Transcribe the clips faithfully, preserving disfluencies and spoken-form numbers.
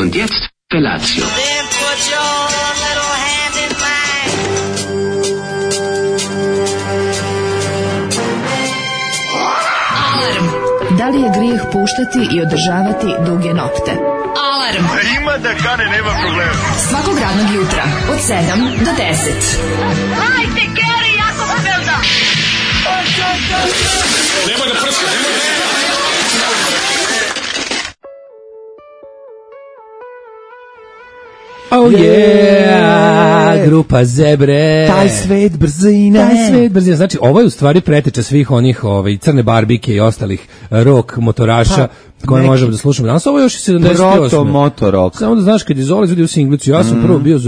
Und jetzt Felatio. Then put your little hand in mine. Alarm. Da li je grijeh puštati i održavati duge nokte? Alarm. Ima da kane, nema problema. Svakog radnog jutra od sedam do deset. Hajde, Geri, jako se velda. Nema da prska, nema da prska. Oh yeah, grupa Zebre. Taj svet brzine. Taj svet brzine. Znači, ovo je u stvari preteča svih onih ovaj, crne barbike i ostalih rock motoraša pa, koje neki možemo da slušamo. Danas ovo je još i sedamdeset osme. Proto motorok. Samo da znaš, kad je Zola izvodio u singlicu, ja sam mm. prvo bio,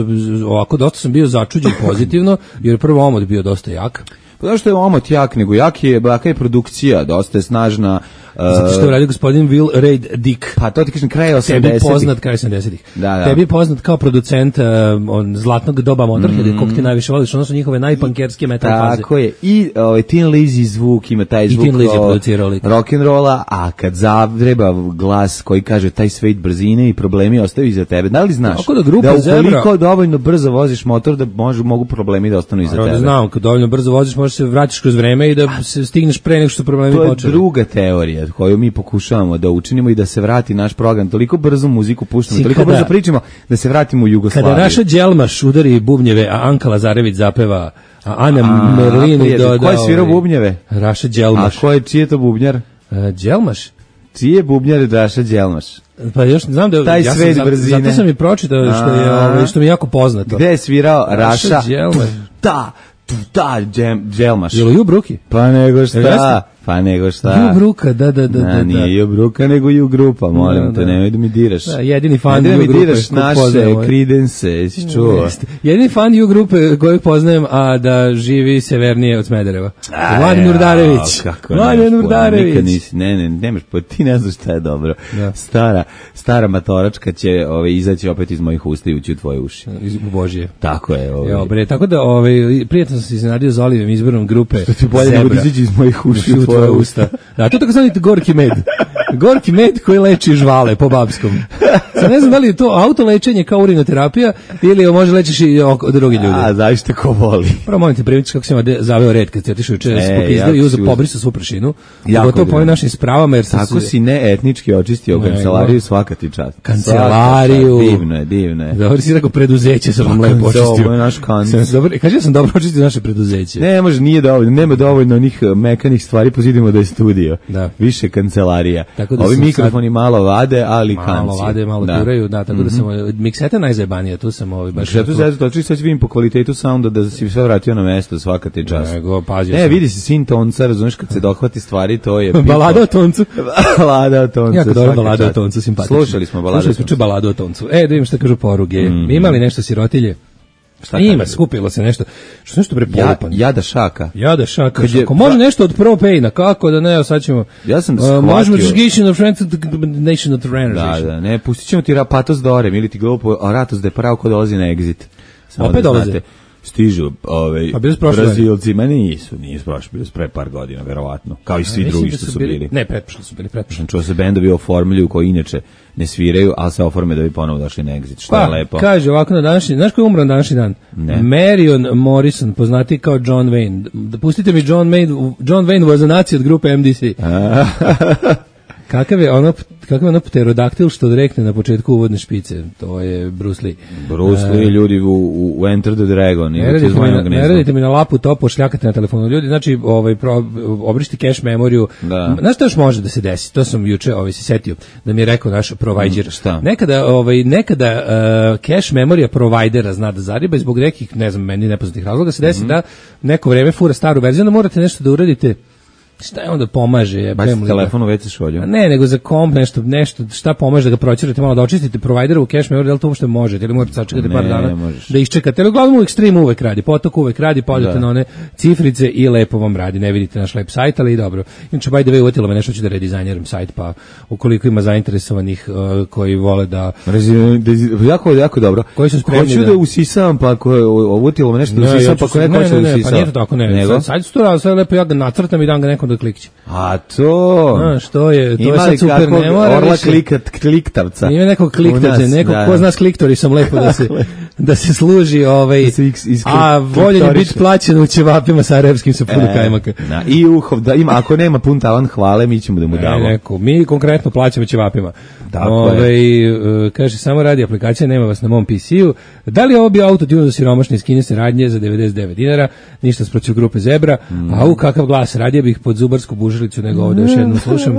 ovako, dosta sam bio začuđen pozitivno, jer prvo omot bio dosta jak. Pa zato što je omot jak, nego jak je, baka je produkcija, dosta je snažna. Uh, Zato što je radio gospodin Will Reid Dick. Pa to ti kažem, kraj osamdesetih. Tebi poznat kraj osamdesetih. Da, da. Tebi poznat kao producent uh, on, zlatnog doba Motorhead, mm. kog ti najviše voliš, ono su njihove najpankerske metal faze. Tako je. I ovaj, Tin Lizzy zvuk ima taj zvuk. I Tin Lizzy je producirao lik. Rock'n'rolla, a kad zavreba glas koji kaže taj svet brzine i problemi ostaju iza tebe. Da li znaš da, grupa da Zebra, ukoliko dovoljno brzo voziš motor da može, mogu problemi da ostanu iza tebe? Da znam, kad dovoljno brzo voziš možeš se vratiš kroz vreme i da se stigneš pre nego što problemi počeli. To je druga teorija koju mi pokušavamo da učinimo i da se vrati naš program. Toliko brzo muziku puštamo, toliko kada, brzo pričamo da se vratimo u Jugoslaviju. Kada Raša Đelmaš udari bubnjeve, a Anka Lazarević zapeva, a Ana Merlini doda... Ko je svirao bubnjeve? Raša Đelmaš. A ko je, čiji je to bubnjar? Uh, Đelmaš? Čiji je bubnjar Raša Đelmaš? Pa još ne znam da taj ja svet sam, brzine. Zato sam i pročitao što je ovaj što mi je jako poznato. Gde je svirao Raša? Raša Đelmaš. Da, da, Đelmaš. Jel Ju Bruki? Pa nego šta? Pa nego šta? Ju Bruka, da, da, da. Na, da, nije Ju Bruka, nego Ju Grupa, molim da, te, da. nemoj da mi diraš. Da, jedini fan Ju Grupe. Grupe. Da mi diraš naše Creedence, si čuo. Jeste. Jedini fan Ju Grupe kojeg poznajem, a da živi severnije od Smedereva. Mladen Urdarević. Mladen Urdarević. Nikad nisi, ne, ne, nemaš, pa ti ne znaš šta je dobro. Da. Stara, stara matoračka će ove, izaći opet iz mojih usta i ući u tvoje uši. Iz Božije. Tako je. Ove. Jo, bre, tako da ove, prijatno sam se iznenadio za Olivim izborom grupe što ti bolje nego izaći iz mojih uši u tvoje usta. Da, to tako zanite gorki med. Gorki med koji leči žvale po babskom. Sad ne znam da li je to autolečenje kao urinoterapija ili može lečiš i od drugi ljudi. A, znaš te ko voli. Prvo molim te primići kako sam zaveo red kad si otišao juče s popizdao i uzeo pobrisu svu prašinu. Gotovo po ovim našim spravama. Jer sam tako se... si ne etnički očistio ne, kancelariju, svaka ti čast. Kancelariju. Divno je, divno je. Dobro si rekao preduzeće sam vam lepo očistio. Ovo je naš kanc. Kaže ja sam dobro očistio naše preduzeće. Ne, može, nije dovoljno. Nema dovoljno onih mekanih stvari, pozidimo da je studio. Da. Više kancelarija. Da ovi mikrofoni sad... malo vade, ali kanci. Malo vade, malo da. Turaju, da, tako mm-hmm. da sam mikseta najzajebanija, tu sam ovaj baš. Mikseta zajedno, to sad vidim po kvalitetu sounda da si sve vratio na mesto, svaka ti čast. Nego, pazio ne, sam. Vidi se sin tonca, razumeš, kad se dohvati stvari, to je... Balada o toncu. Balada o toncu. Jako dobro balada o toncu, simpatično. Slušali smo baladu Slušali smo ču baladu o toncu. E, da vidim šta kažu poruge. Mm-hmm. Imali nešto sirotilje? Šta ima, skupilo se nešto. Što nešto prepolupan. Ja, jada šaka. Jada šaka. Je, ako može nešto od propejna, kako da ne, sad ćemo... Ja sam shvatio. Uh, možemo Nation of Friends Nation of Runners. Da, da, ne, pustit ćemo ti Rapatos Dorem ili ti glupo, a Ratos de Parao ko dolazi na Exit. Samo opet da dolaze. Stižu ovaj pa Brazilci, ma nisu, nisu prošli, bili su pre par godina, verovatno, kao i svi a, drugi što su bili. bili. Ne, pretprošli su bili, pretprošli. Čuo se bendovi oformljuju koji inače ne sviraju, ali se oforme da bi ponovo došli na Exit, što pa, je lepo. Kaže ovako na današnji, znaš ko je umro na današnji dan? Ne. Marion Morrison, poznati kao John Wayne. Da pustite mi John Wayne, John Wayne was a nazi od grupe M D C. Kakav je ono, kakav je ono pterodaktil što rekne na početku uvodne špice? To je Bruce Lee. Bruce Lee, uh, ljudi u, u Enter the Dragon. Ne radite, mi na, ne radite mi na lapu to, pošljakate na telefonu. Ljudi, znači, ovaj, pro, obrišti cache memoriju. Da. Znaš što još može da se desi? To sam juče ovaj, se setio da mi je rekao naš provider. Mm, šta? Nekada, ovaj, nekada uh, cache memorija providera zna da zariba i zbog nekih, ne znam, meni nepoznatih razloga se desi mm-hmm. da neko vreme fura staru verziju, onda morate nešto da uradite. Šta je onda pomaže? Ja baš telefon u ve ce šolju. Ne, nego za komp nešto, nešto, šta pomaže da ga proćerate malo, da očistite provideru u cache memory, da li to uopšte možete, ili morate sačekati par dana možeš. Da iščekate, ali uglavnom u ekstremu uvek radi, potok uvek radi, podete na one cifrice i lepo vam radi, ne vidite naš lep sajt, ali i dobro. Inače, by the way, uvetilo me nešto, ću da redizajniram sajt, pa ukoliko ima zainteresovanih uh, koji vole da... Jako, jako dobro. Koji su spremni hoću da, da usisam, pa ako uvetilo me nešto da usisam, pa ako neko hoće da usisam. Pa nije to tako, ne. Sad, sad su to, sad lepo ja ga nacrtam i dam ga nekom onda klikće. A to... A, što je, to ima je sad super, ne mora orla više. klikat, kliktavca. Ima nekog kliktavca, neko da. Ko zna s kliktori sam lepo da se, da se služi, ovaj, da se iz, iz a voljen je biti plaćen u ćevapima sarajevskim sa puno e, kajmaka. Na, i uhov, da ima, ako nema pun tavan hvale, mi ćemo da mu damo. E, neko, mi konkretno plaćamo ćevapima. Ove, uh, kaže, samo radi aplikacija, nema vas na mom P C-u. Da li je ovo bio autotune za siromašne iz kineske radnje za devedeset devet dinara, ništa sprotiv grupe Zebra, mm. a u kakav glas, radije bih pod zubarsku bužilicu nego ovdje još jednom slušam.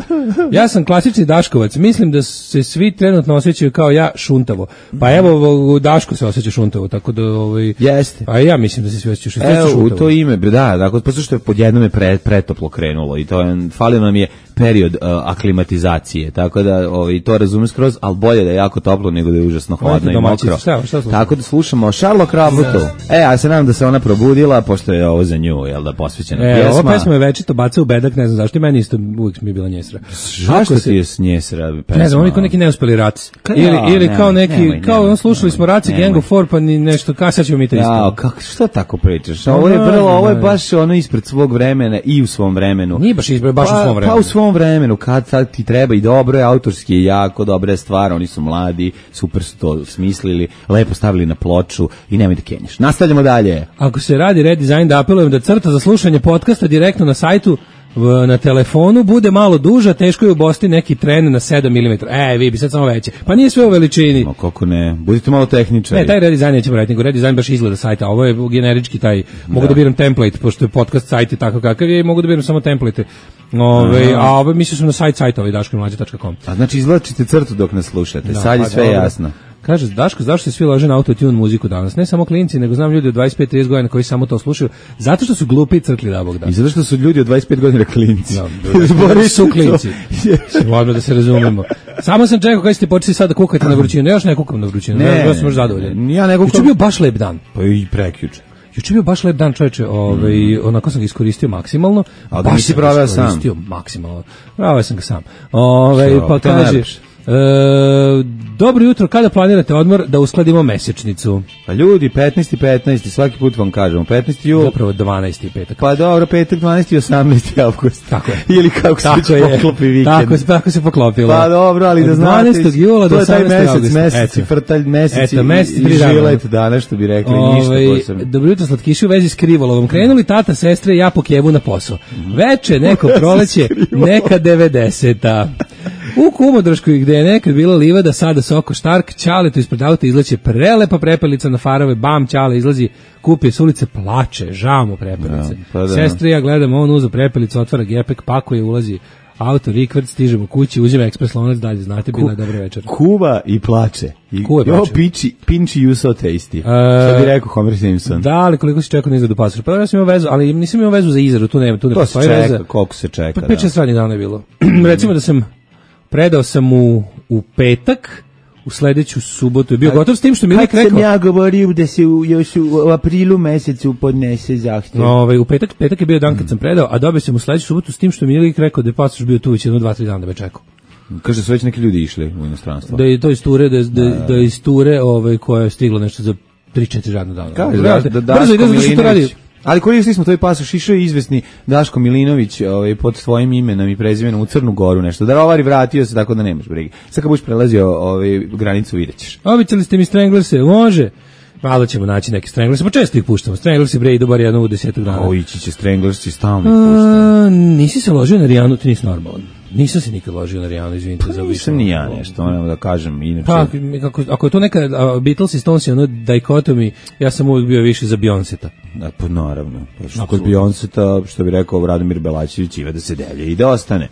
Ja sam klasični Daškovac, mislim da se svi trenutno osjećaju kao ja šuntavo. Pa evo, Daško se osjeća šuntavo, tako da... Ovaj, jeste. Pa ja mislim da se svi osjećaju šuntavo. Evo, u to ime, da, dakle, posto što je pod jednom je pre, pretoplo krenulo i to je, falio nam je period uh, aklimatizacije, tako da ovaj, to razumem skroz, ali bolje da je jako toplo nego da je užasno hladno i mokro. Šta, šta tako da slušamo Charlotte Krabutu. E, ja se nadam da se ona probudila, pošto je ovo za nju, jel da, posvećena e, pjesma. Ova pesma je večito baca u bedak, ne znam zašto, i meni isto uvijek mi je bila njesra. Zašto ti je njesra pesma? Ne znam, oni kao neki neuspeli raci. Ili, ja, ili nemoj, kao neki, nemoj, kao nemoj, on slušali nemoj, smo raci, Gang of Four, pa ni nešto, kao sad ćemo mi to isto. Ja, kako, što tako pričaš? Ovo je vrlo, ovo je baš ono ispred svog vremena i u svom vremenu. Nije baš ispred, baš pa, u svom vremenu. Pa u svom vremenu, kad sad ti treba i dobro je, autorski je jako dobra stvar, oni su mladi, super su to smislili, lepo stavili na ploču i nemoj da kenješ. Nastavljamo dalje. Ako se radi redesign, da apelujem da crta za slušanje podcasta direktno na sajtu v, na telefonu bude malo duža, teško je ubosti neki tren na sedam milimetara. E, vi bi sad samo veće. Pa nije sve u veličini. No, kako ne, budite malo tehničari. Ne, taj redesign nećemo raditi, nego redesign baš izgleda sajta. Ovo je generički taj, mogu da, da biram template, pošto je podcast sajt tako kakav je, mogu da biram samo template. Ove, a ovo mislio sam na sajt sajta ovaj daško mlađe tačka com. A znači izvlačite crtu dok nas slušate, da, sad je sve dobro. Jasno. Kaže, Daško, zašto se svi lože na autotune muziku danas? Ne samo klinci, nego znam ljudi od dvadeset pet trideset godina koji samo to slušaju, zato što su glupi i crkli da Bog da. I zato što su ljudi od dvadeset pet godina klinci. Da, su klinci. Možemo da se razumemo. Samo sam čekao kada ste počeli sad da kukate na vrućinu. Ne, još ne kukam na vrućinu. Ne, ja sam još zadovoljan. Ja ne kukam. Juče bio baš lep dan. Pa i prekjuče. Juče bio baš lep dan, čoveče, ovaj, mm. onako sam ga iskoristio maksimalno. A baš si proveo sam? Iskoristio maksimalno. Proveo sam ga sam. Ovaj, pa kaže... E, dobro jutro, kada planirate odmor da uskladimo mesečnicu? Pa ljudi, petnaesti petnaesti svaki put vam kažemo, petnaesti jul. Zapravo dvanaesti petak. Pa dobro, petak, dvanaesti i osamnaesti avgust. Tako je. Ili kako se već poklopi vikend. Tako, tako se poklopilo. Pa dobro, ali da znate. dvanaestog jula do osamnaestog avgusta. Mesec i frtalj, mesec Eto, mesec i, i žilet dana, što bi rekli, Ove, ništa posebno. Dobro jutro, slatkiši u vezi s krivolovom. Krenuli tata, sestre i ja po Kijevu na posao. Veče, neko proleće, neka devedeseta. U Kumodroškoj, gde je nekad bila livada, sada Soko Štark, Ćaletu ispred auta izleće prelepa prepelica na farove, bam, Ćale izlazi, kupi s ulice, plače, žao mu prepelice. Ja, pa sestri, ja gledam, on uzu prepelicu, otvara gepek, pakuje, ulazi auto, rikvrt, stižemo kući, uzima ekspres lonac, dalje, znate, bila je dobra večer. Kuva i plače. I, Kuva i plače. Jo, piči, pinči you so tasty. Uh, što bi rekao Homer Simpson. Da, ali koliko si čekao na izradu pasoša? Pa ja sam imao vezu, ali nisam imao vezu za izradu, tu ne, tu ne to postoji veza. To se čeka, koliko se čeka, pa, pet šest radnjih dana je bilo. Recimo da sam predao sam u, u petak, u sledeću subotu je bio gotov s tim što mi je rekao. Kad sam ja govorio da se u, još u aprilu mesecu podnese zahtjev. No, ovaj, u petak, petak je bio dan kad sam predao, a dobio sam u sledeću subotu s tim što mi je rekao da je pasoš bio tu već jedno, dva, tri dana da me čekao. Kaže, su već neki ljudi išli u inostranstvo. Da je to iz ture, da, da, da je iz ture ovaj, koja je stigla nešto za tri četiri radna dana. Kaže, da, da, da, brzo ide da što to radi. Ali koristili smo tvoj pasoš, išao je izvesni Daško Milinović ovaj, pod svojim imenom i prezimenom u Crnu Goru nešto. Darovari vratio se tako da nemaš brige. Sad kad budeš prelazio ovaj, granicu vidjet ćeš. Običali ste mi Stranglerse, može? Malo ćemo naći neke Stranglerse, pa često ih puštamo. Stranglerse bre idu bar jedno u desetak dana. O, ići će Stranglerse i stalno ih puštamo. Nisi se ložio na Rijanu, ti nisi normalan. Nisam se nikad ložio naRijanu, izvinite pa za više. Nisam ni ja nešto, moram da kažem. Inače... Pa, ako, ako je to neka uh, Beatles i Stones, ono dikotomi, ja sam uvijek bio više za Beyonceta. Da, pa naravno. Pa što kod Beyonceta, što bi rekao Radomir Belačević, iva da se delje i da ostane.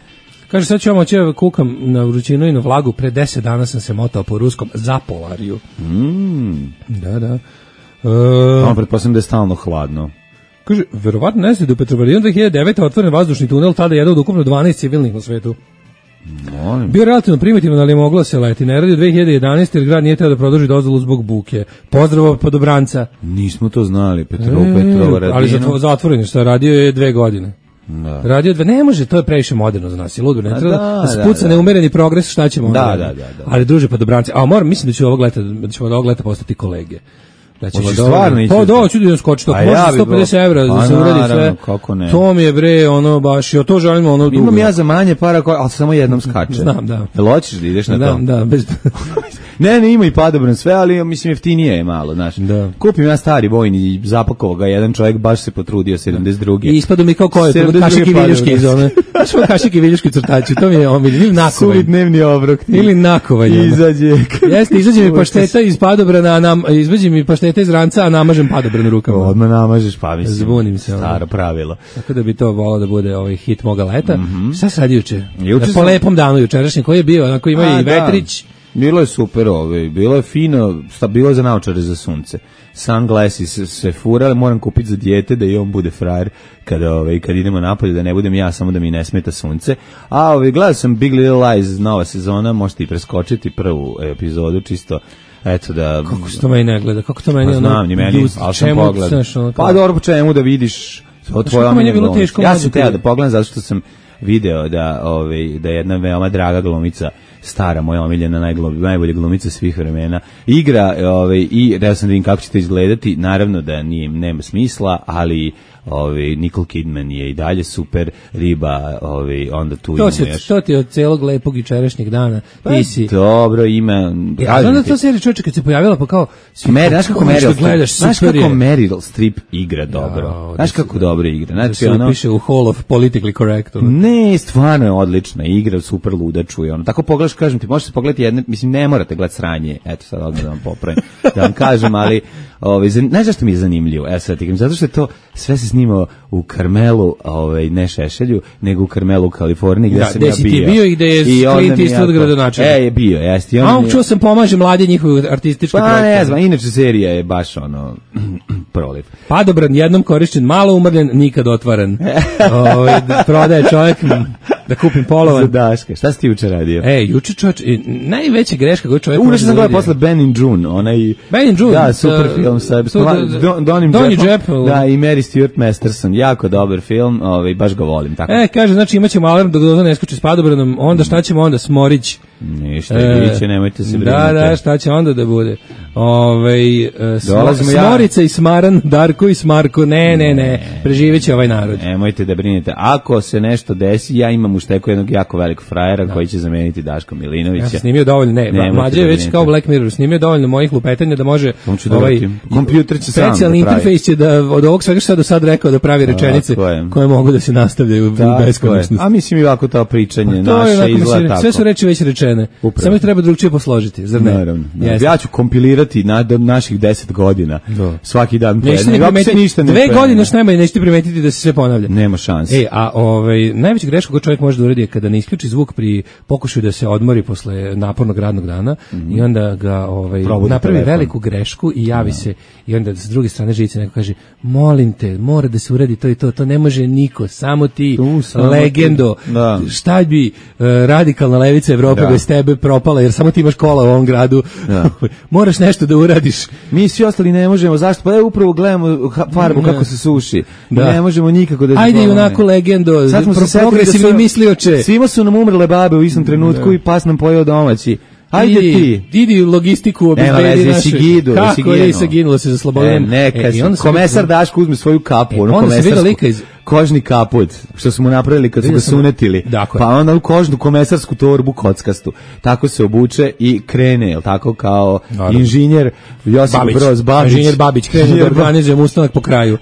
Kaže, sad ću vam oći kukam na vrućinu i na vlagu, pre deset dana sam se motao po ruskom za Polariju. Mm. Da, da. Uh, pretpostavljam da je stalno hladno. Kaže, verovatno ne znate da u Petrovaradinu dve hiljade devete. otvoren vazdušni tunel, tada je jedan od ukupno dvanaest civilnih na svetu. Molim. Bio relativno primitivan, ali je moglo se leti. Ne radi u dve hiljade jedanaeste. jer grad nije trebao da produži dozvolu zbog buke. Pozdrav od Podobranca. Nismo to znali, Petrov, e, Petrovaradinu. Ali zatvo, zatvoren je, što radio je dve godine. Da. Radio dve, ne može, to je previše moderno za nas. Je ludo, ne treba da, da spuca da, da. neumereni progres, šta ćemo da, onda? Da, da, da. Ali druže Podobranci, a moram, mislim da ću ovog leta, da ćemo od ovog leta postati kolege. Da će Hoćeš dobro. stvarno ići? Pa da, ću da skoči to. Pa Može ja bi sto pedeset bo- evra Pa da se uradi naravno, sve. kako ne. To mi je bre, ono baš, ja to želim ono dugo. Imam ja za manje para, ko- ali samo jednom skače. Znam, da. Jel hoćeš da ideš na Da, to? da, bez... Ne, ne, ima i padobran sve, ali mislim jeftinije je malo, znaš. Da. Kupim ja stari vojni i zapakovao ga, jedan čovjek baš se potrudio, sedamdeset druge. I ispadu mi kao koje, sedamdeset druge kašike i viljuške iz padobran. one. Znaš ovo kašike i viljuške crtači, to mi je omiljen. Ili nakovanj. Suvi dnevni obrok. Ili nakovanj. ono. Izađe. Jeste, izađe mi pašteta iz padobrana, a nam, izađe mi pašteta iz ranca, a namažem padobran rukama. Odmah namažeš, pa mislim. Zbunim se, ono. Staro pravilo. Tako da bi to volao da bude ovaj hit moga leta. Mhm. Šta se radi juče? Juče po sam- lepom danu jučerašnji, koji je bio, onako ima A, i vetrić. Da. Bilo je super, ovaj, bilo je fino, sta bilo je za naočare za sunce. Sunglassi se, se furale, moram kupiti za dijete da i on bude frajer kada ovaj kad idemo napolje, da ne budem ja samo da mi ne smeta sunce. A ovaj gledao sam Big Little Lies, nova sezona, možete i preskočiti prvu epizodu čisto. Eto da Kako se to meni ne gleda, kako to meni pa ono... znam, ni meni, ljut- ali sam čemu, pogledao. znaš, ono kao- Pa dobro, po čemu da vidiš to tvoje kako meni je omiljene bilo glumice. teško Ja mlađe sam teo kad- da pogledam zato što sam video da ovaj da je jedna veoma draga glumica, stara moja omiljena, najglu- najbolja glumica svih vremena, igra ovaj i da sam da vidim kako će to izgledati. Naravno da nije, nema smisla, ali ovaj Nicole Kidman je i dalje super riba, ovaj onda tu To, imamo si, još. to ti je od celog lepog jučerašnjeg dana. Pa Ti si... dobro, ima. Ja znam da to serija čovječe kad se pojavila pa kao... svi- Meri, znaš kako nešto Meryl gledaš, Streep, znaš super kako je. Meryl Streep igra dobro. Jao, Znaš da kako se- dobro igra. Da Znači se ono upiše u Hall of Politically Correct. ono. Ne, stvarno je odlična igra, super luda čuje. Ono tako pogledaš, kažem ti, možete pogledati jedne, mislim ne morate gledati sranje. Eto sad odmah da vam popravim. Da vam kažem, ali ovaj zan- znaš zašto mi je zanimljivo? Evo sad ti kažem, zato što je to sve se snimao u Carmelu, ovaj ne Šešelju, nego u Carmelu u Kaliforniji gde Da, sam gde ja si ti bio. bio i gde je I onda Clint mi Eastwood jako- gradonačelnik. E, je bio, jeste. I A onda on mi je- čuo sam pomaže mlade njihove artističke Pa ne projekte. znam, inače serija je baš ono proliv. Padobran jednom korišćen, malo umrljen, nikad otvaran. Ovaj, da prodaje čovjek da kupim Za polovan. Daška. Šta si ti juče radio? E, juče čovječ, e, najveća greška koju čovjek Unaš može sam da gledao uradi. posle Ben in June, onaj... Ben in June, Da, sa- super film sa sa- Don- da- Don- Donim Donny Jeppom. Jepp. Da, i Mary Stuart Masterson. Jako dobar film, ovaj, baš ga volim. Tako. E, kaže, znači imaćemo alarm dok doza ne skoči s padobranom, onda šta ćemo onda, Smorić. Ništa, E, biće, nemojte se brinuti. Da, da, šta će onda da bude? Ovaj e, smo, Dolazimo ja. Smorica i Smaran, Darko i Smarko, ne, ne, ne, preživeće ovaj narod. Nemojte da brinete. Ako se nešto desi, ja imam u šteku jednog jako velikog frajera koji će zameniti Daška Milinovića. Ja sam snimio dovoljno, ne, Nemojte mlađe je da već brinete. kao Black Mirror, snimio dovoljno mojih lupetanja da može On će da ovaj vratim. Kompjuter će sam specijalni da pravi. interfejs će da od ovog svega što je do sad rekao da pravi rečenice Tako je. koje mogu da se nastavljaju u Tako je. beskonačnost. A mislim i ovako to pričanje To je naše onako, izgleda mislim, tako. sve su reči već rečene. Upravo. Samo ih treba drugčije posložiti, zar ne? Naravno. Jeste. Ja ću kompilirati na, do naših deset godina. Da. Svaki dan. po Nećete jedno. ni I ovako se primetiti, ništa ne dve promeni. godine što najmanje nećete primetiti da se sve ponavlja. Nema šanse. E, a ovaj, najveća greška koju čovjek može da uradi je kada ne isključi zvuk pri pokušaju da se odmori posle napornog radnog dana i onda ga ovaj, Probudi napravi telefon. veliku grešku i javi se i onda s druge strane živice neko kaže molim te, mora da se uradi to i to, to ne može niko, samo ti, Tu, samo legendo, ti. Da. šta bi uh, radikalna levica Evrope Da. bez tebe propala jer samo ti imaš kola u ovom gradu, Da. moraš nešto da uradiš. Mi svi ostali ne možemo, zašto? Pa evo upravo gledamo ha- farbu Da. kako se suši. Da. Ne možemo nikako da... se Ajde i pomogne. onako legendo, Sad smo se pro- setili da progresivni su- mislioče. Svima su nam umrle babe u istom trenutku i pas nam pojeo domaći. Ajde idi, ti. idi logistiku Nema obezbedi veze, naše. si gidu, si Kako je ginuo. se ginulo se za E, Slobodan. neka, E, i onda sam komesar vidio- Daško uzme svoju kapu, E, ono onda sam vidio komesarsku, lika iz- kožni kaput, što smo napravili kad su Vidio ga sam- sunetili, Dakle. pa onda u kožnu komesarsku torbu kockastu. Tako se obuče i krene, jel tako, kao Naravno. inženjer Josip Babić, Broz Babić. inženjer Babić krene da Inženjer Babić. organizujem ustanak po kraju.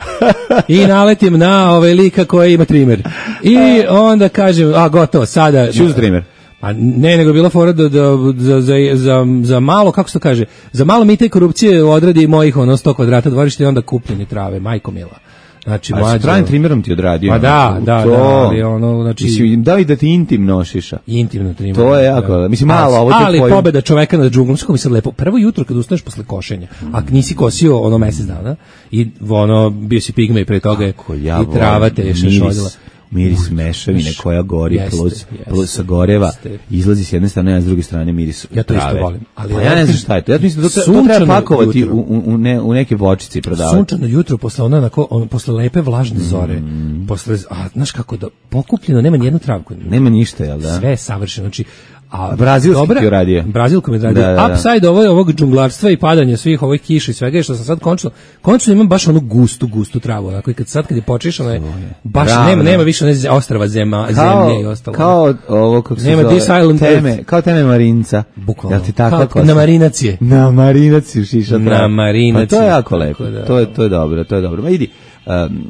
I naletim na ovaj lika koji ima trimer. I onda kažem, a gotovo, sada... Choose trimer. Pa ne, nego je bila fora da, da, za, za, za, za malo, kako se to kaže, za malo mita i korupcije odradi mojih ono sto kvadrata dvorišta i onda kupljeni trave, majko mila. Znači, A s mlađo... trajnim trimerom ti odradio. Ma da, ono, da, to- da, ali ono, znači... Mislim, da li da ti intim nošiša? Intimno trimer. To je jako, mislim, malo, ovo ti ali tvoj- pobeda čoveka nad džunglom, što mi sad lepo. Prvo jutro kad ustaneš posle košenja, a nisi kosio ono mesec dana i ono bio si pigmej pre toga Kako ja i trava volim te je miris- šešoljila. Miris mešavine koja gori Jeste, plus, jeste, plus sa goreva, jeste. izlazi s jedne strane, a s druge strane miris Ja to isto trave. volim, ali Pa ja ja ne znam kažem, šta je to. Ja mislim da to, to sunčano treba pakovati jutro. u, u, u, ne, u neke vočice i prodavati. Sunčano jutro posle ona onako, ono, posle lepe vlažne zore, posle, a znaš kako da pokupljeno, nema ni jednu travku. Nema ništa, jel da? Sve je savršeno, znači A brazilski ti uradio. Brazilko mi radio. Da, da, da. Upside ovo, ovog džunglarstva i padanja svih ovih kiša i svega, što sam sad končno, končno imam baš onu gustu, gustu travu. Dakle, kad sad kad je počeš, ono je, baš Ravno. nema, nema više one ostrava zema, kao, zemlje i ostalo. Kao ovo, kako se nema zove, teme, kao teme Marinca. Bukvalno. Jel ti tako kao, na Marinacije. Na Marinacije šiša travu. Na Marinacije. Pa to je jako lepo. Da, to, je, to je dobro, to je dobro. Ma idi, um,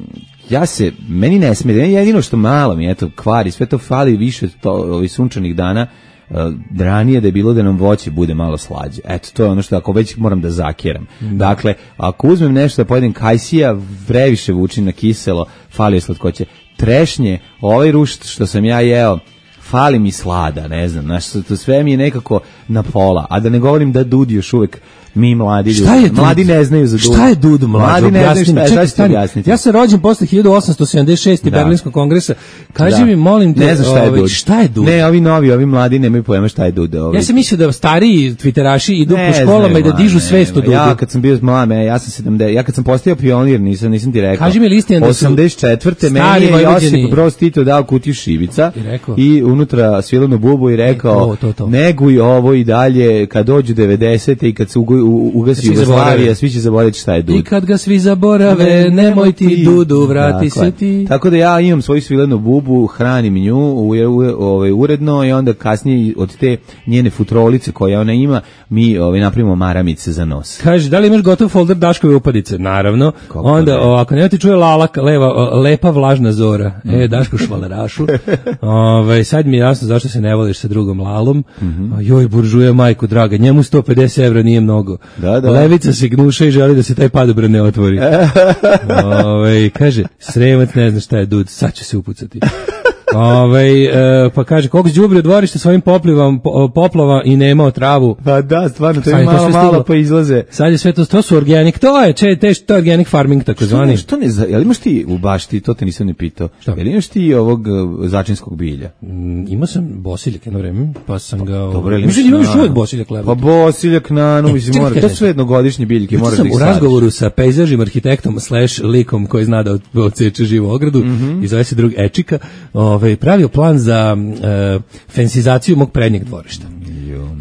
ja se, meni ne smije, jedino što malo mi, eto, kvari, sve to fali više to, ovih sunčanih dana, uh, ranije da je bilo da nam voće bude malo slađe. Eto, to je ono što ako već moram da zakeram. Da. Dakle, ako uzmem nešto da pojedem kajsija, previše vuči na kiselo, fali je slatkoće. Trešnje, ovaj rušt što sam ja jeo, fali mi slada, ne znam, znaš, to sve mi je nekako na pola, a da ne govorim da Dud još uvek mi mladi ljudi. Mladi ne znaju za Dud. Šta je Dud, mlađo? Mladi ne znaju šta je, šta objasniti. Ja sam rođen posle hiljadu osamsto sedamdeset šeste. Da. Berlinskog kongresa. Kaži da. mi, molim te, ne znam šta je ove, Dud. Šta je Dud? Ne, ovi novi, ovi mladi nemaju pojma šta je Dud. Ovi. Ja sam mislio da stariji tviteraši idu ne po školama znam, i da dižu svest o Dudu. Ja kad sam bio mlad, ja sam sedamdeset, ja kad sam postao pionir, nisam nisam ti rekao. Kaži mi listin da su osamdeset četvrte meni je Josip Broz Tito dao kutiju šibica i, i unutra svilenu bubu i rekao: "Neguj ovo i dalje kad dođu devedesete i kad se ugasi Jugoslavija, svi će zaboraviti šta je Dud." I kad ga svi zaborave, nemoj ti Dudu, vrati se ti. Tako da ja imam svoju svilenu bubu, hranim nju u, u, ovaj, uredno i onda kasnije od te njene futrolice koje ona ima, mi ovaj, napravimo maramice za nos. Kaže, da li imaš gotov folder Daškove upadice? Naravno. Kako onda, o, ako nema ti čuje lala, leva, o, lepa vlažna zora. Mm. E, Daško švalerašu. Ove, sad mi je jasno zašto se ne voliš sa drugom lalom. Mm -hmm. Joj, buržuje, majko draga, njemu sto pedeset evra nije mnogo. Da, da. Levica se gnuša i želi da se taj padobran ne otvori. Ove, kaže, Sremac ne zna šta je Dud, sad će se upucati. Ove, e, pa kaže, koliko đubre u dvorište svojim poplivom, po, poplava i nemao travu. Pa da, stvarno, to je malo, malo pa izlaze. Sad je sve to, to su organic, to je, če, te, to je organic farming, tako zvani. Što ne, jel imaš ti u bašti, to te nisam ne pitao, jel imaš ti ovog uh, začinskog bilja? Mm, imao sam bosiljak jedno vreme, pa sam ga... Dobro, mislim da imaš uvijek bosiljak leba. Pa bosiljak na, no, mislim, mora, to su jednogodišnje biljke, moraš da ih u razgovoru sa pejzažnim arhitektom slash likom koji zna da odseče živu ogradu, mm -hmm. i zove se drug Ečika, ovaj, pravio plan za uh, fensizaciju mog prednjeg dvorišta.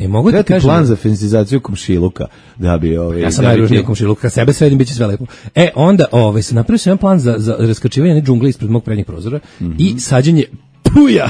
E, mogu ti kažem plan za fensizaciju komšiluka, da bi ovaj ja sam najružniji ti... komšiluk, kad sebe sredim biće sve lepo. E onda ovaj se napravio sam plan za za raskačivanje džungle ispred mog prednjeg prozora mm -hmm. i sađenje tuja.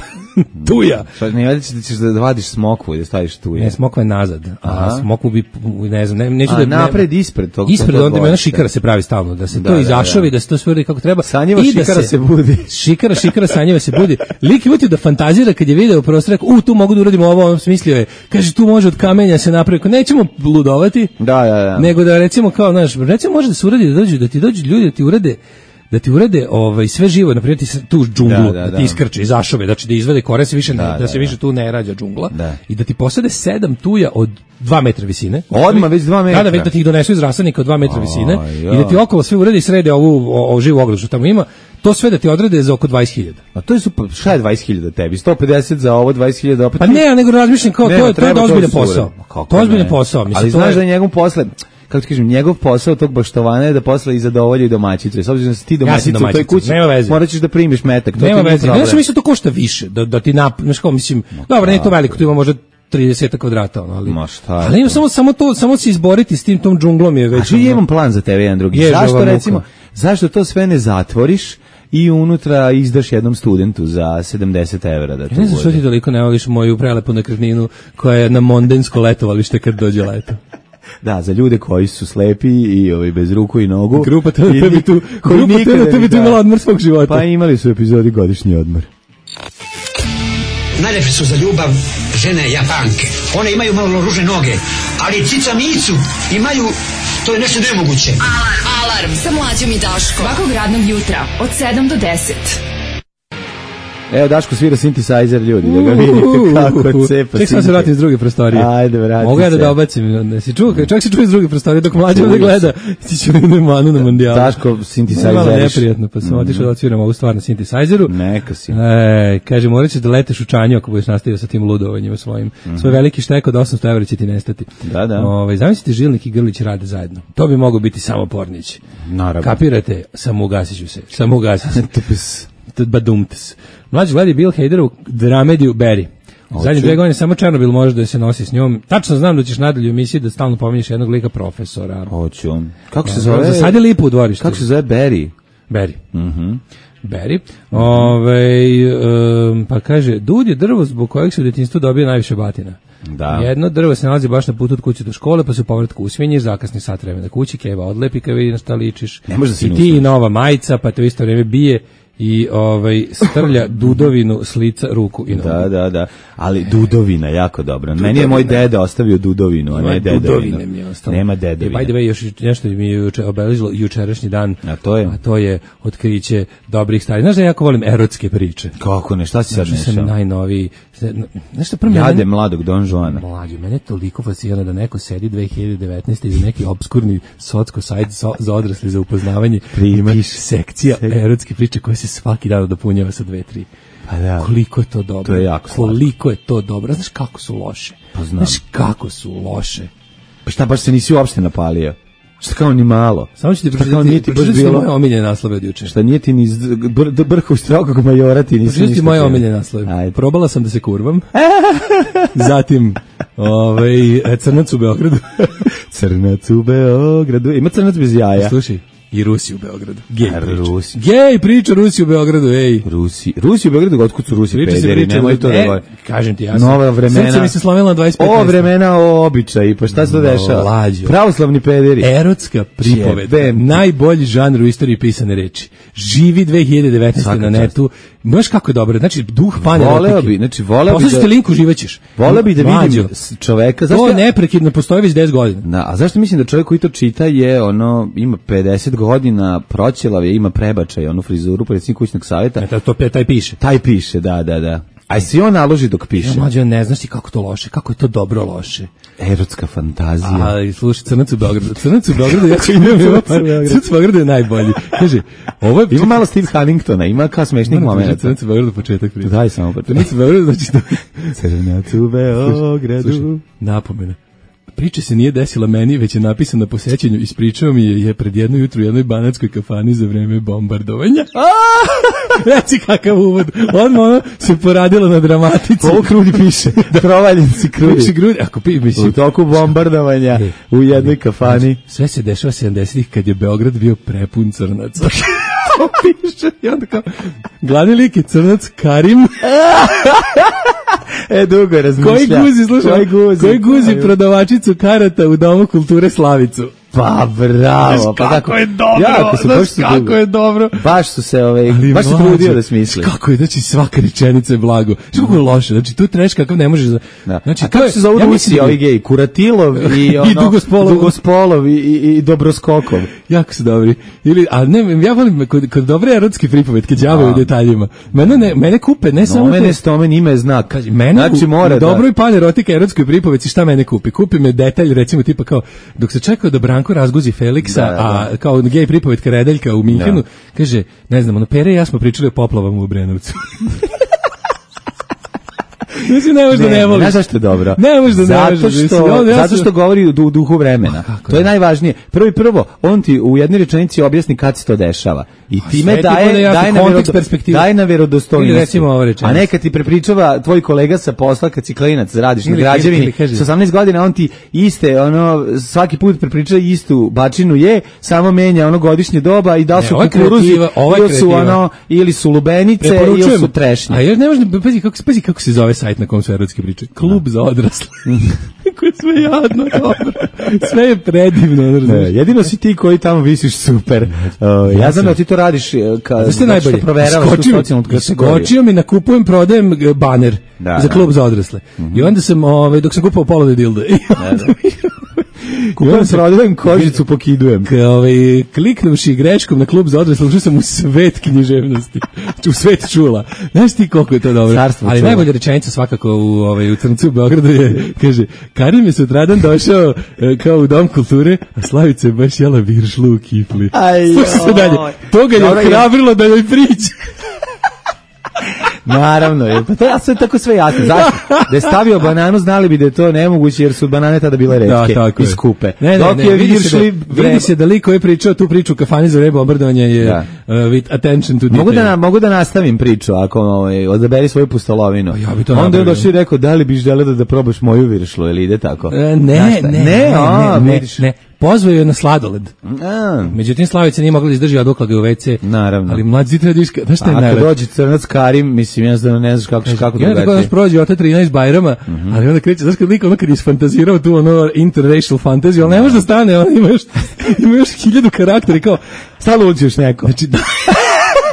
Tuja. Šta ne vadiš da ćeš da vadiš smokvu i da staviš tuja. Ne, smokva je nazad. A smokvu bi ne znam, ne, neću a, da napred ispred tog. Ispred onda ima šikara se pravi stalno da se da, to izašavi, da, da. da se to sve kako treba. Sanjeva i šikara da se, se budi. Šikara, šikara sanjeva se budi. Lik je da fantazira kad je video prostor, u tu mogu da uradimo ovo, on smislio je. Kaže tu može od kamenja se napravi. Nećemo ludovati. Da, da, da. Nego da recimo kao, znaš, recimo može da se uradi da dođu da ti dođu ljudi da ti urade da ti urede ovaj sve živo, na primjer ti tu džunglu, da, da, da ti iskrče iz ašove, znači da izvade kore se više ne, da, da, da se više tu ne rađa džungla da. I da ti posade sedam tuja od dva metra visine. Odmah već dva metra. Da, da, već da ti ih donesu iz rasadnika od dva metra visine i da ti okolo sve urede i srede ovu o, o živu ogradu što tamo ima. To sve da ti odrede za oko dvadeset hiljada. A to je super, šta je dvadeset hiljada tebi? sto pedeset za ovo, dvadeset hiljada opet. Pa ne, nego razmišljam kao ne, to je to je ozbiljan posao. To je ozbiljan posao, mislim. Ali znaš da je njegov posle kako ti kažem, njegov posao tog baštovana je da posle i zadovolji domaćicu. S obzirom da si ti domaćica ja u toj kući, morat ćeš da primiš metak. To nema veze. Ja sam mislio to košta više, da, da ti nap... Znaš kao, mislim, no, dobro, nije to veliko, tu ima možda trideset kvadrata, ono, ali... Ma šta ali ima samo, samo to, samo se izboriti s tim tom džunglom je već... A ja imam plan za tebe, jedan drugi. Je, zašto, recimo, zašto to sve ne zatvoriš i unutra izdaš jednom studentu za sedamdeset evra da to ne znam što ti toliko ne voliš moju prelepu nekretninu koja je na mondensko letovalište kad dođe leto. Da, za ljude koji su slepi i ovaj bez ruku i nogu. Grupa te bi tu, grupa te bi tu imala odmor svog života. Pa imali su epizodi godišnji odmor. Najlepše su za ljubav žene Japanke. One imaju malo ružne noge, ali cica micu imaju, to je nešto nemoguće. Alarm, alarm sa Mlađom i Daškom. Svakog radnog jutra od sedam do deset. Evo Daško svira synthesizer, ljudi, da ga vidite kako cepa. Ček sam se vratim iz druge prostorije. Ajde, vrati se. Mogu ja da dobacim, ne si čuo, čak se čuje iz druge prostorije, dok Mlađa ovdje gleda, ti će mi manu na mondijalu. Daško synthesizer. Malo neprijatno, pa sam otišao da odsviram ovu stvar na synthesizeru. Neka si. E, kaže, morat ćeš da leteš u čanju ako budeš nastavio sa tim ludovanjima svojim. Mm-hmm. Svoj veliki štek od osamsto evra će ti nestati. Da, da. Ove, zamislite, Žilnik i Grlić rade zajedno. To bi mogao biti samo Pornić. Naravno. Kapirate? Samo ugasit ću se. Samo ugasit se. Badumtes. Mlađi gledi Bill Hader u dramediju Barry. Zadnje dve godine samo Černobil može da se nosi s njom. Tačno znam da ćeš nadalje u emisiji da stalno pominješ jednog lika profesora. Hoću. Kako se zove? Zasadi lipu u dvorištu. Kako se zove Barry? Barry. Mhm. Barry. Ove, um, pa kaže, dud je drvo zbog kojeg se u djetinjstvu dobije najviše batina. Da. Jedno drvo se nalazi baš na putu od kuće do škole, pa se u povratku usvinješ, zakasni sat vremena kući, Keva odlepi kad vidi na šta ličiš. Ne može da se I ti i nova majica, pa te u isto vreme bije i ovaj strlja dudovinu s lica, ruku i nogu. Da, da, da. Ali dudovina jako dobro. Meni je moj deda ostavio dudovinu, a ne dedovinu. Mi je ostalo. Nema dedovine. I by the way, još nešto mi je juče obeležilo jučerašnji dan. A to je? A to je otkriće dobrih stvari. Znaš da ja jako volim erotske priče. Kako ne, šta si sad Znaš, nešao? sam najnoviji. Znaš što prvo Jade mladog Don Juana. Mlađe, mene je toliko fascinirano da neko sedi dve hiljade devetnaeste iz neki obskurni socko sajt za, za odrasli za upoznavanje. Ima sekcija erotske priče koje se svaki dan dopunjava sa dve, tri. Pa da. Koliko je to dobro. To je jako Koliko je to dobro. Znaš kako su loše. Pa znam. Znaš kako su loše. Pa šta, baš se nisi uopšte napalio? Šta kao ni malo? Samo ću ti pročitati, pročitati moje omiljene naslove od juče. Šta nije ti ni br, brhu strogog majora ti nisi ništa. Pročitati moje omiljene naslove. Ajde. Probala sam da se kurvam. Zatim ovaj, Crnac u Beogradu. Crnac u Beogradu. Ima crnac bez jaja. Slušaj. I Rusi u Beogradu. Gej priča. Rusi. Gej priča Rusi u Beogradu, ej. Rusi. Rusi u Beogradu, otkud su Rusi Priča se pederi, priča, nemoj to da govori. Kažem ti, ja sam. Nova vremena. Srce mi se slomilo na dvadeset pet. O vremena, o običaji, pa šta se to dešava? Mlađo. Pravoslavni pederi. Erotska pripoved. Najbolji žanr u istoriji pisane reči. Živi dve hiljade devetnaeste na netu. Možeš kako je dobro. Znači, duh pane erotike. Voleo bi, znači, voleo bi da... Poslušajte linku, živećeš. Voleo bi da vidim čoveka. To neprekidno postoji već deset godina. Da, a zašto mislim da čovjek koji to čita je, ono, ima pedeset godina, proćelav je, ima prebačaj, onu frizuru, predsjednik kućnog savjeta. E, to, taj piše. Taj piše, da, da, da. A si on naloži dok piše? Ja, mlađe, ne znaš ti kako to loše, kako je to dobro loše. Erotska fantazija. Ali, slušaj, Crnac u Beogradu. Crnac u Beogradu, ja imam, Crnac u Beogradu je najbolji. Kaže, ovo je... Ima malo Steve Huntingtona, ima kao smešnih momenta. Crnac u Beogradu, početak prije. Daj samo početak. Crnac u Beogradu, znači to... Crnac u Beogradu. Slušaj, napomena. Priča se nije desila meni, već je napisana po sećanju. Ispričao mi je, je pred jedno jutro u jednoj banatskoj kafani za vreme bombardovanja. Reci kakav uvod. Odmah ono se poradilo na dramatici. Ovo Krudi piše. Provaljenci Krudi. Piše Krudi. Ako pi, mislim. U toku bombardovanja u jednoj kafani. Sve se dešava sedamdesetih kad je Beograd bio prepun crnaca. To piše. I onda kao, glavni lik je crnac Karim. E, dugo razmišlja. Koji guzi, slušaj, koji guzi, koji guzi prodavačicu karata u Domu kulture Slavicu. Pa bravo, znaš, pa kako je dobro, jako su, znaš baš su kako dugo. je dobro. Baš su se, ovaj, ali baš se trudio da smisli. Kako je, znači svaka rečenica je blago. Što kako je loše, znači tu treš kakav ne možeš da... Da. Znači, a kako se zove ja Rusi, ovi geji? Kuratilov i, ono, i Dugospolov, Dugospolov i, i, i Dobroskokov. Jako su dobri. Ili, a ne, ja volim kod, kod dobre erotske pripovetke đavaju u detaljima. Mene, ne, mene kupe, ne samo... Mene stomen ime znak. Kaži, mene znači, u, mora u da... dobroj pan erotike erotskoj pripovetci šta mene kupi? Kupi me detalj, recimo tipa kao, dok se čekao da Branko razguzi Feliksa, da, da, da. A kao gej pripovetka Redeljka u Minhenu, da. Kaže, ne znam, ono, Pere i ja smo pričali o poplavama u Obrenovcu. Znači, ne možeš da ne voliš. Ne, zašto je dobro? Ne možeš da ne zato voliš. Što, ja zato sam... što govori u duhu vremena. To je najvažnije. Prvo i prvo, on ti u jednoj rečenici objasni kad se to dešava. I time daje, daje, na verodo, daje na verodostojnosti. Recimo ovo rečenicu. A ne kad ti prepričava tvoj kolega sa posla, kad si klinac, radiš ili, na građevini, sa osamnaest godina, on ti iste, ono, svaki put prepričava istu bačinu je, samo menja ono godišnje doba i da su ne, kukuruzi, ili su, ono, ili su lubenice, ili su trešnje. A još ne možda, pazi kako, pazi kako se zove sajt na kom su erotske priče. Klub za odrasle. Kako je sve jadno, dobro. Sve je predivno. Ne, jedino si ti koji tamo visiš super. Uh, ja znam da ti to radiš ka, što najbolje. Skočio mi, nakupujem, prodajem baner da, za klub da. Za odrasle. Mm-hmm. I onda sam, ovaj, dok sam kupao polovne dilde. Da, da. Kupujem, prodajem, kožicu pokidujem. Ovaj, kliknuvši greškom na klub za odrasle, ušao sam u svet književnosti. U svet čula. Znaš ti koliko je to dobro? Carstvo ali čula. Najbolja rečenica svakako u, ovaj, u Crncu u Beogradu je, kaže, Karim je sutradan došao kao u Dom kulture, a Slavica je baš jela viršlu u kifli. Slušaj se dalje. To ga je ohrabrilo da joj priđe. Naravno, je, pa to je sve tako sve jasno. Zašto? Da je stavio bananu, znali bi da je to nemoguće, jer su banane tada bile retke da, i skupe. Ne, ne, Dok ne, je vidi, se da, vidi se da liko je pričao tu priču u kafani za vreme bombardovanja je da. uh, with attention to detail. Mogu da, mogu da nastavim priču, ako ovaj, odaberi svoju pustolovinu. Pa ja bi to onda je došli i rekao, da li biš želeo da, da probaš moju viršlu, ili ide tako? E, ne, ne, ne, ne, a, ne, ne, ne. Pozvao je na sladoled. A. Međutim, Slavica nije mogla da izdrži, odukla ga u ve ce. Naravno. Ali mlađi treba diška. Znaš šta je najlepše? Ako dođe crnac Karim, mislim, jednostavno ne znaš kako, kako drugačije. Tako daš prođe od te trinaest Bajrama, mm -hmm. ali onda kreće, znaš kad lik ono kad isfantazirao tu ono interracial fantaziju, ali ne može da stane, on ima još, ima još hiljadu karakteri, kao, stalno uđeš neko. Znači, da.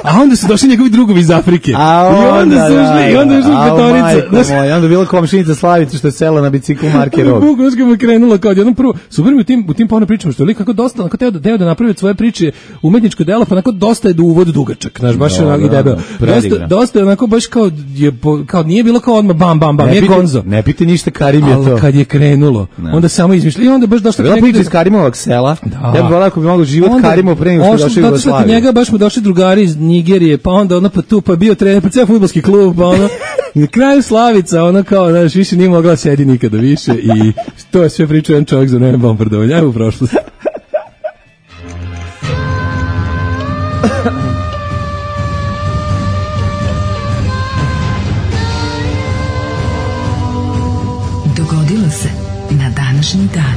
A onda su došli njegovi drugovi iz Afrike. A onda, I onda su ušli, da, i onda je ušli petorica. Znaš, moj, onda je bila komšinica Slavica što je sela na biciklu marke Rog. Buk, znaš kako je krenulo kao jednom prvo. Super mi u tim, u tim porno pričama, što je lik kako dosta, onako teo, teo da napravi svoje priče umetničko delo, pa onako dosta je do uvod dugačak. Znaš, baš je onako i debel. Dosta, dosta je onako baš kao, je, kao nije bilo kao odmah bam, bam, bam, ne nije pite, gonzo. Ne pite ništa, Karim je to. Ali kad je krenulo, ne. Onda samo izmišlja. I onda baš došlo do priče iz Karimovog sela. Da. Ja bih volao ako bi mogao život Karimov pre nego što došao u Jugoslaviju. Njega baš mu došli drugari iz Nigerije, pa onda ono pa tu, pa bio trener, pa ceo fudbalski klub, pa ono, i na kraju Slavica, ono kao, znaš, više nije mogla sedi nikada više i to je sve pričao jedan čovjek za vreme bombardovanja, ajmo u prošlost. Dogodilo se na današnji dan.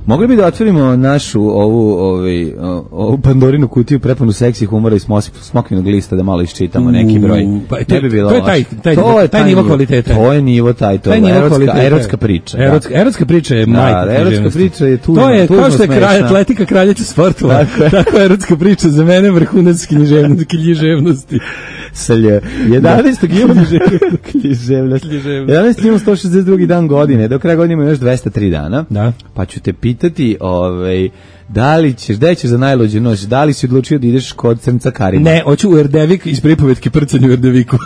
Mogli bi da otvorimo našu ovu, ovaj, ovu Pandorinu kutiju prepunu seksi humora i smokvinog lista da malo iščitamo neki broj. Pa, to, ne bi bilo to je taj, taj, to je taj, taj nivo kvaliteta. To je nivo taj, to je erotska, erotska priča. Erotska, da. erotska priča je da, majka. Erotska priča je tužno, to je tužno kao što je kralj, atletika kraljica sportova. Tako, tako je erotska priča za mene vrhunac književnosti. Salje. jedanaestog jula književnosti. jedanaestog jula sto šezdeset drugi dan godine. Do kraja godine ima još dvesta tri dana. Da. Pa ću te pitati, ovaj, da li ćeš, gde ćeš za najluđu noć? Da li si odlučio da ideš kod crnca Karima? Ne, hoću u Erdevik iz pripovetke Prcanju u Erdeviku.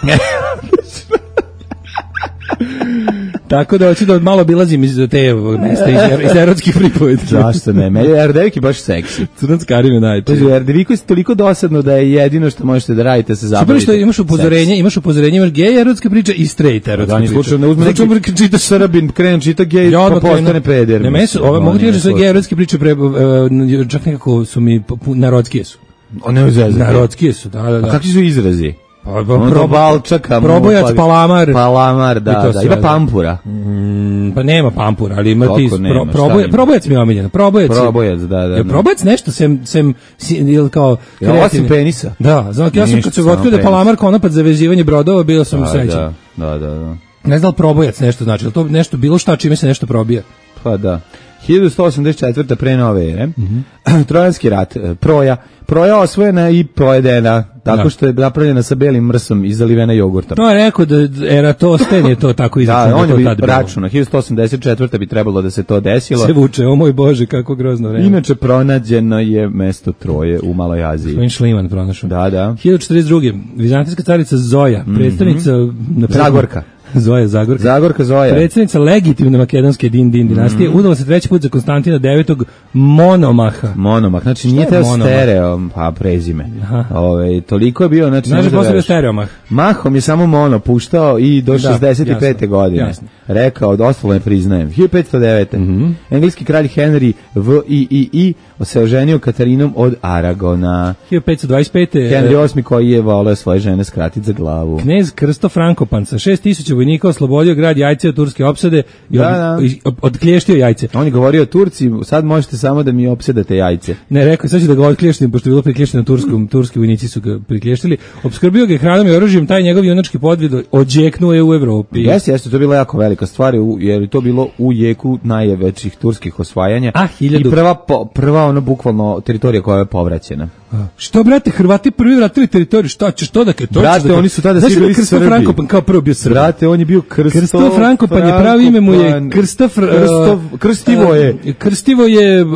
Tako da hoću da malo obilazim iz te mesta, iz, iz erotskih pripovetki. Zašto ne? Meni Erdevik je baš seksi. Crnac Karim je najče. U Erdeviku je toliko dosadno da je jedino što možete da radite se zabavite. Super što imaš upozorenje, imaš upozorenje, imaš gej erotska priča i straight erotska priča. Slučajno ne uzme neki znači, čita Srbin, krene čita gej, ja, pa postane peder. Ne, meni su, ove, mogu ti reći da su gej erotske priče, pre, uh, čak nekako su mi, narodskije su. O, ne uzeze. Narodskije su, da, da, da. A kakvi su izrazi? Pa, pro, balčaka, probojac, pa, palamar. Palamar, da, da. Ima pampura. Mm, pa nema pampura, ali ima ti pro, probojac, probojac mi je omiljeno. Probojac, probojac, da, da. Je probojac nešto sem, sem, ili kao kreativni. Osim penisa. Da, znači ja sam kad se otkrio da je palamar konopac za vezivanje brodova, bio sam srećan. Da, da, da, da. Ne znam probojac nešto znači, ali to nešto bilo šta čime se nešto probija. Pa da. hiljadu sto osamdeset četvrte pre nove ere, mm -hmm. Trojanski rat, proja, proja osvojena i pojedena, tako da. Što je napravljena sa belim mrsom i zalivena jogurtom. To je rekao da Eratosfen je to tako izračunao. Da, on je bi računao, hiljadu sto osamdeset četvrte bi trebalo da se to desilo. Se vuče, o moj Bože, kako grozno vreme. Inače, pronađeno je mesto Troje u Maloj Aziji. Svojim Šliman pronašao. Da, da. hiljadu četrdeset druge. Vizantijska carica Zoja, predstavnica... Mm -hmm. Zagorka. Zoja Zagorka. Zagorka Zoja. Predsjednica legitimne makedonske Din Din dinastije, mm. udala se treći put za Konstantina devetog Monomaha. Monomah, znači nije teo stereo, pa prezime. Ove, toliko je bio, znači... Znači, posle bio stereomah. Mahom je samo mono puštao i do da, šezdeset pete godine. Jasno. Rekao, ostalo ne priznajem. hiljadu petsto devete. Mm -hmm. Engleski kralj Henry V I I I se oženio Katarinom od Aragona. hiljadu petsto dvadeset pete. Henry osmi koji je voleo svoje žene skratiti za glavu. Knez Krsto Frankopan sa šest tisuća vojnika oslobodio grad Jajce od turske opsade i od, da, da. odklještio Jajce. On je govorio Turci, sad možete samo da mi opsedate Jajce. Ne, rekao, sad ću da ga odklještim, pošto je bilo priklješeno turskom, turski vojnici su ga priklješili. Opskrbio ga hranom i oružjem, taj njegov junački podvig odjeknuo je u Evropi. Jeste, jeste, to je bila jako velika stvar, jer je to bilo u jeku najvećih turskih osvajanja. A, hiljadu... I prva, prva ono, bukvalno, teritorija koja je povraćena. Što, brate, Hrvati prvi vratili teritoriju, šta ćeš to da ke to? Brate, da oni su tada svi bili Krsto Frankopan kao prvo bio Srbi. Brate, on je bio Krsto, Krsto Frankopan, je pravi ime mu je Krsto Fr, Krsto, Krstivo je. Uh, Krstivo je uh,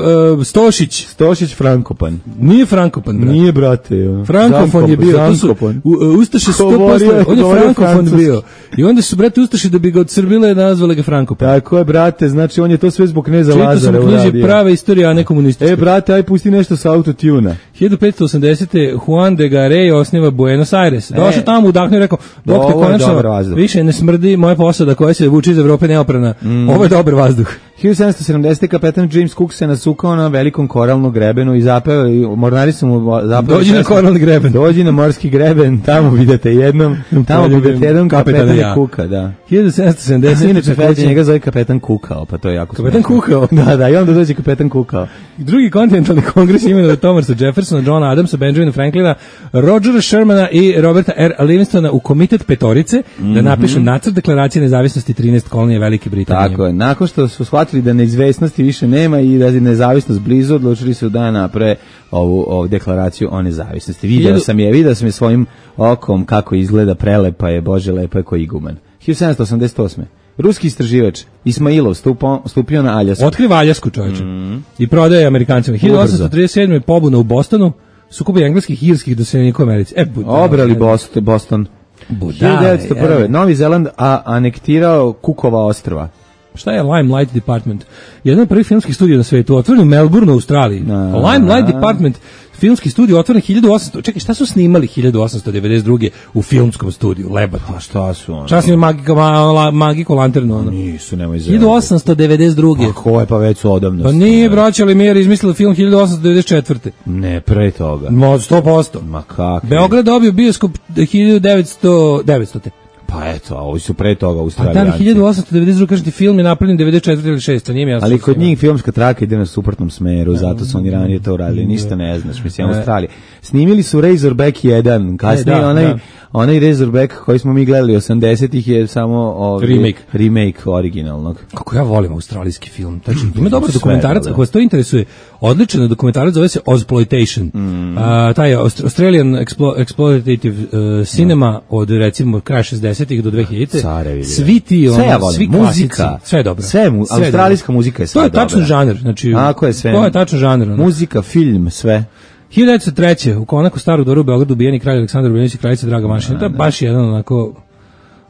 Stošić. Stošić Frankopan. Nije Frankopan, brate. Nije, brate. Jo. Frankofon je bio. To su, uh, Ustaše sto posto, on je Frankofon bio. I onda su, brate, Ustaši da bi ga odsrbile nazvali ga Frankopan. Tako je, brate, znači on je to sve zbog kneza Lazara uradio. Čito sam knjiži prava istorija, a ne komunistička. E, brate, aj pusti nešto sa autotuna. hiljadu petsto osamdesete. Juan de Garay osniva Buenos Aires. Došao tamo, udahnuo i rekao, bok te konačno, više ne smrdi moja posada koja se vuče iz Evrope neoprana. Mm. Ovo je dobar vazduh. hiljadu sedamsto sedamdesete. kapetan James Cook se nasukao na velikom koralnom grebenu i zapeo, i mornari su mu zapeo. Dođi na koralni greben. Dođi na morski greben, tamo vidite jednom, tamo vidite jednom kapetana ja. Kuka, da. hiljadu sedamsto sedamdesete. Inače, kapetan njega zove kapetan Kukao, pa to je jako kapetan smešno. Kukao? Da, da, i onda dođe kapetan Kukao. Drugi kontinentalni kongres imenuje Thomasa Jeffersona, Johna Adamsa, Benjamina Franklina, Rogera Shermana i Roberta R. Livingstona u komitet petorice mm-hmm. da napišu nacrt deklaracije nezavisnosti trinaest kolonije Velike Britanije. Tako je, nakon što su shvatili da neizvesnosti više nema i da je nezavisnost blizu, odlučili su da naprave ovu, ovu deklaraciju o nezavisnosti. Video Hiljadu... sam je, video sam je svojim okom kako izgleda, prelepa je, bože, lepa je ko iguman. hiljadu sedamsto osamdeset osme. Ruski istraživač Ismailov stupo, stupio na Aljasku. Otkriva Aljasku, čovječe. Mm. I prodaje Amerikancima. hiljadu osamsto trideset sedme. pobuna u Bostonu, sukobi engleskih i irskih doseljenika u Americi. E, budale, obrali Boston. Boston. Budale, hiljadu devetsto prve. Novi Zeland a anektirao Cookova ostrva. Šta je Limelight Department? Jedan od prvih filmskih studija na svetu, otvoren u Melbourneu, u Australiji. A, Limelight Department, filmski studio otvoren hiljadu osamsto. Čekaj, šta su snimali hiljadu osamsto devedeset druge u filmskom studiju? Lebati. Pa šta su ono? Šta su Magico, ma, Magico Lanternu? Ono? Nisu, nemoj zelo. hiljadu osamsto devedeset druge. Pa ko je, pa već su odavno. Pa nije braća Lemire izmislili film hiljadu osamsto devedeset četvrte. Ne, pre toga. Ma, sto posto. Ma kako? Beograd dobio bioskop hiljadu devetsto devetstote. Pa eto, a ovi su pre toga A Australijanci. dan hiljadu osamsto devedeset druge. kažete, film je napravljen devedeset četvrte ili šeste. Nije mi jasno. Ali kod njih filmska traka ide na suprotnom smeru, zato su oni ranije to uradili, ništa ne znaš, mislim, Australija. Snimili su Razorback jedan, kasnije e, da, onaj, da. onaj Razorback koji smo mi gledali osamdesetih je samo ovaj, remake. remake originalnog. Kako ja volim australijski film. Znači, ima dobar dokumentarac, ako vas to interesuje, odličan dokumentarac, zove se Ozploitation. Mm. A, taj Australian Explo, Exploitative uh, Cinema mm. od recimo kraja šezdesetih do dvehiljadite. Carevi. Svi ti, ono, ja svi klasici, sve je dobro. Sve, mu, sve australijska dobro. Muzika je sve dobra. To je tačan dobra. žanr, znači, Ako je sve. to je tačan žanr. Ono. Muzika, film, sve. hiljadu devetsto treće. u Konaku Staru dvoru u Beogradu ubijeni kralj Aleksandar Obrenović i kraljica Draga Mašina. To je baš jedan onako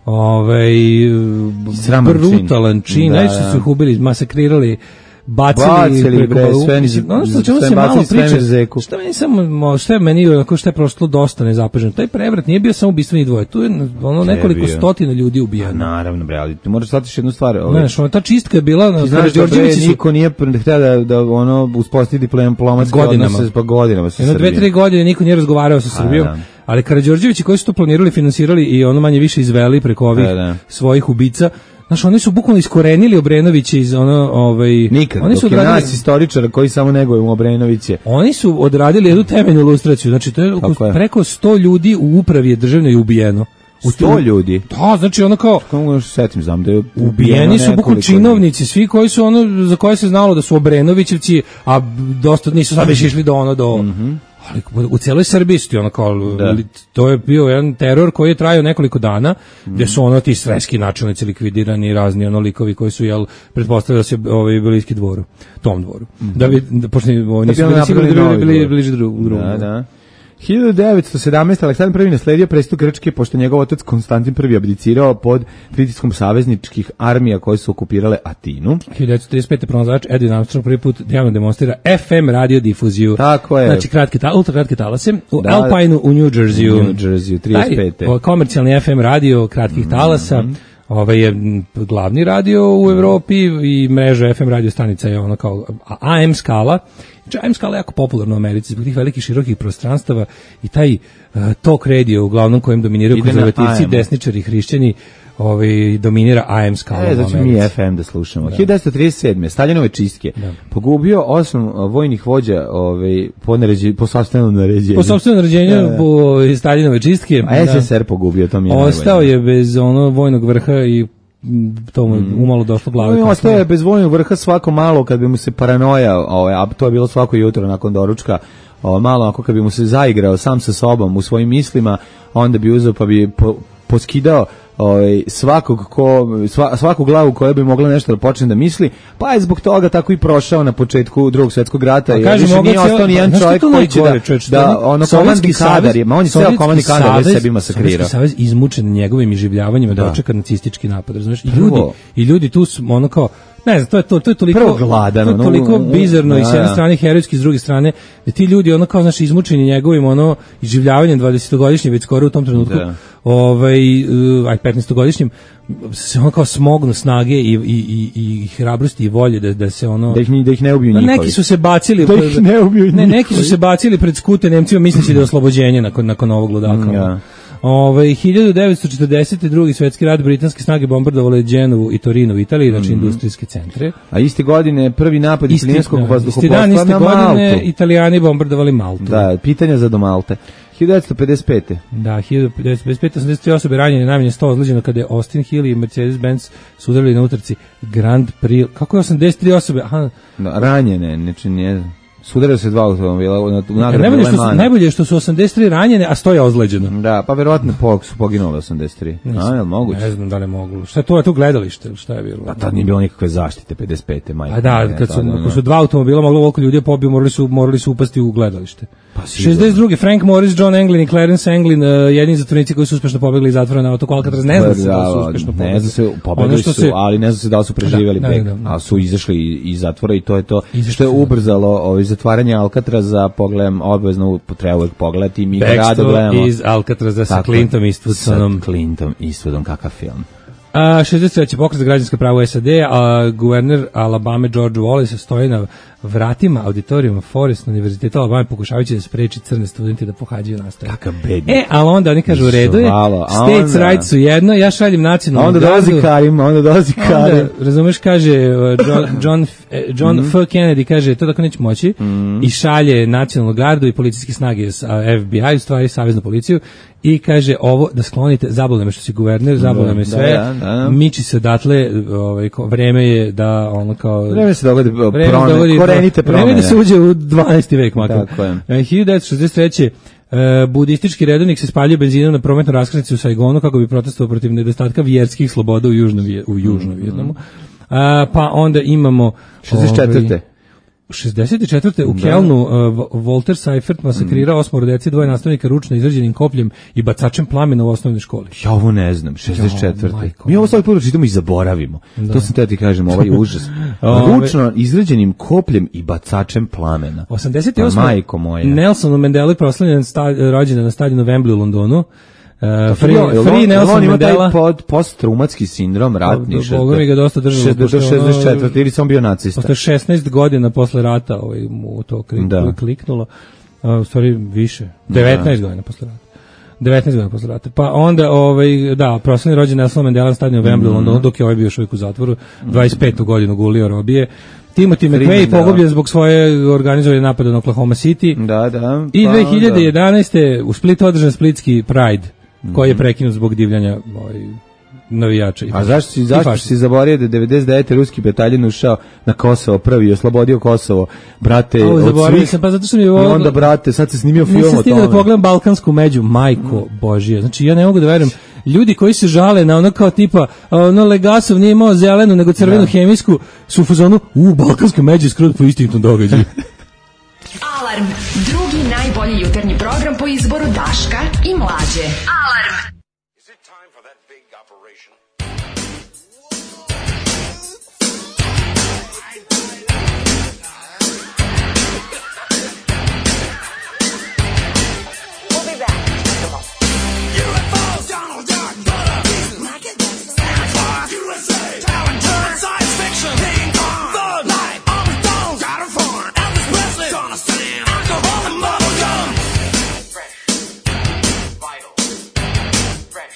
ovaj brutalan čin. Najče su ih ubili, masakrirali, bacili, bacili bre, sve ni ono što ćemo se malo pričati. Šta meni samo šta je meni onako šta je prošlo dosta nezapaženo. Taj prevrat nije bio samo ubistveni dvoje. Tu je ono nekoliko stotina ljudi ubijeno. Naravno bre, ali ti moraš shvatiti jednu stvar. Ovaj. Znaš, ona ta čistka je bila na Đorđević su niko nije hteo da da ono uspostavi diplomatske odnose pa godinama sa Srbijom. Jedno dve tri godine niko nije razgovarao sa Srbijom. Ali Karađorđevići koji su to planirali, finansirali i ono manje više izveli preko ovih svojih ubica. Znaš, oni su bukvalno iskorenili Obrenovića iz ono, ovaj... Nikad, oni su dok odradili, je nas istoričara koji samo neguju Obrenoviće. Oni su odradili jednu temeljnu ilustraciju, znači to je, je preko sto ljudi u upravi je državnoj ubijeno. U sto ljudi? Da, znači ono kao... Kako se setim, znam da je ubijeni su bukvalno činovnici, svi koji su ono, za koje se znalo da su Obrenovićevci, a dosta nisu sad već išli do ono, do... Mm-hmm. Ali u celoj Srbiji su ti ono kao, to je bio jedan teror koji je trajao nekoliko dana, mm. gdje su ono ti sreski načelnici likvidirani, razni ono likovi koji su, jel, pretpostavljali da se ovaj, bliski dvoru, tom dvoru. Mm. Da bi, da, pošto oni nisu bili, bili, bili bliži drugom. Da, da. hiljadu devetsto sedamnaeste. Aleksandar prvi nasledio presto Grčke pošto njegov otac Konstantin prvi abdicirao pod pritiskom savezničkih armija koje su okupirale Atinu. hiljadu devetsto trideset pete. pronalazač Edwin Armstrong prvi put javno demonstrira F M radiodifuziju. Tako je. Znači kratke ta, ultra kratke talase u da, Alpineu u New Jerseyu. U New Jerseyu trideset pete. Taj, komercijalni F M radio kratkih talasa. Mm-hmm. Ovaj je glavni radio u Evropi i mreža F M radio stanica je ono kao A M skala. Znači, A M skala je jako popularna u Americi zbog tih velikih širokih prostranstava i taj uh, talk radio uglavnom kojem dominiraju konzervativci, desničari, hrišćani, ovaj, dominira A M skala. E, znači mi F M da slušamo. Da. hiljadu devetsto trideset sedme. Staljinove čistke. Da. Pogubio osam vojnih vođa ovaj, po, naređi, po sopstvenom naređenju. Po sopstvenom naređenju, da, da. Po Staljinove čistke. A S S S R da. Pogubio, to mi je ostao najbolje. Je bez ono vojnog vrha i to mu mm. umalo došlo glave. No, ostao je bez vojnog vrha svako malo kad bi mu se paranoja, ovaj, a to je bilo svako jutro nakon doručka, o, malo ako kad bi mu se zaigrao sam sa sobom u svojim mislima, onda bi uzeo pa bi po, poskidao ovaj svakog ko sva, svaku glavu koja bi mogla nešto da počne da misli, pa je zbog toga tako i prošao na početku Drugog svjetskog rata. Pa kaže, više nije ostao ni jedan čovjek koji će da, čovječ, da ono komandni kadar, ma on je ceo komandni kadar već sebi masakrirao. Sovjetski savez izmučen njegovim iživljavanjima da očeka nacistički napad, razumeš? I ljudi, i ljudi tu su ono kao Ne znam, to je to, to je toliko gladan, to je toliko ono, bizarno da, i s jedne da. strane herojski, s druge strane da ti ljudi ono kao znači izmučeni njegovim ono iživljavanjem dvadesetogodišnjim već skoro u tom trenutku. Da. Ovaj uh, aj petnaestogodišnjim se on kao smognu snage i i i i hrabrosti i volje da da se ono da ih da ih ne ubiju njihovi. Neki su se bacili da ih ne ubiju ne, neki su se bacili pred skute Nemcima misleći da je oslobođenje nakon nakon ovog ludaka. Ja. Ove, hiljadu devetsto četrdeset drugi svetski rat britanske snage bombardovale Dženovu i Torino u Italiji, znači mm-hmm. industrijske centre. A iste godine prvi napad italijanskog vazduhoplovstva na Maltu. Godine Italijani bombardovali Maltu. Da, pitanja za do Malte. hiljadu devetsto pedeset pete. Da, hiljadu devetsto pedeset pete osamdeset tri osobe ranjene, najmanje sto ozlijeđeno kada je Austin Hill i Mercedes-Benz su udarili na utrci Grand Prix. Kako je osamdeset tri osobe? Aha. Da, ranjene, znači nije... Sudarili se dva automobila u nagradu najbolje što su, najbolje što su osamdeset tri ranjene, a sto je ozleđeno. Da, pa verovatno po, su poginuli osamdeset tri. A, je li moguće? Ne znam da li mogu. Šta je to, je to gledalište? Šta je bilo? A tad nije bilo nikakve zaštite, pedeset pete majke. A da, kad su, kad su dva automobila moglo ovoliko ljudi pobiju, morali su, morali su upasti u gledalište. Pa šezdeset drugi Frank Morris, John Anglin i Clarence Anglin, uh, jedini zatvornici koji su uspešno pobegli iz zatvora na otoku Alcatraz, ne znam se da su uspešno pobegli. Ne znam se, pobegli su, se, ali ne znam se da li su preživjeli da, beg, da, da. A su izašli iz zatvora i to je to izašli što je ubrzalo ovaj, zatvaranje Alcatraza, pogledam, obavezno treba uvek pogledati i mi ga rado gledamo. Iz Alcatraza sa Clintom Eastwoodom. Sa Clintom Eastwoodom, kakav film. A šezdeset treći pokret za građanska prava u S A D, a guverner Alabama George Wallace stoji na vratima auditorijuma Forest univerziteta Alabama pokušavajući da spreči crne studente da pohađaju nastavu. Kakav bednik. E, ali onda oni kažu u redu je, states onda, rights su jedno, ja šaljem nacionalnu onda gardu. Dolazi Karim, onda dolazi Karim. Onda, razumeš, kaže John, John, John mm-hmm. F. Kennedy, kaže, to tako neće moći, mm-hmm. i šalje nacionalnu gardu i policijske snage F B I, u stvari saveznu policiju, i kaže ovo da sklonite, zabole me što si guverner, zabole me sve, da, da, da. Miči se odatle, ovaj, vreme je da ono kao... Vreme se dogodi, promene, korenite promene. Vreme da se uđe u dvanaesti vek, makar. hiljadu devetsto šezdeset treće Uh, budistički redovnik se spaljuje benzinom na prometnoj raskrsnici u Saigonu kako bi protestovao protiv nedostatka vjerskih sloboda u južnom, u južnom Vijetnamu. Uh, pa onda imamo... šezdeset četvrte šezdeset četvrte u Kelnu uh, Walter Seifert masakrirao osmoro dece, dvoje nastavnika ručno izrađenim kopljem i bacačem plamena u osnovnoj školi. Ja ovo ne znam, šezdeset četvrte Mi ovo svaki put čitamo i zaboravimo. Da. To sam te ti kažem, ovaj užas. Ručno izrađenim kopljem i bacačem plamena. osamdeset osme Majko moja. Nelson Mandela proslavljen rođendan na stadionu Wembley u Londonu. Uh, free, free, free Nelson on Mandela. Pod post-traumatski sindrom, ratni. Boga mi ga dosta držalo. šezdeset četvrte ili sam bio nacista. Posle šesnaest godina posle rata ovaj, mu to klik, da. kliknulo. Uh, u stvari više. devetnaest godina posle rata. devetnaest godina posle rata. Pa onda, ovaj, da, proslavni rođendan Nelson Mandela na stadionu Wembley u Londonu, dok je ovaj bio još uvijek u zatvoru. dvadeset petu godinu gulio robije. Timothy McVeigh pogubljen zbog svoje organizovane napada na Oklahoma City. Da, da. I dve hiljade jedanaeste u Splitu održan splitski Pride, koji je prekinut zbog divljanja ovaj, navijača. A zašto si, zašto si zaboravio da je devedeset devete ruski bataljon ušao na Kosovo prvi i oslobodio Kosovo, brate, o, od svih? Sam, pa zato što mi je I onda, brate, sad se snimio film o tome. Nisam stigao da pogledam Balkansku među, majko mm. Božija. Znači, ja ne mogu da verujem. Ljudi koji se žale na ono kao tipa, ono Legasov nije imao zelenu, nego crvenu da. hemijsku, su u fazonu, u, Balkanska međa skrut po istinitom događaju. Alarm, drugi najbolji jutarnji program po izboru Daška i Mlađe. Alarm. Is it time for that big operation? We'll be back. U F Os, Donald Duck, butter, pieces, rocket, Santa, U S A, talent, turn, science fiction, King Kong, Thug Life, Armstrong, got a farm, Elvis Presley, Donna Stan, alcohol and bubble gum. Fresh, vital, fresh,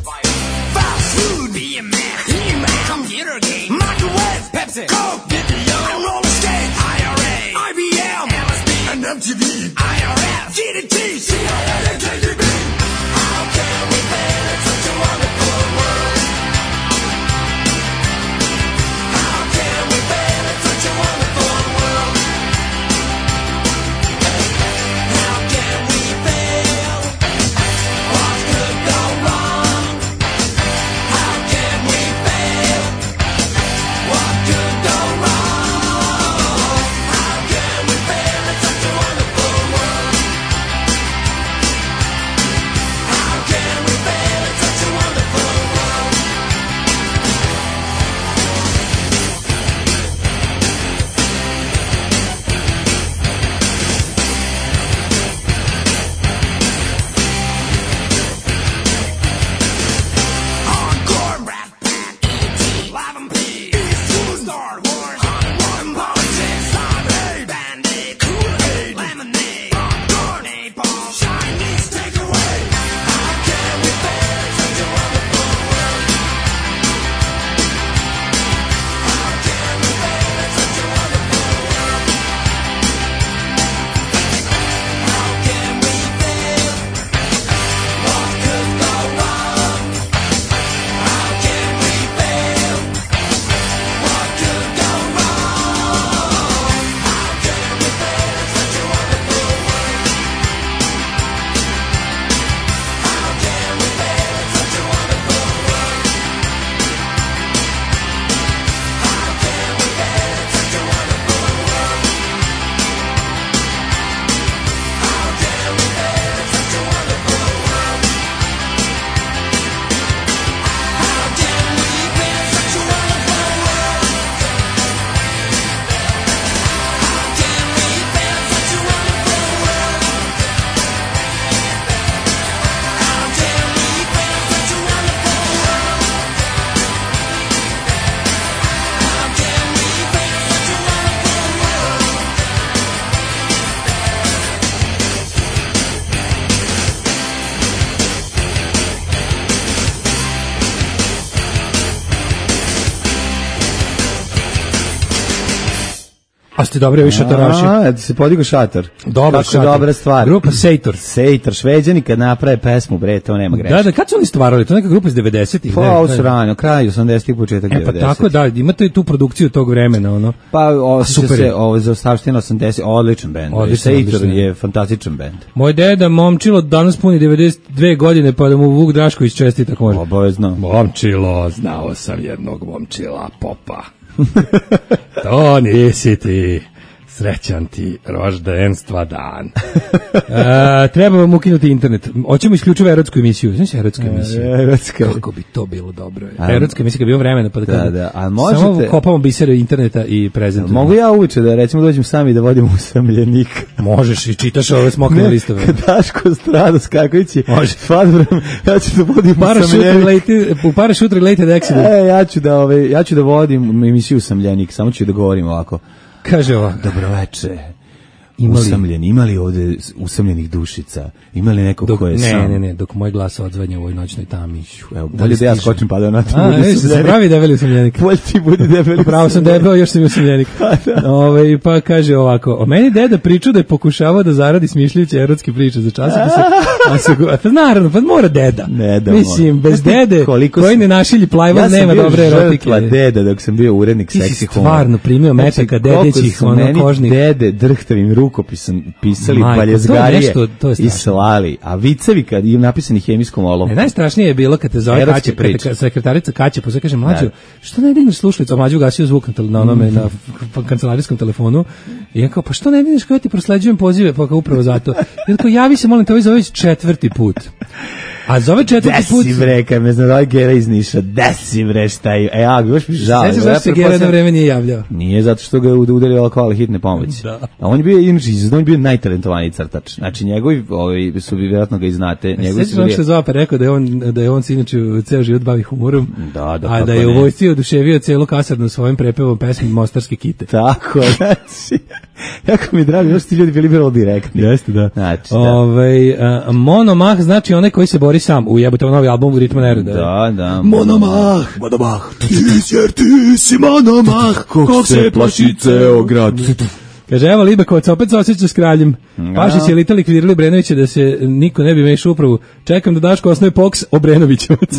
vital. Fast food, be a man, He-Man, computer game, microwave, Pepsi, Coke, video, and roller skate, I R A, I B M, L S D, and M T V, I R F, G D T, C I A, and K G B. How can we fail in such a wonderful world? How can we fail in such a wonderful world? How can we fail? What could go wrong? How can we fail? What could go wrong? How can we fail in such a wonderful world? A ste dobro vi šatoraši. A, ti se podigo šator. Dobro, šator. Dobra stvar. Grupa Sejtor. Sejtor, Šveđani kad naprave pesmu, bre, to nema greške. Da, da, kad su oni stvarali? To neka grupa iz devedesetih. Pa, ovo su rano, kraj osamdesetih, početak e, pa devedesetih. tako da, imate i tu produkciju tog vremena, ono. Pa, osjeća se, ovo za ostavština osamdeset, odličan bend. Sejtor je fantastičan bend. Moj deda, momčilo, danas puni devedeset dve godine, pa da mu Vuk Drašković čestita može. Obavezno. Momčilo, znao sam jednog momčila, popa. To nisi ti. Srećan ti roždenstva dan. E, treba vam ukinuti internet. Hoćemo isključivo erotsku emisiju. Znači erotsku emisiju. Erotska. Kako bi to bilo dobro. Erotska emisija kad bi imao vremena pa da, da, da. A možete, samo kopamo bisere interneta i prezentujemo. Mogu ja uveče da recimo dođem sami da vodim usamljenika. Možeš i čitaš ove smokne listove. Daško strada skakujući. Može. Fadbrom, ja ću da vodim usamljenik. U Parachute Related Accident. E, ja ću da, ove, ja ću da vodim emisiju usamljenik. Samo ću da govorim ovako. Kaže ovako. Dobroveče. Imali, usamljeni, imali ovde usamljenih dušica? Imali neko dok, ko je ne, sam? Ne, ne, ne, dok moj glas odzvanja u ovoj noćnoj tami. Evo, bolje da ja skočim pa da na to budu usamljenik. A, se pravi debeli usamljenik. Bolje ti budi debeli. Pravo sam debel, još sam usamljenik. Ove, pa kaže ovako, o meni deda pričao da je pokušavao da zaradi smišljajući erotske priče za časopise. A se a pa naravno, pa mora deda. Ne da mislim, mora. bez dede koji ne našilji plajval, ja nema dobre erotike. Ja sam bio deda dok sam bio urednik seksi humora. Ti si stvarno primio metaka dedećih, ono kožnih. Dede drhtavim rukopisom pisali baljezgarije i slali, a vicevi kad im napisani hemijskom olovkom. Najstrašnije je bilo kad te zove Kaća, kad te sekretarica Kaća pozove, kaže mlađo, što ne digneš slušalicu, a mlađo ugasio zvuk na onome, na kancelarijskom telefonu, i ja kao, pa što ne digneš, kao ja ti prosleđujem pozive, pa kao upravo zato. I tako, javi se, molim te, ovaj zove četvrti put. A zove četvrti put... Desi bre, kad me zove Gera iz Niša, desi bre, šta je... E, ja, još mi žao. Sveći zašto se Gera na vreme nije javljao? Nije, zato što ga udario alkohol hitne pomoći. Da. A on je bio, inače, on je bio najtalentovaniji crtač. Znači, njegovi, ovi, su vi vjerojatno ga i znate. Sveći zašto se zove pa rekao da je on, da je on se inače ceo život bavi humorom, da, da, a da je u vojsci oduševio celu kasarnu svojim prepevom pesmi Mostarske kite. Tako, znači... Jako mi je drago, još ti ljudi bili bilo direktni. Jeste, da. Znači, da. Ove, a, monomah znači onaj koji se bori sam. Ujebote novi album u Ritmu Neruda. Da, da. Monomah, monomah. Ti jer ti si monomah, kog se plaši ceo grad. Kaže, evo Libekovac opet se osjeća s kraljem. Pašić je lita likvidirali Obrenovića da se niko ne bi mešao upravu. Čekam da Daško osnoje Poks Obrenovićevac.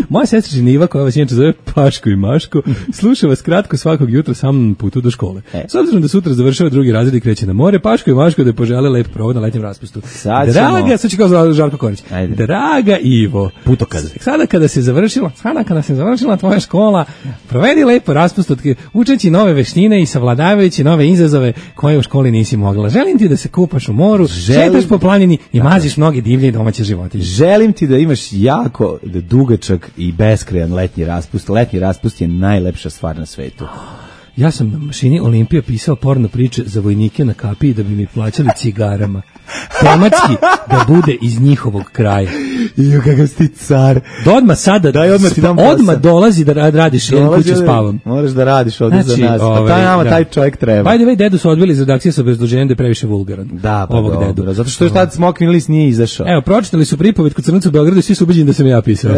Moja sestričina Iva, koja vas inače zove Paško i Maško, sluša vas kratko svakog jutra sa mnom na putu do škole. E. S obzirom da sutra završava drugi razred i kreće na more, Paško i Maško da je požele lep provod na letnjem raspustu. Sad Draga, sad ću kao Žarko Korić. Ajde. Draga Ivo, putokaz. Sada kada se završila, sada kada se završila tvoja škola, provedi lepo raspust učeći nove veštine i savladavajući nove izazove koje u školi nisi mogla. Želim ti da se kupaš u moru, Želim... šetaš po planini i maziš mnoge divlje i domaće životinje. Želim ti da imaš jako dugačak i beskrajan letnji raspust. Letnji raspust je najlepša stvar na svetu. Ja sam na mašini Olimpija pisao porno priče za vojnike na kapiji da bi mi plaćali cigarama. Tematski da bude iz njihovog kraja. I kakav si ti car. Da odmah sada, daj odmah ti dam odmah dolazi da radiš, jedan kuću spavam. Moraš da radiš ovdje znači, za nas. Ove, taj nama, da. taj čovjek treba. Ajde, vej, dedu su odbili iz redakcije sa obrazloženjem da je previše vulgaran. Da, pa ovog dobro. Dedu. Zato što je tad Smokvin list nije izašao. Evo, pročitali su pripovet kod Crnaca u Beogradu i svi su ubeđeni da sam ja pisao.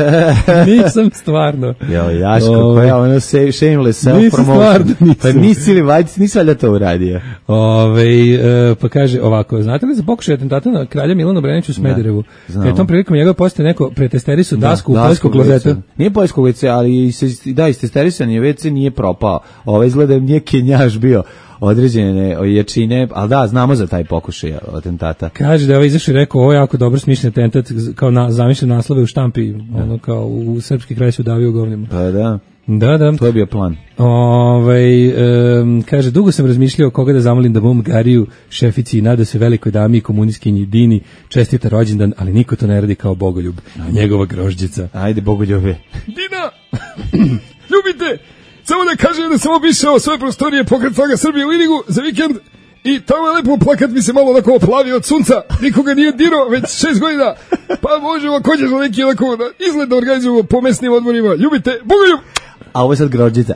Nisam stvarno. Jo, Jaško, koja ono shameless self-promotion. Pa nisi li, vajde, nisi valjda to uradio. Ove, e, pa kaže ovako, znate li za pokušaj atentata na kralja Milana Obrenovića u Smederevu? Kad je tom prilikom njegove postoje neko pretesterisu dasku da, u poljskog klozeta. Nije poljskog ve ce, ali se, da, istesterisan je ve ce, nije propao. Ovo izgleda nije kenjaš bio određene jačine, ali da, znamo za taj pokušaj atentata. Kaže da je ovaj izašao i rekao, ovo je jako dobro smišljen atentat, kao na, zamišljen naslove u štampi, ono kao u srpski kraj se udavio u govnima. Pa da. Da, da. To je bio plan. Ovaj um, kaže, dugo sam razmišljao koga da zamolim da mom Gariju, šefici i nada se velikoj dami i komunistkinji Dini čestita rođendan, ali niko to ne radi kao Bogoljub, a njegova grožđica. Ajde, Bogoljube. Dina, ljubite, samo da kažem da sam obišao svoje prostorije pokret Snaga Srbije u Irigu za vikend i tamo je lepo plakat mi se malo onako oplavi od sunca, nikoga nije dirao već šest godina, pa možemo kođeš na neki onako izgled da organizujemo po mesnim odmorima. Ljubite, Bogoljub! A ovo je sad grođica.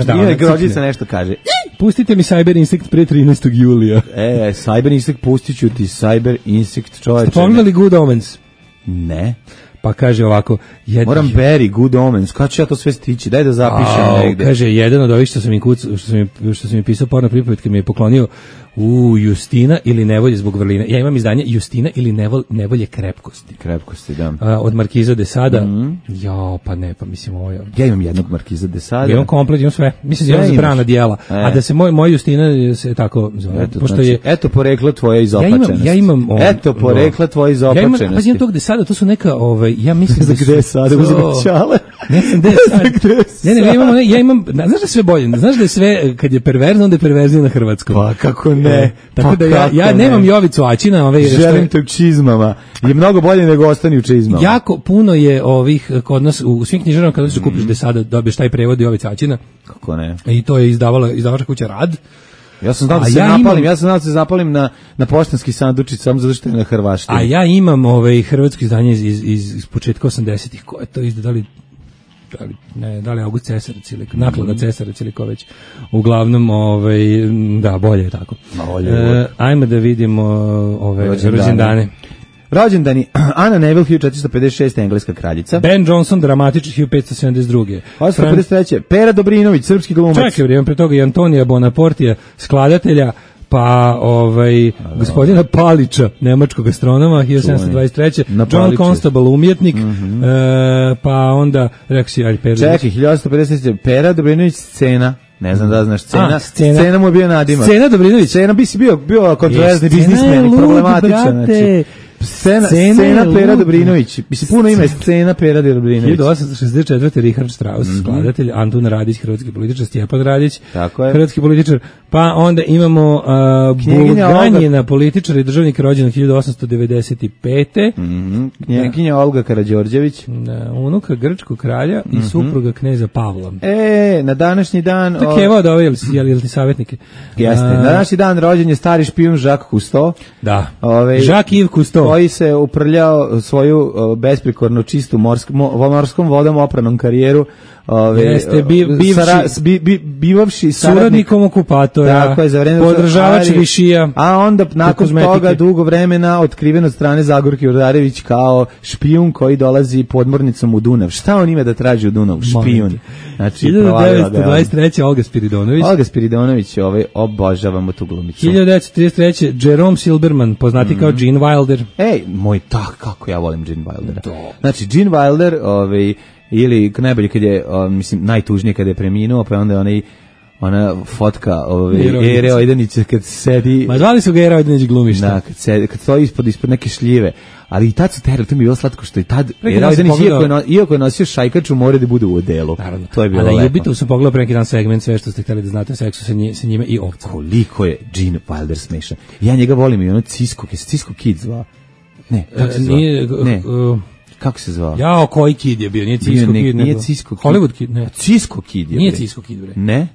Da, nije grođica nešto kaže. Pustite mi Cyber Insect pre trinaestog julija. E, Cyber Insect, pustit ću ti Cyber Insect, čoveče. Ste pogledali Good Omens? Ne. Pa kaže ovako, jed... Moram Barry, Good Omens, kada ću ja to sve stići, daj da zapišem A, negde. Kaže, jedan od ovih što sam mi, kuc, što sam mi, što sam mi pisao porno pripovetke mi je poklonio u Justina ili nevolje zbog vrline. Ja imam izdanje Justina ili nevol, nevolje krepkosti. Krepkosti, da. A, od Markiza de Sada. Mm. Jo, pa ne, pa mislim ovo je... Ja imam jednog Markiza de Sada. Ja imam komplet, imam sve. Mislim da imam zabrana dijela. E. A da se moj, moj Justina se tako zove. Eto, pošto znači, je, eto porekla tvoje izopačenosti. Ja imam... Ja imam on, eto porekla tvoje izopačenosti. Ja imam, pa imam tog de Sada, to su neka... Ovaj, ja mislim da gde je sada uzimam ćale? Ne znam gde je sad. Ne, ne, ja imam, ne, ja imam... Znaš da je sve bolje? Znaš da je sve, kad je perverzno, onda je perverzno na hrvatskom. Pa kako ne? E, tako pa da ja, ja nemam Jovicu Aćina. Ove, želim te u čizmama. Je mnogo bolje nego ostani u čizmama. Jako puno je ovih kod nas u svim knjižarama kada se mm. kupiš de Sada dobiješ taj prevod Jovica Aćina. Kako ne? I to je izdavala izdavačka kuća Rad. Ja sam znao da se ja napalim, imam, ja sam znao da se zapalim na, na poštanski sandučić samo zato što je na hrvaštini. A ja imam ovaj hrvatsko izdanje iz, iz, iz, iz početka osamdesetih, ko je to izdali, da li, ne, da li August Cesarac ili naklada Cesarac ili ko već. Uglavnom, ovaj, da, bolje je tako. Bolje, e, ajmo da vidimo ove rođendane. Rođendani, Ana Neville, hiljadu četiristo pedeset šeste. engleska kraljica. Ben Johnson, dramatični, hiljadu petsto sedamdeset druge. osamsto pedeset treće. Pera Dobrinović, srpski glumac. Čekaj, vrijeme pre toga i Antonija Bonaportija, skladatelja, pa ovaj gospodina Palića, nemačkog astronoma, hiljadu sedamsto dvadeset treće. John Constable, umjetnik, mm -hmm. e, pa onda, rekao si, ali Pera. Čekaj, hiljadu osamsto pedeset treće. Pera Dobrinović, scena. Ne znam da znaš, scena, A, scena. scena mu je bio nadimak. Scena Dobrinović. Scena bi si bio, bio kontroverzni biznismen i problematičan. Znači, Scena, scena, scena Pera Dobrinović. Mislim, puno ime scena Pera Dobrinović. hiljadu osamsto šezdeset četvrte. Richard Strauss, mm -hmm. skladatelj, Antun Radić, hrvatski političar, Stjepan Radić, hrvatski političar. Pa onda imamo uh, Bulganjina, političar i državnik, rođen hiljadu osamsto devedeset pete. Mm -hmm. Knjeginja Olga Karađorđević. Da, unuka grčkog kralja i mm -hmm. supruga kneza Pavla. E, na današnji dan... To je Keva od ove, jel, jel ti savjetnike? Jeste. Na današnji dan rođen je stari špijun Jacques Cousteau. Da. Ove, Jacques Yves Cousteau. Koji se uprljao svoju uh, besprikorno čistu morsk, mo, morskom vodom opranom karijeru. Ove, Jeste, bi, bivši, sara, bi, bi, bivavši suradnikom okupatora, tako je, za vreme podržavač Višija, a onda nakon toga dugo vremena otkriven od strane Zagorke Urdarević kao špijun koji dolazi podmornicom u Dunav. Šta on ima da traži u Dunav? Špijun. Znači, hiljadu devetsto dvadeset treće. Olga Spiridonović. Olga Spiridonović, ovaj, obožavamo tu glumicu. hiljadu devetsto trideset treće. Jerome Silberman, poznati mm. kao Gene Wilder. Ej, moj tak, kako ja volim Gene Wildera. To. Znači, Gene Wilder, ovaj, ili najbolje kad je, o, mislim, najtužnije kad je preminuo, pa onda onaj ona fotka ove Ere Ojdanića kad sedi. Ma zvali su ga Ere Ojdanić glumišta. Da, kad sedi, kad stoji ispod ispod neke šljive. Ali i tad su terali, to mi je bilo slatko što i tad Ere Ojdanić iako je no, iako je nosio šajkaču, mora da bude u odelu. Naravno. To je bilo. A da lepo. Jubito sam pogledao pre neki dan segment sve što ste hteli da znate o seksu sa, nje, sa njime i ovca. Koliko je Gene Wilder smešan. Ja njega volim i ono Cisco, je Cisco Kid zvao. Ne, kako se zvao? Nije, ne. Uh, Kako se zvao? Jao, koji Kid je bio? Nije Cisco Kid. Nije Cisco Kid. Hollywood Kid, ne. Cisco Kid je. Nije Cisco Kid, bre. Ne?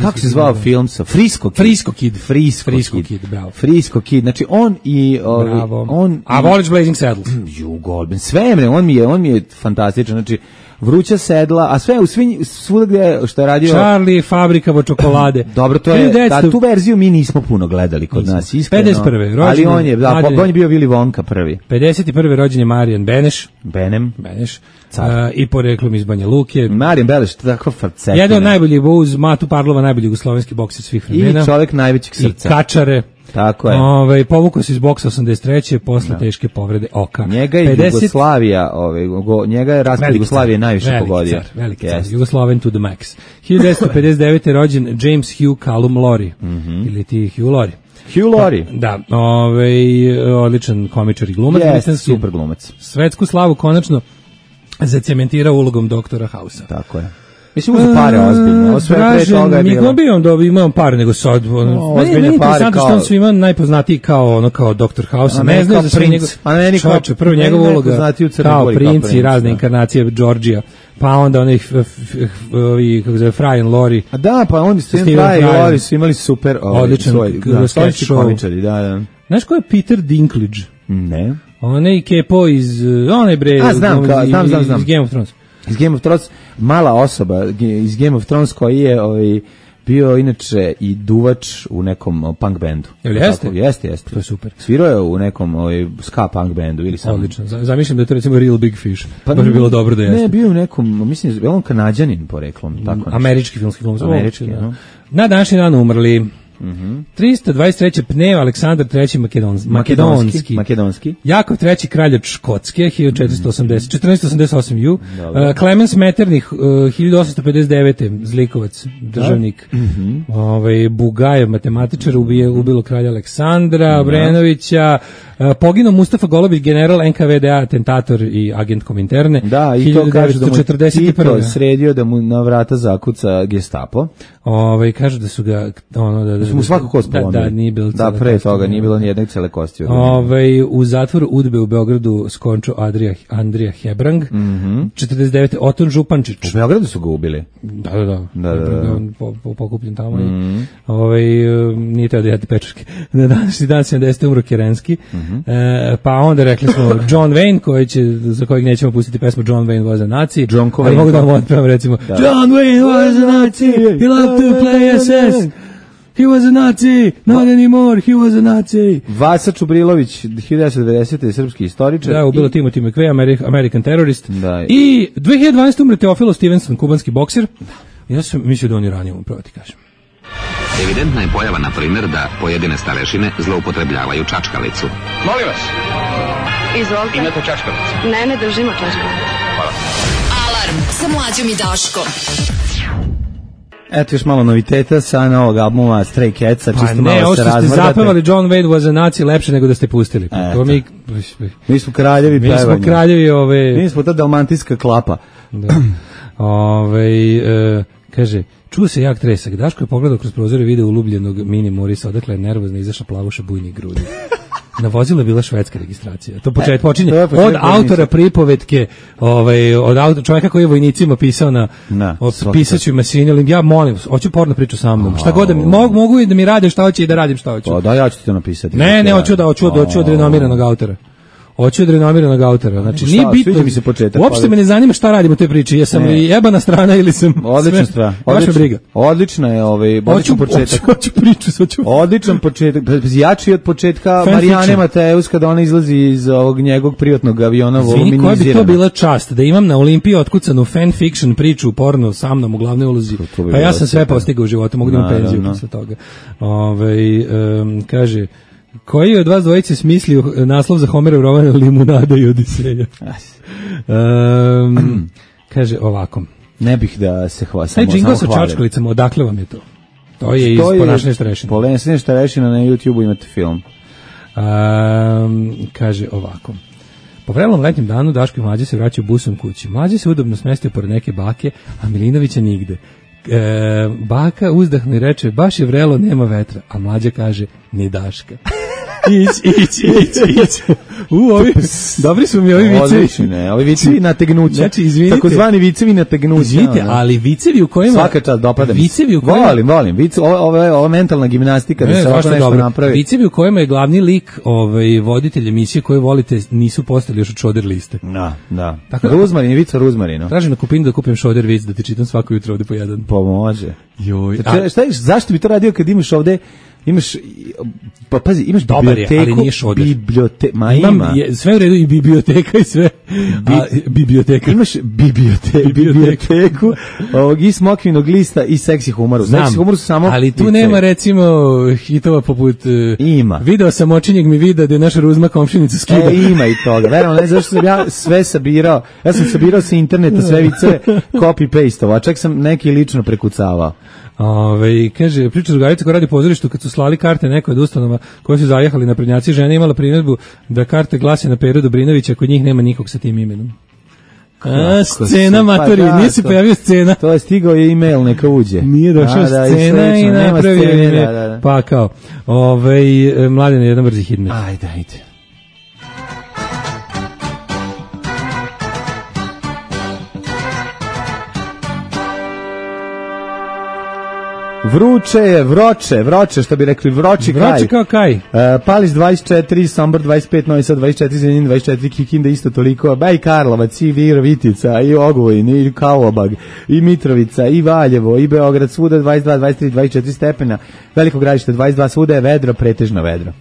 Kako se zvao film sa Frisco Kid? Frisco Kid. Frisco, Frisco Kid. Kid, bravo. Frisco Kid. Znači on i bravo. on A voliš Blazing Saddles? Ju Goldman. Sve mre, on mi je, on mi je fantastičan. Znači Vruća sedla, a sve u svim svuda gde što je radio Charlie, fabrika vo čokolade. Dobro, to je ta, tu verziju mi nismo puno gledali kod nismo. Nas, iskreno. pedeset prve rođen, ali on je, da, on je bio Willy Wonka prvi. pedeset prve rođen je Marijan Beneš. Benem. Beneš. Uh, i poreklom iz Banja Luke. Marijan Beneš, tako farcetina. Jedan od najboljih uz Matu Parlova, najbolji jugoslovenski bokser svih vremena. I čovjek najvećeg srca. I kačare. Tako je. Ovaj povukao se iz boksa osamdeset treće posle no. teške povrede oka. Njega je pedeset Jugoslavija, ovaj go, njega je raspad Jugoslavije najviše veliki pogodio. Car, veliki car, Jugoslaven to the max. hiljadu devetsto pedeset devete rođen James Hugh Callum Laurie. Mm -hmm. Ili ti Hugh Laurie. Hugh Laurie. Da, ovaj odličan komičar i glumac, yes, super glumac. Svetsku slavu konačno zacementirao ulogom doktora Hausa. Tako je. Mislim, uzu pare ozbiljno. Sve pre toga je bilo. Mi bio on da imam pare nego sad. No, ozbiljne pare kao... što on svima najpoznatiji kao ono kao doktor House. Ne znaju za sve njegov... A meni kao prvo njegova uloga kao princ i razne inkarnacije Georgija. Pa onda onih ovi kako se zove Fry and Laurie. A da, pa oni su Fry i Laurie su imali super odličan sketch show. Da, da. Znaš ko je Peter Dinklage? Ne. Onaj kepo iz onaj bre. A znam, znam, znam, iz Game of Thrones. Iz Game of Thrones, mala osoba iz Game of Thrones koji je ovaj bio inače i duvač u nekom punk bendu. Jel jeste? Tako, jeste, jeste. To je super. Svirao je u nekom ovaj, ska punk bendu ili samo. Odlično. Zamišljam da je to recimo Real Big Fish. Pa baš bi bilo dobro da jeste. Ne, bio u nekom, mislim, je on Kanadjanin poreklom. Tako nešto. Američki filmski glumac. Američki, da. no. Na današnji dan umrli Mm-hmm. trista dvadeset treće Pnev Aleksandar treći Makedonski. Makedonski. Makedonski. Jakov treći kralj od Škotske hiljadu četiristo osamdeset, četrnaesto osamdeset osam ju. Uh, Klemens Metternich uh, hiljadu osamsto pedeset devete zlikovac, državnik. Mm-hmm. Ovaj Bugajev matematičar ubije ubilo kralja Aleksandra Obrenovića. Uh, poginuo Mustafa Golubić, general en ka ve de a, atentator i agent Kominterne. Da, i to kaže da mu Tito sredio da mu na vrata zakuca Gestapo. Ovaj kaže da su ga ono da, da su mu svako kost polomili. Da, da, nije bilo da, pre toga nije bilo ni jedne cele kosti. Ovaj u zatvoru Udbe u Beogradu skončao Adrija Andrija Hebrang. Mhm. četrdeset devete Oton Župančić. U Beogradu su ga ubili. Da, da, da. Da, da, da. Po, po, pokupljen tamo. Mm-hmm. Ovaj nije teo da jede pečurke. Na današnji dan sedamdesete umro Kerenski. Mm-hmm. E, pa onda rekli smo John Wayne koji će za kojeg nećemo pustiti pesmu John Wayne was a Nazi. Ali mogu da vam otpevam recimo da. John Wayne was a Nazi. He loved to play es es. He was a Nazi, not anymore, he was a Nazi. Vasa Čubrilović, hiljadu devetsto devesete srpski istoričar. Da, ubilo Timothy McVeigh, American, American terrorist. Da. I dve hiljade dvanaeste umre Teofilo Stevenson, kubanski bokser. Ja sam mislio da on je ranije upravo ti kažem. Evidentna je pojava, na primjer, da pojedine starešine zloupotrebljavaju čačkalicu. Molim vas. Izvolite. Imate čačkalicu? Ne, ne držimo čačkalicu. Hvala. Alarm sa Mlađom i Daškom. Eto još malo noviteta sa novog albuma Stray Catsa, pa čisto ne, malo se razmrdate. Ne, ovo ste zapevali John Wayne was a Nazi lepše nego da ste pustili. Pa to mi, mi smo kraljevi mi pevanja. Mi smo kraljevi ove... Mi smo ta dalmantijska klapa. Da. Ove, e, kaže, čuo se jak tresak. Daško je pogledao kroz prozor i video ulubljenog mini Morisa, odakle je nervozno izašla plavuša bujnih grudi. Na vozilu je bila švedska registracija. To počet, počinje e, to od autora pripovetke, ovaj, od autora, čovjeka koji je vojnicima pisao na, na pisaću mašini, ja molim, hoću porno priču sa mnom. Šta god da mi, mogu, mogu i da mi rade šta hoće i da radim šta hoću. Pa da, ja ću ti to napisati. Ne, ne, hoću da, hoću da, hoću od renomiranog autora. Hoću od renomiranog autora. Znači, nije bitno. Mi se početak, uopšte me ne zanima šta radim u toj priči. Jesam li jebana strana ili sam... Odlična strana. Vaša briga. Odlična je ovaj, odličan početak. Hoću priču, hoću. Odličan početak. Jači od početka Marijane Mateus kada ona izlazi iz ovog njegovog privatnog aviona voluminizirana. Koja bi to bila čast da imam na Olimpiji otkucanu fan fiction priču porno sa mnom u glavnoj ulozi. Pa ja sam sve postigao u životu, mogu da imam penziju posle toga. Ovaj kaže... Koji je od vas dvojice smislio naslov za Homerov roman Limunada i Odiseja? Um, kaže ovako. Ne bih da se hvala. Taj džingl sa čačkalicama, odakle vam je to? To je iz Ponašanje starešina. Ponašanje starešina, na YouTubeu imate film. Um, kaže ovako. Po vrelom letnjem danu Daško i Mlađe se vraćaju busom kući. Mlađe se udobno smestio pored neke bake, a Milinovića nigde. E, baka uzdahne i reče, baš je vrelo, nema vetra, a Mlađa kaže, ni Daška. Ić, ić, ić, ić. U, ovi, dobri su mi ovi vicevi. Odlični, ne, ovi vicevi nategnuća. Znači, izvinite. Takozvani vicevi nategnuća. Izvinite, ali vicevi u kojima... Svaka čast, dopada mi. Vicevi u kojima... Volim, volim. Vice, ovo, ovo, ovo mentalna gimnastika, ne, da se ovo nešto dobro napravi. Vicevi u kojima je glavni lik ovaj, voditelj emisije koje volite nisu postali još od šoder liste. Da, da. Tako, Ruzmarin, vica Ruzmarino. Tražim na Kupinu da kupim šoder vic, da ti čitam svako jutro ovde po jedan. Pomože. Joj. A... Šta, zašto bi to radio kad imaš ovde... Imaš, pa pazi, imaš dobar biblioteku, je, ali nije šoder. Bibliote, ma Imam, ima. Je, sve u redu i biblioteka i sve. Bi, a, biblioteka. Imaš bibliote, biblioteku ovog i smokvinog lista i seksi humoru. Znam, seksi humoru su samo... Ali tu vice. nema recimo hitova poput... Ima. Video sam očinjeg mi vida da je naša Ruzma komšinicu skida. E, ima i toga. Verno, ne, zašto sam ja sve sabirao. Ja sam sabirao sa interneta sve vice, copy-paste-ovo, a čak sam neki lično prekucavao. Ove, kaže, priča drugarica koja radi u pozorištu kad su slali karte nekoj od ustanova koje su zajehali na prednjaci, žena imala primjedbu da karte glase na Peru Dobrinovića, kod njih nema nikog sa tim imenom. A, scena matori, pa, nije se pojavio scena. To je stigao je e-mail, neka uđe. Nije došao da, scena i, i napravio je da, da, da. Pa kao, ove, Mladen je jedan brzi hitmet. Ajde, ajde. Vruće je, vroče, vroče, što bi rekli, vroči kaj. Vroči kao kaj. Uh, Palić dvadeset četiri, Sombor dvadeset pet, Novi Sad dvadeset četiri, Zrenjanin dvadeset četiri, Kikinda isto toliko, ba i Karlovac, i Virovitica, i Ogvojin, i Karlobag, i Mitrovica, i Valjevo, i Beograd, svuda dvadeset dva, dvadeset tri, dvadeset četiri stepena, Veliko Gradište dvadeset dva, svuda je vedro, pretežno vedro.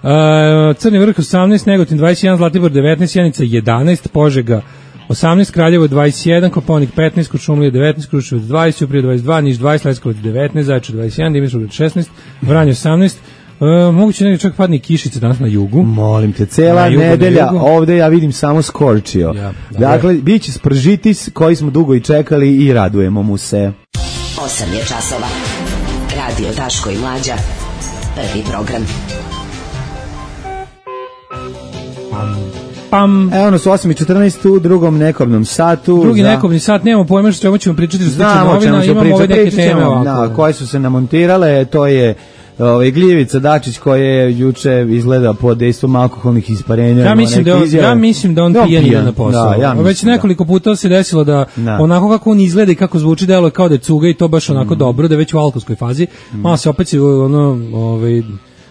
Uh, Crni Vrh osamnaest, Negotin dvadeset jedan, Zlatibor devetnaest, Sjenica jedanaest, Požega osamnaest, Kraljevo dvadeset jedan, Kopaonik petnaest, Kuršumlija devetnaest, Kruševac dvadeset, Ćuprija dvadeset dva, Niš dvadeset, Leskovac devetnaest, Zaječar dvadeset jedan, Dimitrovgrad šesnaest, Vranje osamnaest. Uh, moguće negdje čak padne kišice danas na jugu. Molim te, cela jugu, nedelja ovde ja vidim samo skorčio. Ja, dakle, bit će spržitis koji smo dugo i čekali i radujemo mu se. osam je časova. Radio Daško i Mlađa. Prvi program. Pam. Evo nas u osam i četrnaest u drugom nekobnom satu. Drugi za... nekobni sat, nemamo pojma što ćemo pričati što se tiče novina, imamo ove neke teme ovako. Da, koje su se namontirale, to je ovaj Gljevica Dačić koji je juče izgleda pod dejstvom alkoholnih isparenja. Ja mislim da on, ja mislim da on no, pijan ide na posao. Da, ja već nekoliko puta se desilo da, da onako kako on izgleda i kako zvuči delo kao da je cuga i to baš onako mm. dobro, da je već u alkoholskoj fazi. Mm. Malo se opet ono ovaj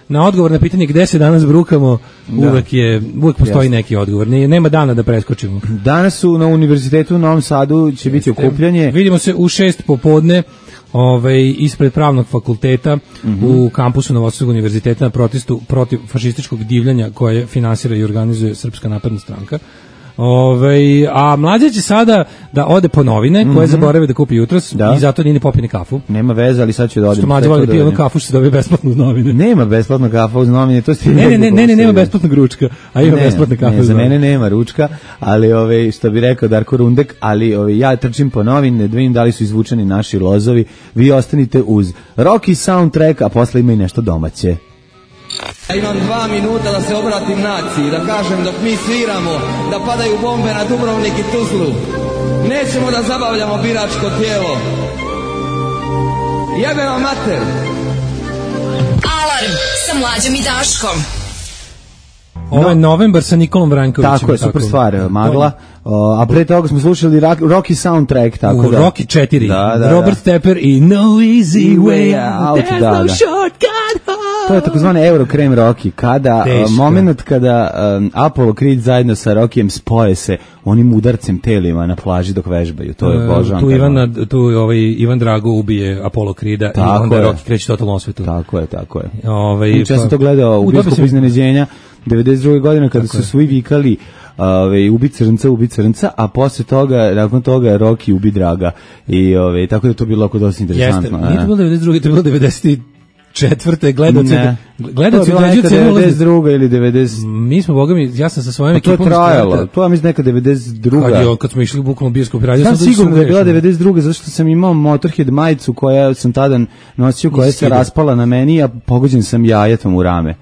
na odgovor na pitanje gde se danas brukamo, da. uvek je uvek postoji Jeste. neki odgovor. Ne, nema dana da preskočimo. Danas su na Univerzitetu u Novom Sadu će Jeste. biti okupljanje. Vidimo se u šest popodne. Ovaj ispred pravnog fakulteta mm-hmm. u kampusu Novosadskog univerziteta na protestu protiv fašističkog divljanja koje finansira i organizuje Srpska napredna stranka. Ove, a mlađa će sada da ode po novine koje mm-hmm. zaborave da kupi jutros da. i zato nije ni popije ni kafu. Nema veze, ali sad će da odem. Što mlađa voli da pije onu kafu što se dobije besplatno uz novine. Nema besplatno kafa uz novine, to ste ne, ne, ne, ne, ne, nema besplatnog ručka, a ima besplatna kafa. Ne, za mene nema ručka, ali ove, što bi rekao Darko Rundek, ali ove, ja trčim po novine, da vidim da li su izvučeni naši lozovi, vi ostanite uz Rocky soundtrack, a posle ima i nešto domaće. Ja imam dva minuta da se obratim naciji, da kažem dok mi sviramo, da padaju bombe na Dubrovnik i Tuzlu. Nećemo da zabavljamo biračko tijelo. Jebe vam mater! Alarm sa Mlađom i Daškom. Ovo je Novembar sa Nikolom Vrankovićem. Tako je, super stvar, Magla. O, a pre toga smo slušali Rocky soundtrack, tako u da. Rocky četiri, da, da, Robert da. Tepper i No Easy Way Out. There's da, no da. shortcut home. To je takozvani Eurokrem Rocky, kada uh, moment kada um, Apollo Creed zajedno sa Rockyjem spoje se onim udarcem telima na plaži dok vežbaju. To je božan. Tu Ivan, tu ovaj Ivan Drago ubije Apollo Creeda i onda je. Rocky kreće totalno osvetu. Tako je, tako je. Ovaj ja sam to gledao u Biskupu iznenađenja devedeset druge godine kada su svi vikali ove ubi crnca, ubi crnca, a posle toga, nakon toga Rocky ubi Draga. I ove tako da to bilo oko dosta interesantno. Jeste, nije to bilo devedeset druge, to je bilo devedeset četvrte gledalci gledalci dođu cenu devedeset druga ili devedeset. Mi smo bogami, ja sam sa svojim ekipom. To je trajalo. To ja mislim neka devedeset druga. Kad, je, kad smo išli bukvalno bioskop radio, sam sigurno da je bila devedeset druga zato što sam imao Motorhead majicu koja sam tada nosio, koja se raspala na meni, a pogođen sam jajetom u rame.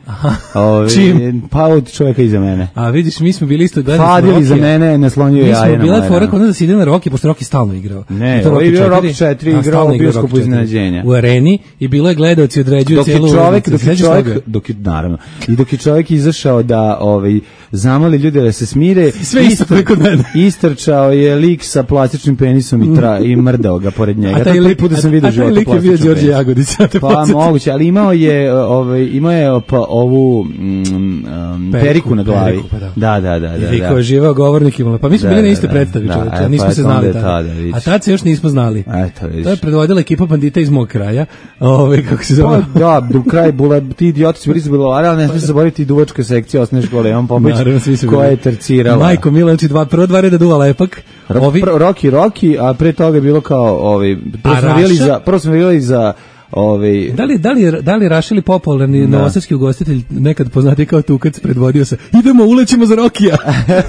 Ove, čim? Pa od čovjeka iza mene. A vidiš, mi smo bili isto gledali. Fadili za mene, naslonio jaje na mene. Mi smo bila fora kod da se ide na Rocky, pošto Rocky stalno igrao. Ne, to je bio Rocky četiri igrao u bioskopu iznenađenja. U areni i bilo je gledalci određuju celu čovjek, dok je čovjek, dok je, naravno, i dok je čovjek izašao da ovaj, zamoli ljude da se smire, sve isto preko mene. Istrčao je lik sa plastičnim penisom i, tra, i mrdao ga pored njega. A taj lik, da sam vidio života plastičnog penisa. George Jagodić. Pa moguće, ali imao je, ovaj, imao je pa, ovu mm, um, periku, periku na glavi. Periku, pa da. Da, da, da. da, I kao živao govornik imala. Pa mi smo da, bili na istoj predstavi, da, čovječe, nismo pa se znali tada. A tad se još nismo znali. Eto, to je predvodila ekipa bandita iz mog kraja. Ovaj, kako se zove? Pa, da, do kraja bula, ti idioti su bili su bilovali, ali ne smije se zaboraviti duvačka sekcija osnovne škole, Ivan Popović, koja je tercirala. Majko Mila, znači dva, prvo dva reda duva lepak. Ovi... Rocky, Rocky, a pre toga je bilo kao, ovaj, prvo smo vidjeli za, prvo smo vidjeli za Ove... Da li da li da li Rašili popularni novosadski ugostitelj nekad poznati kao Tukac predvodio se idemo ulećemo za Rokija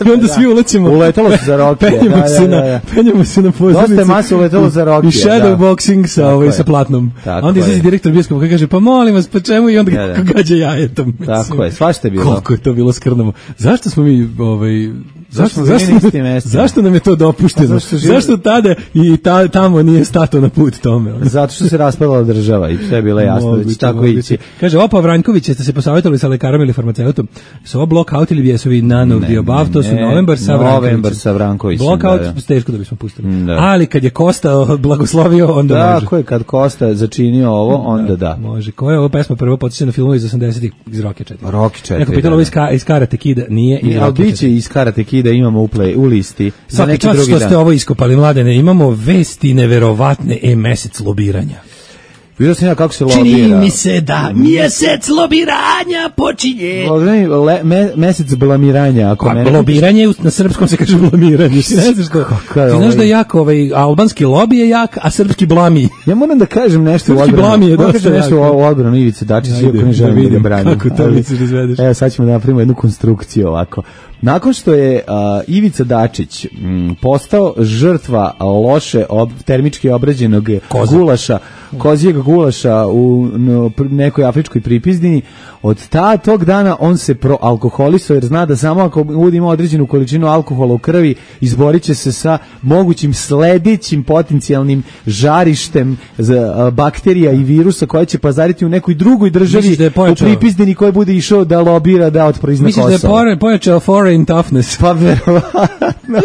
i onda svi ulećemo uletelo se za Rokija penjemo da, se da, da, da. na penjemo se na pozornicu dosta masa uletelo za Rokija i shadow da. boxing sa ovaj sa platnom tako onda izlazi direktor bioskopa kaže pa molim vas pa čemu i onda da, da. gađa jajetom tako je svašta je bilo koliko je to bilo skrnavo zašto smo mi ovaj Zašto, zašto, zašto, zašto nam je to dopušteno? Zašto, živ... zašto tada i ta, tamo nije stato na put tome? Zato što se raspadala država i sve je bilo jasno da će tako ići. Kaže, opa Vranjković, jeste se posavjetovali sa lekarom ili farmaceutom? Su ovo block-out ili bijesovi none of the above? To su Novembar sa Vrankovićem. Novembar sa Vrankovićem. Block-out, da, da. Teško da bismo pustili. Da. Ali kad je Kosta blagoslovio, onda da, može. Da, ko je kad Kosta začinio ovo, onda da. da. Može. Koja je ovo pesma prvo podsjeća na filmu iz osamdesetih iz Rocky četiri? Rocky četiri. Neko pitalo ovo iz, iz Karate Kida, nije iz Rocky četiri. Biće iz Karate Kida, imamo u, play, u listi. Svaki čas što dan. Ste ovo iskopali, mladene, imamo vesti neverovatne, e mesec lobiranja. Vidio sam ja kako se lobira. Čini mi se da mjesec lobiranja počinje. Le, me, mesec blamiranja. Ako pa, mene... Lobiranje, na srpskom se kaže blamiranje. Ti ne znaš ko? Ti znaš da je jako, ovaj, albanski lobi je jak, a srpski blami. Ja moram da kažem nešto u odbranu. Blami je dosta kažem nešto jak. U odbranu Ivice Dačića, iako ne želim da ga branim. Kako to misliš da izvedeš? Evo, sad ćemo da napravimo jednu konstrukciju ovako. Nakon što je uh, Ivica Dačić m, postao žrtva loše ob, termički obrađenog Koza. gulaša, kozijeg gulaša u no, nekoj afričkoj pripizdini, od ta tog dana on se proalkoholisao jer zna da samo ako bude imao određenu količinu alkohola u krvi izborit će se sa mogućim sledećim potencijalnim žarištem za, uh, bakterija i virusa koja će pazariti u nekoj drugoj državi da u pripizdini koji bude išao da lobira da otprizna Kosova. Misliš da je pojačao foreign toughness? Pa verovatno.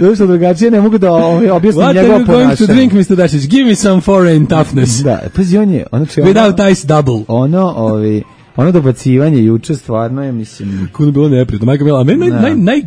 Došto drugačije ne mogu da objasnim njegovo ponašanje. What are you going to drink, mister Dačić? Give me some foreign toughness. Da, pazi, on je... Ono če, Without ono, ice double. Ono, ovi... Ono dobacivanje juče stvarno je, mislim... Kuda bilo neprijatno, majka mila, a meni naj, naj, naj,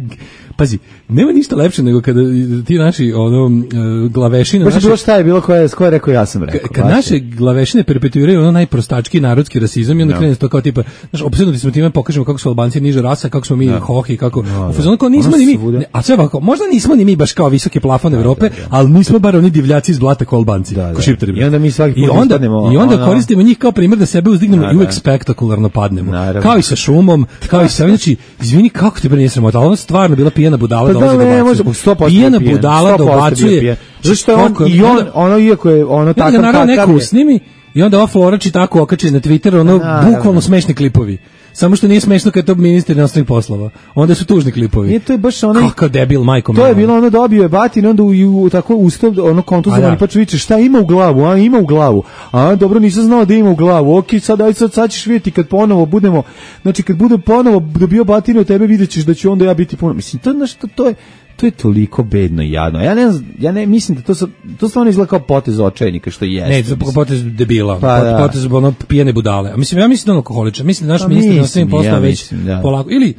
pazi, nema ništa lepše nego kada ti naši ono, uh, glavešine... Pošto bilo šta je bilo koje, koje rekao, ja sam rekao. Kad naše glavešine perpetuiraju ono najprostački narodski rasizam i onda no. krene to kao tipa, znaš, opsednuti smo time pokažemo kako su Albanci niža rasa, kako smo mi no. hohi, kako... No, u fazonu kao nismo ni mi, ne, a sve ovako, možda nismo ni mi baš kao visoke plafone Evrope, da, da, da. ali nismo bar oni divljaci iz blata kao Albanci, da, da. ko šiptari. I onda mi svaki put I onda, ispadnemo... I onda ono... koristimo njih kao primjer da sebe uzdignemo i uvek spektakularno padnemo. Naravno. Kao i sa šumom, kao i sa... Znači, izvini, kako te bre nije sramota, ali ono stvarno bila pijena budala dobacuje. Pijena budala dobacuje. Zašto on i on, ono iako je ono takav kakav je. Neko snimi i onda ova Florači tako okači na Twitter, ono bukvalno smešni klipovi. Samo što nije smešno kad je to ministar inostranih poslova. Onda su tužni klipovi. Nije, to je baš onaj... Kakav debil, majko. To je bilo ono dobio je batin, onda u, u tako ustav, ono kontuzovani, pa čuviće, šta ima u glavu, a ima u glavu. A dobro, nisam znao da ima u glavu. Ok, sad, aj sad, sad ćeš vidjeti kad ponovo budemo, znači kad budem ponovo dobio batine od tebe, vidjet ćeš da ću onda ja biti ponovo. Mislim, to, znaš, to, to je... To je toliko bedno i jadno. Ja ne znam, ja ne mislim da to sa, to stvarno izgleda kao potez očajnika što jeste. Ne, to potez debila, pa, pot, potez ono pijene budale. A mislim ja mislim da on alkoholičar. Mislim da naš pa ministar na svim poslova ja već da. polako ili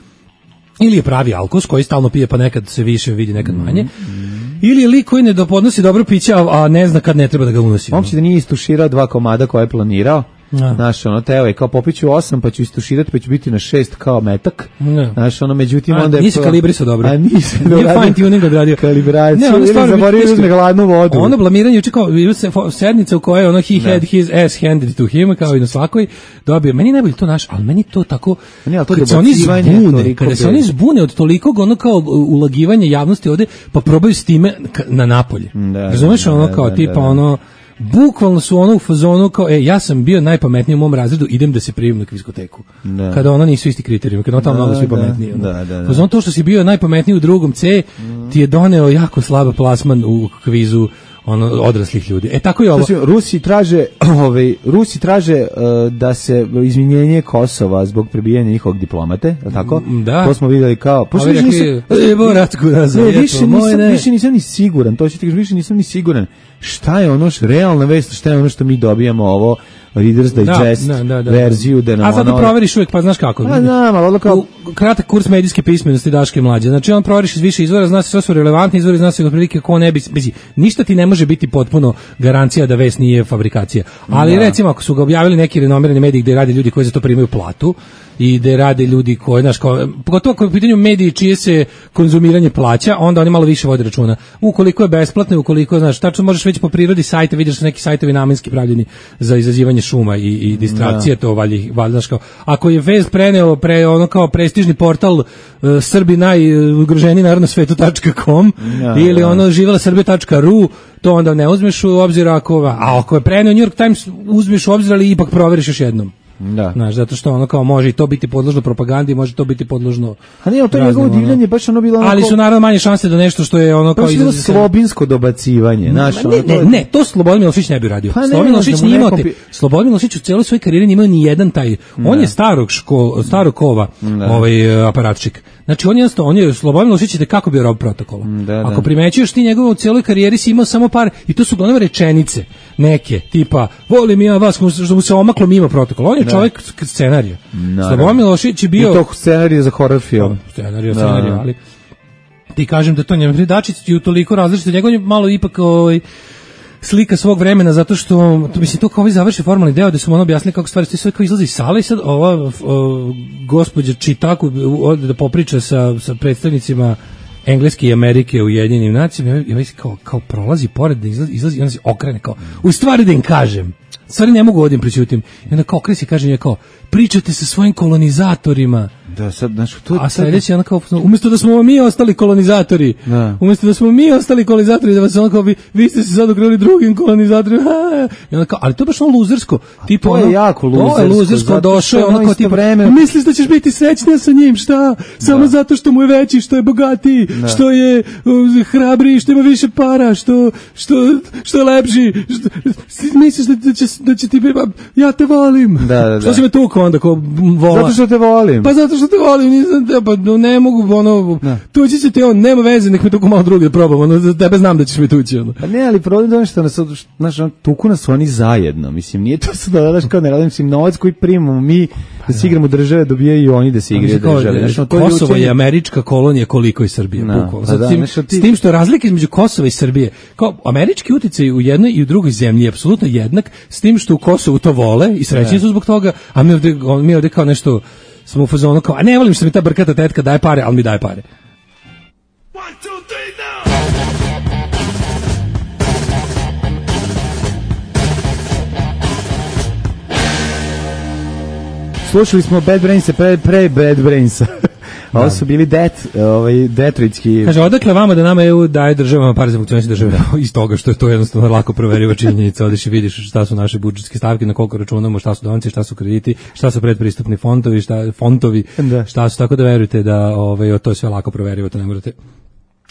ili je pravi alkos koji stalno pije pa nekad se više vidi, nekad manje. Mm. Ili je lik koji ne dopodnosi dobro piće, a ne zna kad ne treba da ga unosi. On će da nije istuširao dva komada koje je planirao. Znaš, ono, teo je kao popiću osam, pa ću istuširati, pa ću biti na šest kao metak. Znaš, ono, međutim, onda je... Nisi kalibrisao dobro. A nisi dobro. Nije fine tuning odradio. Kalibraciju, ili zaboravio uzme gladnu vodu. Ono blamiranje, uče kao, sednica u kojoj, ono, he had his ass handed to him, kao i na svakoj, dobio. Meni najbolje to naš, ali meni to tako... Kada se oni zbune, kada se oni zbune od tolikog, ono, kao ulagivanje javnosti ovde, pa probaju s time na napolje. Razumeš, ono, kao, tipa, ono... Bukvalno su ono u fazonu kao, e, ja sam bio najpametniji u mom razredu, idem da se prijavim na kviskoteku. Da. Kada ono nisu isti kriterijumi, kada ono tamo mnogo svi pametniji. Da, da, da. Fazon to što si bio najpametniji u drugom C, mm. ti je doneo jako slab plasman u kvizu ono odraslih ljudi. E tako je ovo. Znači, Rusi traže, ovaj Rusi traže uh, da se izvinjenje Kosova zbog prebijanja njihovog diplomate, je tako? Da. To smo videli kao. Pošto više nisam, evo ratku nazad. Ne, više nisam, više nisam ni siguran. To ću ti kažem, više nisam ni siguran. Šta je ono što realna vest, šta je ono što mi dobijamo ovo Reader's Digest da, da, da, da. verziju da nam a sad ono... to proveriš uvijek, pa znaš kako. A znam, ali kao... Kratak kurs medijske pismenosti Daške mlađe. Znači on proveriš iz više izvora, zna se sve su relevantni izvori, zna se otprilike ko ne bi... Bizi, ništa ti ne može biti potpuno garancija da vest nije fabrikacija. Ali da. recimo ako su ga objavili neki renomirani mediji gde rade ljudi koji za to primaju platu i gde rade ljudi koji, znaš, kao, pogotovo ako je u pitanju mediji čije se konzumiranje plaća, onda oni malo više vode računa. Ukoliko je besplatno, ukoliko, znaš, tačno možeš već po prirodi sajta, vidiš da su neki sajtovi namenski pravljeni za izazivanje šuma i, i distrakcije, da. to valji, valjda, kao, ako je vest preneo pre, ono kao prestižni portal uh, Srbi najugroženiji narod na svetu tačka com da, ili da. ono živela srbija tačka ru, to onda ne uzmeš u obzir ako, a ako je preneo New York Times uzmeš u obzir, ali ipak proveriš još jednom. Da. Znaš, zato što ono kao može i to biti podložno propagandi, može to biti podložno. A ne, to je njegovo divljanje, baš ono bilo ono. Ali su naravno manje šanse da nešto što je ono kao iz slobinsko dobacivanje, znaš. Ne, ne, ne, to Slobodan Milošević ne bi radio. Pa Slobodan Milošević nije imao te. Slobodan Milošević u celoj svojoj karijeri nije imao ni jedan taj. On je starog škol, starog kova, ovaj aparatčik. Znači on je jednostavno, on je Slobodan Milošević je kako bio rob protokola. Da, Ako da. primećuješ ti njegovu u cijeloj karijeri si imao samo par, i to su uglavnom rečenice, neke, tipa, volim ja vas, što mu se omaklo mimo protokola. On je da. čovjek scenarija. Slobodan Milošević je bio... I to scenarij za horror film. Scenarij, scenarij, ali... Ti kažem da to njemu Dačić je toliko različito, njegov je malo ipak ovaj, slika svog vremena, zato što, to mislim, to kao ovaj završi formalni deo, da su mu ono objasnili kako stvari, sve kao izlazi iz sale i sad ova o, gospođa Čitaku ode da popriča sa, sa predstavnicima Engleske i Amerike u Ujedinjenim nacijama i ovaj kao, kao prolazi pored, da izlazi, izlazi i onda se okrene kao, u stvari da im kažem, stvari ne mogu odim prećutim. I onda kao kresi kaže nje kao, pričate sa svojim kolonizatorima. Da, sad, znači, to je... A sledeće, ona kao, umjesto da smo mi ostali kolonizatori, da. umjesto da smo mi ostali kolonizatori, da vas ono kao, vi, vi ste se sad okrenuli drugim kolonizatorima, i onda kao, ali to je baš ono luzersko. Tipo, to je ono, jako luzersko. To je luzersko, došao je ono kao, tipo, vreme... misliš da ćeš biti srećnija sa njim, šta? Samo da. zato što mu je veći, što je bogatiji, da. što je uh, hrabriji, što ima više para, što, što, što je lepši, što, misliš da, da, će, da će ti, ja te volim. Da, da, da. Što si me tukao onda, kao vola? Zato što te volim. Pa zato što te volim, nisam te, pa ne mogu, ono, da. tući će te on, nema veze, nek me tuku malo drugi da probam, ono, za tebe znam da ćeš me tući, ono. Pa ne, ali problem je što nas, znaš, tuku nas oni zajedno, mislim, nije to sad da daš kao ne radim, mislim, novac koji primamo mi, da se igramo države, dobijaju i oni da se igraju države. Znaš, Kosovo je američka kolonija koliko i Srbije, bukvalno. S, tim, s tim što je razlika između Kosova i Srbije, kao američki uticaj u jednoj i u drugoj zemlji je apsolutno jednak, s tim što u Kosovu to vole i srećni su zbog toga, a mi ovde, mi ovde kao nešto smo u fazonu kao, a ne volim što mi ta brkata tetka daje pare, ali mi daje pare. One, two, three, now! Slušali smo Bad Brainsa pre, pre Bad Brainsa. Da. Ovo su bili det, ovaj, detroitski... Kaže, odakle vama da nama E U daje državama pare za funkcionisanje države? Iz toga što je to jednostavno lako proveriva činjenica. Odeš i vidiš šta su naše budžetske stavke, na koliko računamo, šta su donacije, šta su krediti, šta su predpristupni fondovi, šta, fontovi, da. šta su, tako da verujete da ovaj, to je sve lako proverivo, to ne morate...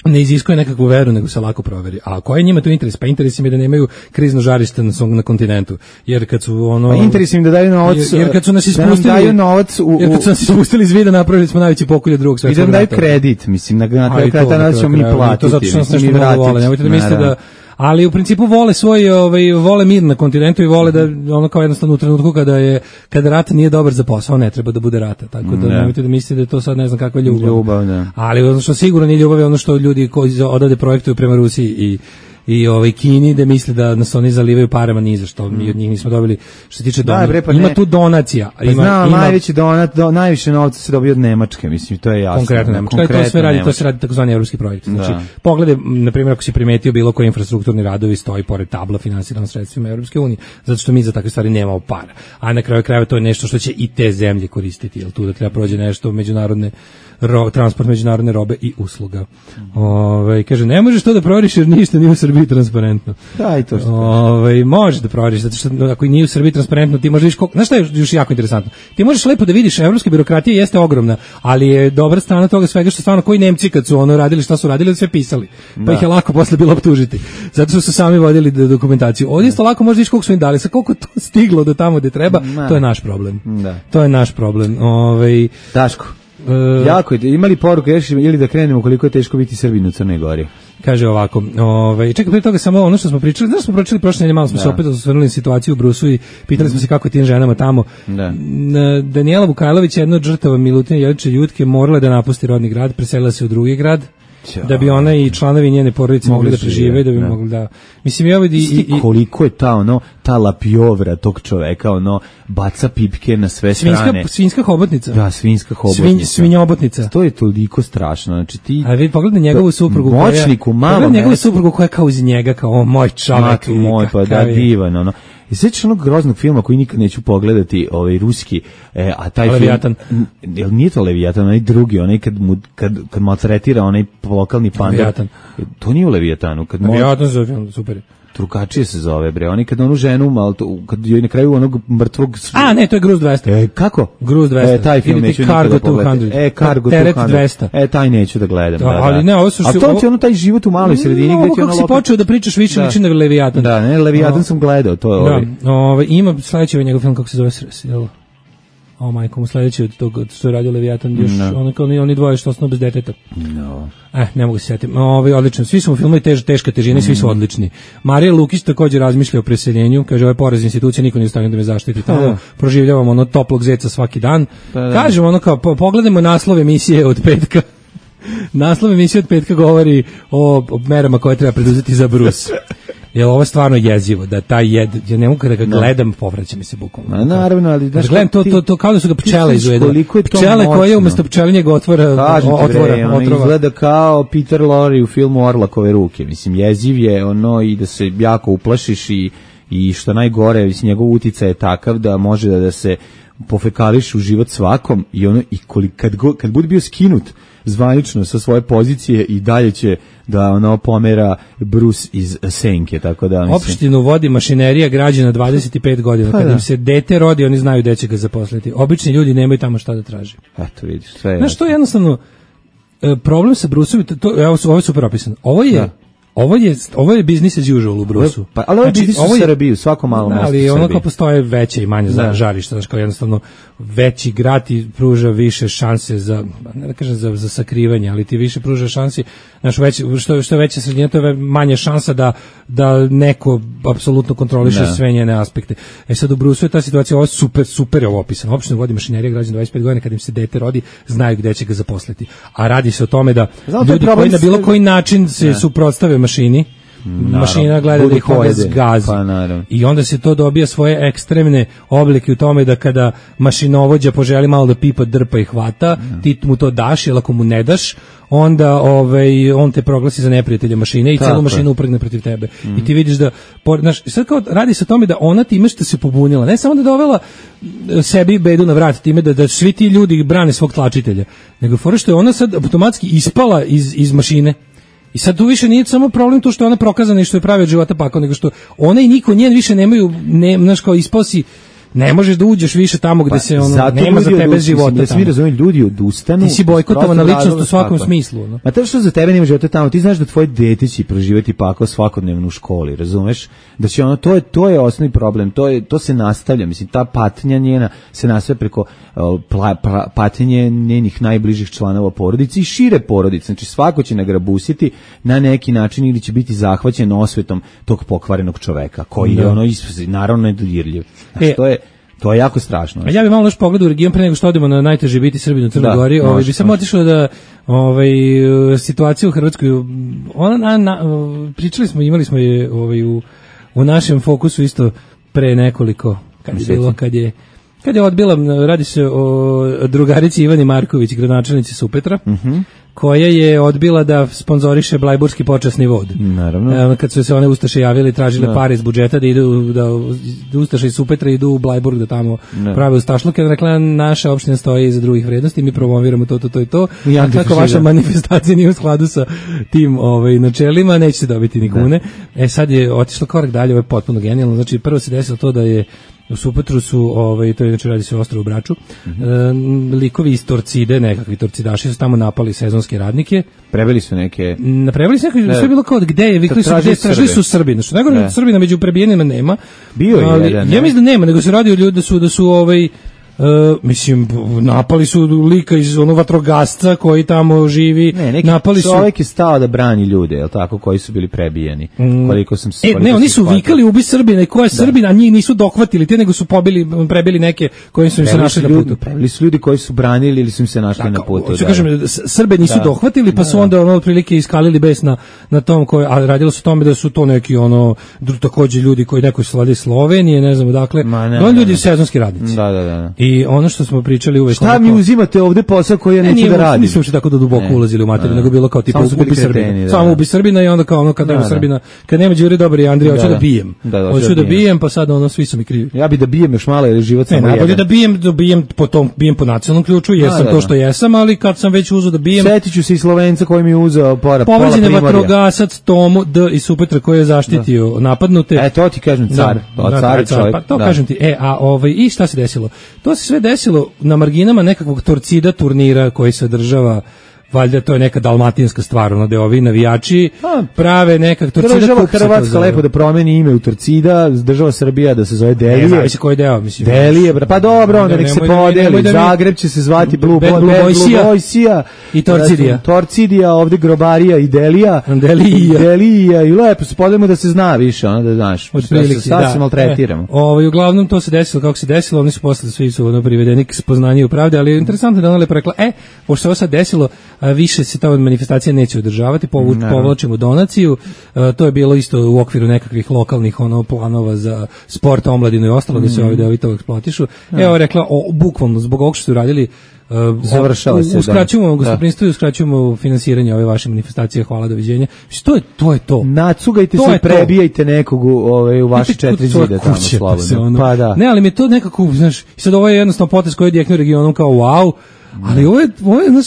ne iziskuje nekakvu veru, nego se lako proveri. A koji je njima tu interes? Pa interes im je da nemaju krizno žarište na, na kontinentu. Jer kad su ono... Pa interes im da daju novac... Jer, jer kad su nas ispustili... Da daju novac u... Jer kad su nas ispustili iz vida, napravili smo najveći pokolje drugog svetskog rata. I da daju kredit, mislim, na kraju krata nas ćemo mi platiti. To zato što nas nešto mnogo vole. Nemojte da mislite da... Ali u principu vole svoj, ovaj, vole mir na kontinentu i vole da ono kao jednostavno u trenutku kada je kada rat nije dobar za posao, ne treba da bude rata. Tako da nemojte da mislite da je to sad ne znam kakva ljubav. Ljubav, da. Ali ono što sigurno nije ljubav je ono što ljudi koji odavde projektuju prema Rusiji i i ovaj Kini da misle da nas oni zalivaju parama ni za što, mi od njih nismo dobili što se tiče donacija. Pa ima tu donacija, pa ima, znam, ima najveći donat, do, najviše novca se dobije od Nemačke, mislim, to je jasno. Konkretno Nemačka, konkretno to sve radi, to se radi takozvani evropski projekt. Znači, da. Pogledaj, na primjer, ako si primetio bilo koji infrastrukturni radovi stoji pored tabla finansirano sredstvima Evropske unije, zato što mi za takve stvari nemamo para. A na kraju krajeva to je nešto što će i te zemlje koristiti, jel tu da treba prođe nešto međunarodne ro, transport međunarodne robe i usluga. Ove, kaže, ne možeš to da proveriš jer ništa nije u Srbiji transparentno. Da, i to što Ove, možeš da proveriš, zato što ako nije u Srbiji transparentno, ti možeš vidiš koliko... Znaš šta je još jako interesantno? Ti možeš lepo da vidiš, evropska birokratija jeste ogromna, ali je dobra strana toga svega što stvarno koji Nemci kad su ono radili šta su radili, sve pisali. Pa da. Ih je lako posle bilo optužiti. Zato što su sami vodili dokumentaciju. Ovdje isto lako možeš vidiš koliko su im dali, sa koliko to stiglo do tamo gde treba, da. To je naš problem. Da. To je naš problem. Ove, Daško. Uh, jako je, imali poruku još ili da krenemo koliko je teško biti Srbin u Crnoj Gori. Kaže ovako, ovaj čekaj, prije toga samo ono što smo pričali, da smo pričali prošle nedelje, malo smo da. se opet osvrnuli na situaciju u Brusu i pitali smo se kako je tim ženama tamo. Da. Danijela Vukajlović, jedna od žrtava Milutina Jelića Jutke, morala da napusti rodni grad, preselila se u drugi grad. Da bi ona i članovi njene porodice mogli da prežive, da bi ne. mogli da... Mislim, ja vidi... I, i, koliko je ta, ono, ta lapjovra tog čoveka, ono, baca pipke na sve svinska, strane. Svinska hobotnica. Da, svinska hobotnica. Svinj, svinjobotnica. To je toliko strašno, znači ti... A vidi, pogledaj njegovu suprugu moćniku, koja... malo pogledaj njegovu suprugu koja je kao uz njega, kao o, moj čovek. Matu moj, pa da, divan, ono. I sećaš onog groznog filma koji nikad neću pogledati, ovaj ruski, e, a taj Leviatan. film, jel nije to Leviatan, onaj drugi, onaj kad mu, kad, kad maltretira onaj lokalni pandor. Leviatan. To nije u Leviatanu. Kad Leviatan za film, super. Drugačije se zove, bre. Oni kad onu ženu, malo to, kad joj na kraju onog mrtvog... A, ne, to je Gruz dvesta. E, kako? Gruz dvesta. E, taj film Ili neću Cargo nikada pogledati. dvesta. E, Cargo Teret dvesta. dvesta. E, taj neću da gledam. Da, Da, da. ali ne, ovo su... A to ti ono taj život u maloj sredini, no, gde ti ono... kako si počeo da pričaš više Da. liči na Leviatan. Da, ne, Leviatan sam gledao, to je ovaj. Da, ovaj, ima sledeći ovaj njegov film, kako se zove, jel? O majko mu sledeći od tog što je radio Leviatan, još No. oni, oni, oni dvoje što osnovno bez deteta. No. Eh, ne mogu se setiti. Ovaj odlično. Svi su mu filmovi tež, teška težina, svi su odlični. Marija Lukić takođe razmišlja o preseljenju, kaže ovaj poraz institucije niko nije u stanju da me zaštiti. Tamo Da. proživljavamo ono toplog zeca svaki dan. Pa da. Kažemo ono kao po, pogledajmo naslov emisije od petka. Naslov emisije od petka govori o, o merama koje treba preduzeti za Brus. Jer ovo je stvarno jezivo, da taj jed, ja ne mogu kada ga gledam, povraća mi se bukvalno. Ma naravno, ali Kad gledam to, to, to kao da su ga pčele izvedele. koliko je to Pčele koje moćno. umesto pčelinjeg otvora, Kažem ti, otvora, bre, ono otrova. izgleda kao Peter Lorre u filmu Orlakove ruke. Mislim, jeziv je ono i da se jako uplašiš i, i što najgore, mislim, njegov uticaj je takav da može da, da se pofekališ u život svakom i ono i koliko, kad, go, kad bude bio skinut zvanično sa svoje pozicije i dalje će da ono pomera Bruce iz senke, tako da mislim... Opštinu vodi mašinerija građana dvadeset pet godina. Pa Kad da. im se dete rodi, oni znaju gde će ga zaposliti. Obični ljudi nemaju tamo šta da traže. Eto, vidiš, sve je... Znaš, to je jednostavno e, problem sa Bruceom, to, to, evo, ovo je super opisano. Ovo je, Da. ovo je, ovo je business as usual u Bruceu. Pa, ali ovo je Znači, biznis u ovo je- Srbiji, u svakom malom Da, mestu ali u ono Srbiji. kao postoje veće i manje za Da. žarišta, znači kao jednostavno veći grad ti pruža više šanse za, ne da kažem za, za sakrivanje, ali ti više pruža šansi, znači veći, što, što je veća sredina, to je manje šansa da, da neko apsolutno kontroliše Da. sve njene aspekte. E sad u Brusu je ta situacija, ovo je super, super je ovo opisano. Opštinu vodi mašinerija građana dvadeset pet godina, kad im se dete rodi, znaju gde će ga zaposliti. A radi se o tome da Znam, to je ljudi problem koji na bilo s- koji način se Ne. suprotstave mašini, mašina gleda Budu da ih onda pojede. zgazi. Pa, naravno. I onda se to dobija svoje ekstremne oblike u tome da kada mašinovođa poželi malo da pipa, drpa i hvata, ti mu to daš, jer ako mu ne daš, onda ovaj, on te proglasi za neprijatelja mašine i Tako celu je. mašinu upregne protiv tebe. I ti vidiš da, por- znaš, sad kao radi se o tome da ona time što se pobunila, ne samo da je dovela e, sebi bedu na vrat time da, da svi ti ljudi brane svog tlačitelja, nego fora što je ona sad automatski ispala iz, iz mašine. I sad tu više nije samo problem to što je ona prokazana i što je pravi od života pakao, nego što ona i niko njen više nemaju, ne, znaš kao ispao si, ne možeš da uđeš više tamo gde se ono, Pa, zato nema za ljudi tebe odu- života mislim, da svi tamo. razumiju, ljudi odustanu. Ti si iz bojkotovana prostog ličnost razloga, u svakom tako je. smislu, no. Ma to što za tebe nema života tamo, ti znaš da tvoje dete će proživjeti pakao svakodnevno u školi, razumeš? Da će ono, to je, to je osnovni problem, to, je, to se nastavlja, mislim, ta patnja njena se nastavlja preko uh, pla, pra, patnje njenih najbližih članova porodice i šire porodice, znači svako će nagrabusiti na neki način ili će biti zahvaćen osvetom tog pokvarenog čoveka, koji je Da. ono, is- naravno nedodirljiv. Znači, E, to je, to je jako strašno. A ja bih malo još pogledao u region pre nego što odemo na najteže biti Srbin u Crnoj Da, Gori. Ovaj može, bi samo može. otišao da ovaj situaciju u Hrvatskoj, ona na, na, pričali smo, imali smo je ovaj u u našem fokusu isto pre nekoliko kad je Mjeseci. bilo kad je kad je odbila, radi se o drugarici Ivani Marković, gradonačelnici Supetra, koja je odbila da sponzoriše Blajburski počasni vod. Naravno. E, kad su se one ustaše javili, tražile Da. pare iz budžeta da idu, da, da ustaše iz Supetra idu u Blajburg da tamo Da. prave ustašluke. Rekla, naša opština stoji iza drugih vrednosti, mi promoviramo to, to, to i to. I A kako antifašizam. vaša manifestacija nije u skladu sa tim ovaj, načelima, nećete dobiti ni kune. E sad je otišla korak dalje, ovo je potpuno genijalno. Znači, prvo se desilo to da je u Supetru su, ovaj, to je znači radi se o ostrvu Braču, Mhm. e, likovi iz Torcide, nekakvi torcidaši su tamo napali sezonske radnike. Prebili su neke... Napravili su neko, Ne. sve je bilo kao gde je, vikli su Tražili gde, tražili Srbe. su Srbi. Znači, nego Ne. Srbina među prebijenima nema. Bio je Ali, jedan, ja ne? mislim da nema, nego se radi o ljudi da su, da su ovaj, Uh, mislim, napali su lika iz onog vatrogasca koji tamo živi, Ne, neki napali su... čovjek je stao da brani ljude, je tako, koji su bili prebijeni. Koliko sam se E, koliko ne, oni sam su shvatio. vikali ubi Srbina i ko je Srbina, a njih nisu dohvatili, te nego su pobili, prebili neke koji su im se Prebili našli su na ljudi, putu. prebili su ljudi koji su branili ili su im se našli na putu. Hoću da. kažem, s- Srbe nisu Da. dohvatili, pa su onda ono otprilike iskalili bes na, na tom, koji, a radilo se o tome da su to neki ono, dru- takođe ljudi koji neko su vlade iz Slovenije, ne znam odakle, Ma, ne, no, ne, ljudi ne. sezonski radnici. Da, da, da. I I ono što smo pričali uvek... Šta mi uzimate ovde posao koji ja neću da radim? Nismo uopšte tako da duboko ne, ulazili u materiju, nego bilo kao tipa ubi Srbina. Samo ubi Srbina i onda kao ono kad nema da, Srbina, kad nema Đure Dobar i Andrija, hoću da, da bijem. Da, da, hoću da, da bijem, pa sad ono svi su mi krivi. Ja bi da bijem još malo jer je život samo jedan. Ne, najbolje da bijem, da bijem po tom, bijem po nacionalnom ključu, jesam da, da, to što jesam, ali kad sam već uzeo da bijem... Setiću se i Slovenca koji mi je uzeo pola Primorja. Povređen je vatrogasac Tomu D iz Supetra koji je zaštitio napadnute. E, to ti kažem car, to car čovjek. Pa to kažem ti. E, a ovaj i šta se desilo? To se sve desilo na marginama nekakvog torcida turnira koji se održava, valjda to je neka dalmatinska stvar, ono da ovi navijači prave nekak torcida. Država Hrvatska lepo da promeni ime u torcida, država Srbija da se zove Delije. Ne znam se koji deo, mislim. Delije, pa dobro, onda nek se podeli. Zagreb će se zvati Blue Boysija i Torcidija. Torcidija, ovde Grobarija i Delija. Delija. Delija i lepo se podelimo da se zna više, ono da znaš. Sad se maltretiramo. Ovaj uglavnom to se desilo kako se desilo, oni su posle svi su ono privedeni k spoznanju pravde, ali interesantno da ona lepo rekla, e, pošto se sad desilo, više se ta manifestacija neće održavati, povuč, povlačimo donaciju, e, to je bilo isto u okviru nekakvih lokalnih ono planova za sport, omladinu i ostalo, mm. da se ovi deovi to eksploatišu. Ja. Evo rekla, o, bukvalno zbog ovog što su radili, uh, završava se. Uskraćujemo gostoprinstvo i uskraćujemo finansiranje ove vaše manifestacije, hvala, doviđenja. To je to. Je to. Nacugajte to se i prebijajte nekog u, ove, u vaše četiri zida tamo slobodno. Ono, pa da. Ne, ali mi je to nekako, znaš, sad ovo je jednostavno potez koji je direktno regionom kao wow, ali ovo je, ovo je, znaš,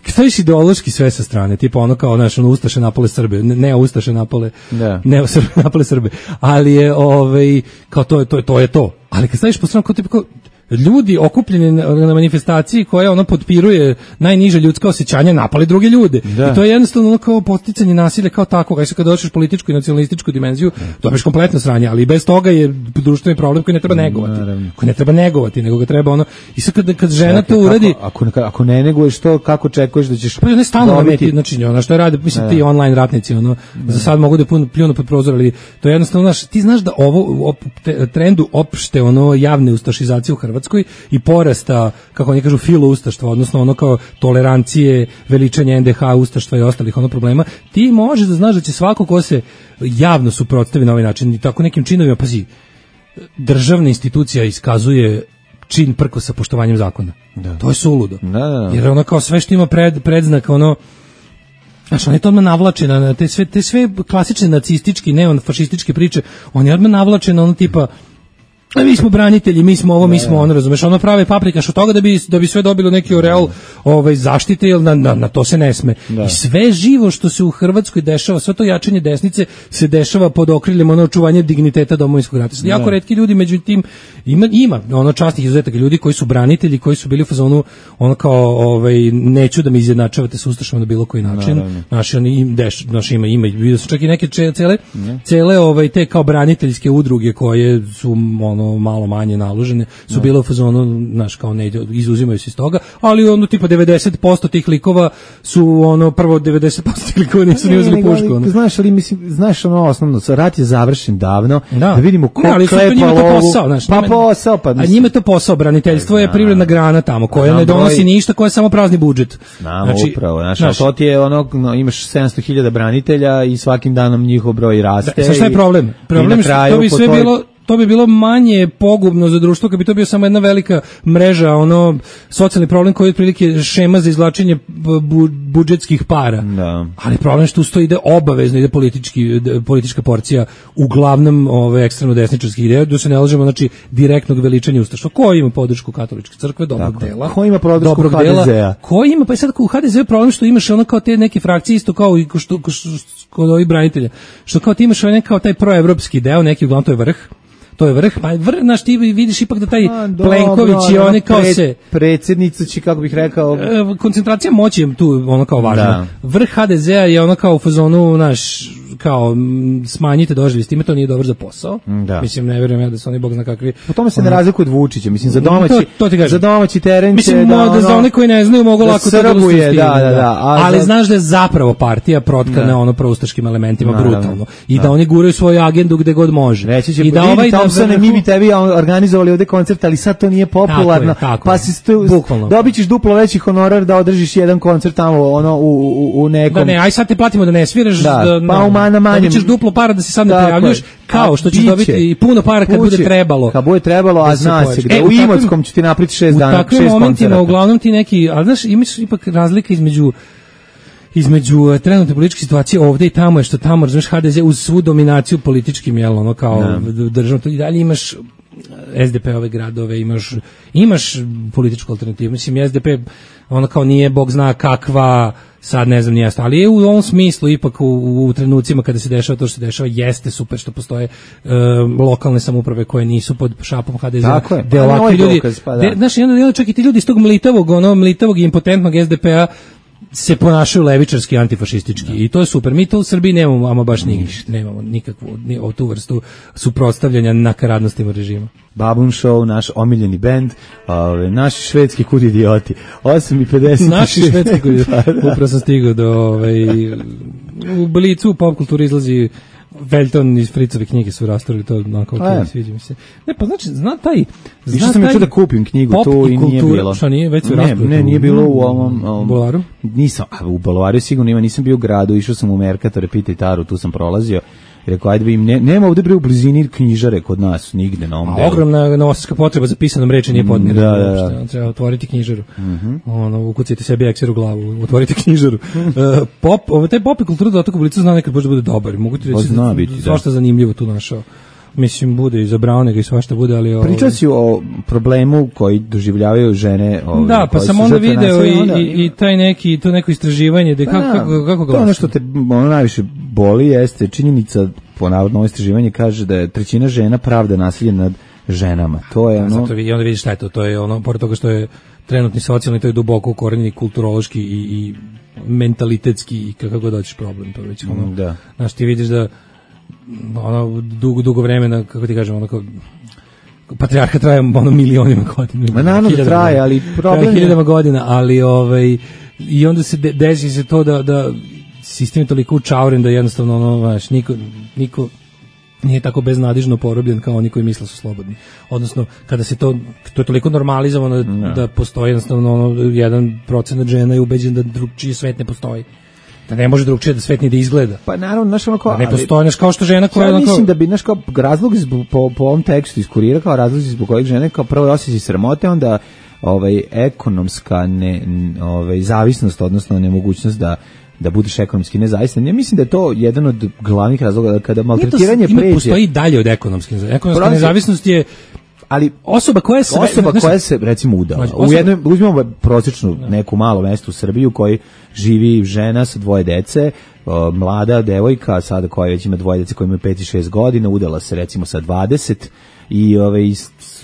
staviš ideološki sve sa strane, tipa ono kao, znaš, ono Ustaše napale Srbe, ne, ne Ustaše napale, da. ne Srbe napale Srbe, ali je, ovaj, kao to je to, to je to, ali kad staviš po stranu, kao tipa kao, ljudi okupljeni na manifestaciji koja ono potpiruje najniže ljudska osjećanja napali druge ljude. Da. I to je jednostavno ono kao podsticanje nasilja kao tako. Kaj se kad dođeš političku i nacionalističku dimenziju, dobiješ kompletno sranje, ali bez toga je društveni problem koji ne treba negovati. Naravno. Koji ne treba negovati, nego ga treba ono. I sad kad, kad žena to uradi, ako, ako, ako ne neguješ to, kako čekuješ da ćeš pa ne stalno meti, znači ono što rade, mislim ti online ratnici, ono da. Za sad mogu da pun, pljunu pod prozor, ali to je jednostavno, znaš, ti znaš da ovo op, te, trendu opšte ono javne ustašizacije u Hrvatskoj i porasta, kako oni kažu, filoustaštva, odnosno ono kao tolerancije, veličanje en de ha, ustaštva i ostalih ono problema, ti možeš da znaš da će svako ko se javno suprotstavi na ovaj način i tako nekim činovima, pazi, državna institucija iskazuje čin prko sa poštovanjem zakona. Da. To je suludo. Da, da. Jer ono kao sve što ima pred, predznak, ono, znaš, on je to odmah navlače na te sve, te sve klasične nacistički, neonfašističke priče, on je odmah navlače na ono tipa, a mi smo branitelji, mi smo ovo, mi smo ono, razumeš, ono prave paprikaš od toga da bi da bi sve dobilo neki oreol ovaj zaštite, jel na, na, na to se ne sme. Da. I sve živo što se u Hrvatskoj dešava, sve to jačanje desnice se dešava pod okriljem ono očuvanje digniteta domovinskog rata. Sad, jako retki ljudi, međutim ima ima ono časnih izuzetaka ljudi koji su branitelji, koji su bili u fazonu ono kao ovaj neću da me izjednačavate sa ustašama na bilo koji način. Naši oni im deš, naši ima ima vidio su čak i neke cele cele ovaj te kao braniteljske udruge koje su ono malo manje naložene, su bile u fazonu, znaš, kao ne, izuzimaju se iz toga, ali ono tipa devedeset posto tih likova su ono, prvo devedeset posto tih likova nisu ni uzeli pušku. Ono. Znaš, ali mislim, znaš ono osnovno, rat je završen davno, da, da vidimo ko ne, klepa lovu, posao, znaš, pa posao, pa mislim. A njima je to posao, braniteljstvo je privredna grana tamo, koja ne donosi ništa, koja je samo prazni budžet. Znamo, znači, upravo, znaš, znaš, to ti je ono, no, imaš sedamsto hiljada branitelja i svakim danom njihov broj raste. Da, šta je problem? Problem je što to bi sve bilo to bi bilo manje pogubno za društvo kad bi to bio samo jedna velika mreža, ono socijalni problem koji je otprilike šema za izvlačenje bu, budžetskih para. Da. Ali problem što usto ide obavezno, ide politički, politička porcija uglavnom ove ekstremno desničarskih ideja, da se ne lažemo, znači direktnog veličanja ustaštva. Ko ima podršku katoličke crkve, dobrog tako, dela. Ko ima podršku ha de zea? Ko ima, pa i sad u ha de zeu problem što imaš ono kao te neke frakcije isto kao i što kod ovih branitelja. Što kao ti imaš onaj kao taj proevropski deo, neki uglavnom to je vrh. To je vrh, pa vrh, znaš, ti vidiš ipak da taj a, Plenković dobro, i oni kao pred, se... Predsjednica će, kako bih rekao... Koncentracija moći je tu ono kao važna. Da. Vrh ha de zea je ono kao u fazonu, znaš, kao smanjite doživlje s time, to nije dobro za posao. Da. Mislim, ne vjerujem ja da su oni bog zna kakvi... Po tome se ono, ne razlikuje od Vučića, mislim, za domaći, to, to za domaći teren mislim, će... Da, ono, za one koji ne znaju mogu da lako srbuje, to da, da, da, da. Ali za... znaš da je zapravo partija protkana ono proustaškim elementima, naravno, brutalno. I da. da oni guraju svoju agendu gde god može. Reći će, I da ovaj Thompsone, mi bi tebi organizovali ovde koncert, ali sad to nije popularno, tako je, tako pa je. si tu, dobit ćeš duplo veći honorar da održiš jedan koncert tamo ono, u, u, u nekom... Da ne, aj sad te platimo da ne sviraš, da, da, pa no, na manjem... dobit ćeš duplo para da se sad ne prijavljuš, kao što ćeš dobiti i puno para kad bude trebalo. Kad bude trebalo, a zna se gde, e, u, u Imotskom ću ti napriti šest dana, šest koncerata. U takvim momentima, uglavnom ti neki, ali znaš, imaš ipak razlika između između trenutne političke situacije ovde i tamo je što tamo, znaš, ha de ze uz svu dominaciju političkim, jel, ono, kao državno, i dalje imaš es de pe ove gradove, imaš, imaš političku alternativu, mislim, es de pe, ono kao nije, bog zna kakva, sad ne znam nijesta, ali je u ovom smislu ipak u, u trenucima kada se dešava to što se dešava, jeste super što postoje uh, lokalne samouprave koje nisu pod šapom ha de ze. Tako je, de pa ovakvi ljudi, dokaz, pa da. De, znaš, onda čak i ti ljudi iz tog mlitavog, ono, mlitavog i impotentnog es de pe-a se ponašaju levičarski, antifašistički i to je super. Mi to u Srbiji nemamo, ama baš ništa, nemamo nikakvu ni, tu vrstu suprotstavljanja nakaradnostima režima. Babun Show, naš omiljeni bend, ove, naši švedski kud idioti, osam i pedeset Naši švedski kud idioti, upravo sam stigao do, ovaj, u Blicu, u pop kulturi izlazi Velton iz Fritzove knjige su rastorili to, onako, ok, sviđa mi se. Ne, pa znači, zna taj... Zna sam taj da kupim knjigu tu i, i nije bilo. Šta nije, već su ne, ne, nije bilo u ovom... ovom Bularu? Nisam, a u Bularu sigurno ima, nisam bio u gradu, išao sam u Merkatore, Pitaj Taru, tu sam prolazio. I rekao, ajde bi im, ne, nema ovde bre u blizini knjižare kod nas, nigde na ovom delu. Ogromna novosadska potreba za pisanom reči nije podmirena. Da, da, da. Treba otvoriti knjižaru. Mm -hmm. Ono, ukucajte sebi ekser u glavu, otvorite knjižaru. uh, pop, ovo, taj pop i kultura dotok u Blicu zna nekad možda bude dobar. Mogu ti reći da, biti, svašta zanimljivo tu našao. Mislim, bude i za Braunega i svašta bude, ali... Pričao si o problemu koji doživljavaju žene... Ove, da, pa sam onda video i, onda... i, i taj neki, to neko istraživanje, da, kako, kako, kako glasi? To ono što te ono najviše boli jeste činjenica, po navodno ovo istraživanje kaže da je trećina žena pravda nasilje nad ženama. To je ono... Zato i onda vidiš šta je to, to je ono, pored toga što je trenutni socijalni, to je duboko ukorenjeni kulturološki i, i mentalitetski i kako god hoćeš problem, to već ono... Da. Znaš, ti vidiš da ono dugo dugo vremena, kako ti kažem, ono kao patrijarhat traje ono milionima godina. Ma naravno da traje, ali problem je hiljadama godina, ali ovaj i onda se de, desi se to da da sistem je toliko učauren da jednostavno ono, znaš, niko niko nije tako beznadižno porobljen kao oni koji misle su slobodni. Odnosno, kada se to, to je toliko normalizovano da, da postoji jednostavno ono, jedan procenat žena je ubeđen da drugčiji svet ne postoji. Da ne može drugčije da svet ni da izgleda. Pa naravno, znaš ono kao... Da ne postoji, znaš, kao što žena koja... Ja mislim da bi, znaš, kao razlog zbog, po, po ovom tekstu iz Kurira, kao razlog zbog kojeg žene, kao prvo je osjećaj sramote, onda ovaj, ekonomska ne, ovaj, zavisnost, odnosno nemogućnost da da budeš ekonomski nezavistan. Ja mislim da je to jedan od glavnih razloga kada maltretiranje pređe. Ima postoji dalje od ekonomske nezavisnosti. Ekonomska nezavisnost je ali osoba koja se osoba znači, koja se recimo udala. Znači, u jednom uzmemo prosječnu neku malo mesto u Srbiji u kojoj živi žena sa dvoje dece, uh, mlada devojka sada koja već ima dvoje dece koja ima pet i šest godina, udala se recimo sa dvadeset i ovaj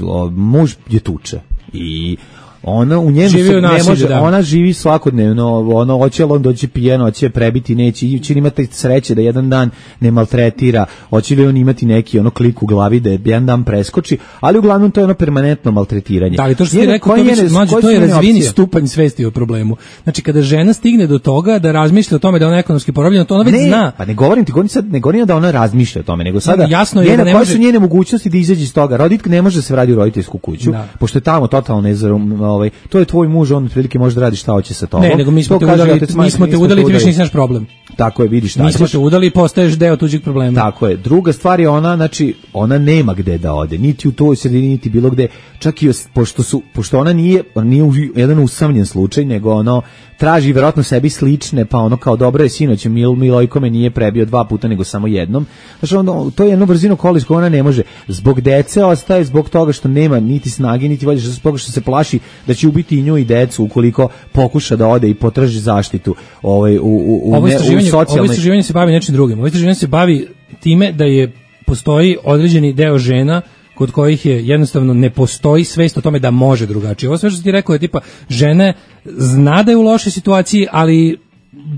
o, muž je tuče. I ona u njemu se ne može, da. Ona živi svakodnevno, ono hoće on doći pijano, hoće prebiti, neće, će imati sreće da jedan dan ne maltretira, hoće li on imati neki ono klik u glavi da je jedan dan preskoči, ali uglavnom to je ono permanentno maltretiranje. Da, ali to što ti rekao, to, njene, mlađe, to je razvijeni stupanj svesti o problemu. Znači kada žena stigne do toga da razmišlja o tome da ona je ekonomski porobljena, to ona već ne, zna. Pa ne govorim ti, govorim sad, ne govorim da ona razmišlja o tome, nego sada no, jasno njena, je da ne koje može... su njene mogućnosti da izađe iz toga. Roditka ne može da se vrati u roditeljsku kuću, da. Pošto je tamo totalno nezarum, ovaj, to je tvoj muž, on otprilike može da radi šta hoće sa tobom. Ne, nego mi smo te udali, mi smo te udali, ti više nisi naš problem. Tako je, vidiš šta. Mi smo te udali i postaješ deo tuđeg problema. Tako je. Druga stvar je ona, znači, ona nema gde da ode, niti u toj sredini, niti bilo gde. Čak i pošto su, pošto ona nije, ona nije jedan usamljen slučaj, nego ono traži verovatno sebi slične, pa ono kao dobro je sinoć, Mil Milojko me nije prebio dva puta nego samo jednom. Znači ono, to je jedno brzino kolis koje ona ne može. Zbog dece ostaje, zbog toga što nema niti snage, niti volje, zbog toga što se plaši da će ubiti i nju i decu ukoliko pokuša da ode i potraži zaštitu ovaj, u, u, u, ovo ne, u socijalnoj... Ovo istraživanje se bavi nečim drugim. Ovo istraživanje se bavi time da je postoji određeni deo žena kod kojih je jednostavno ne postoji svest o tome da može drugačije. Ovo sve što ti rekao je tipa žene zna da je u lošoj situaciji, ali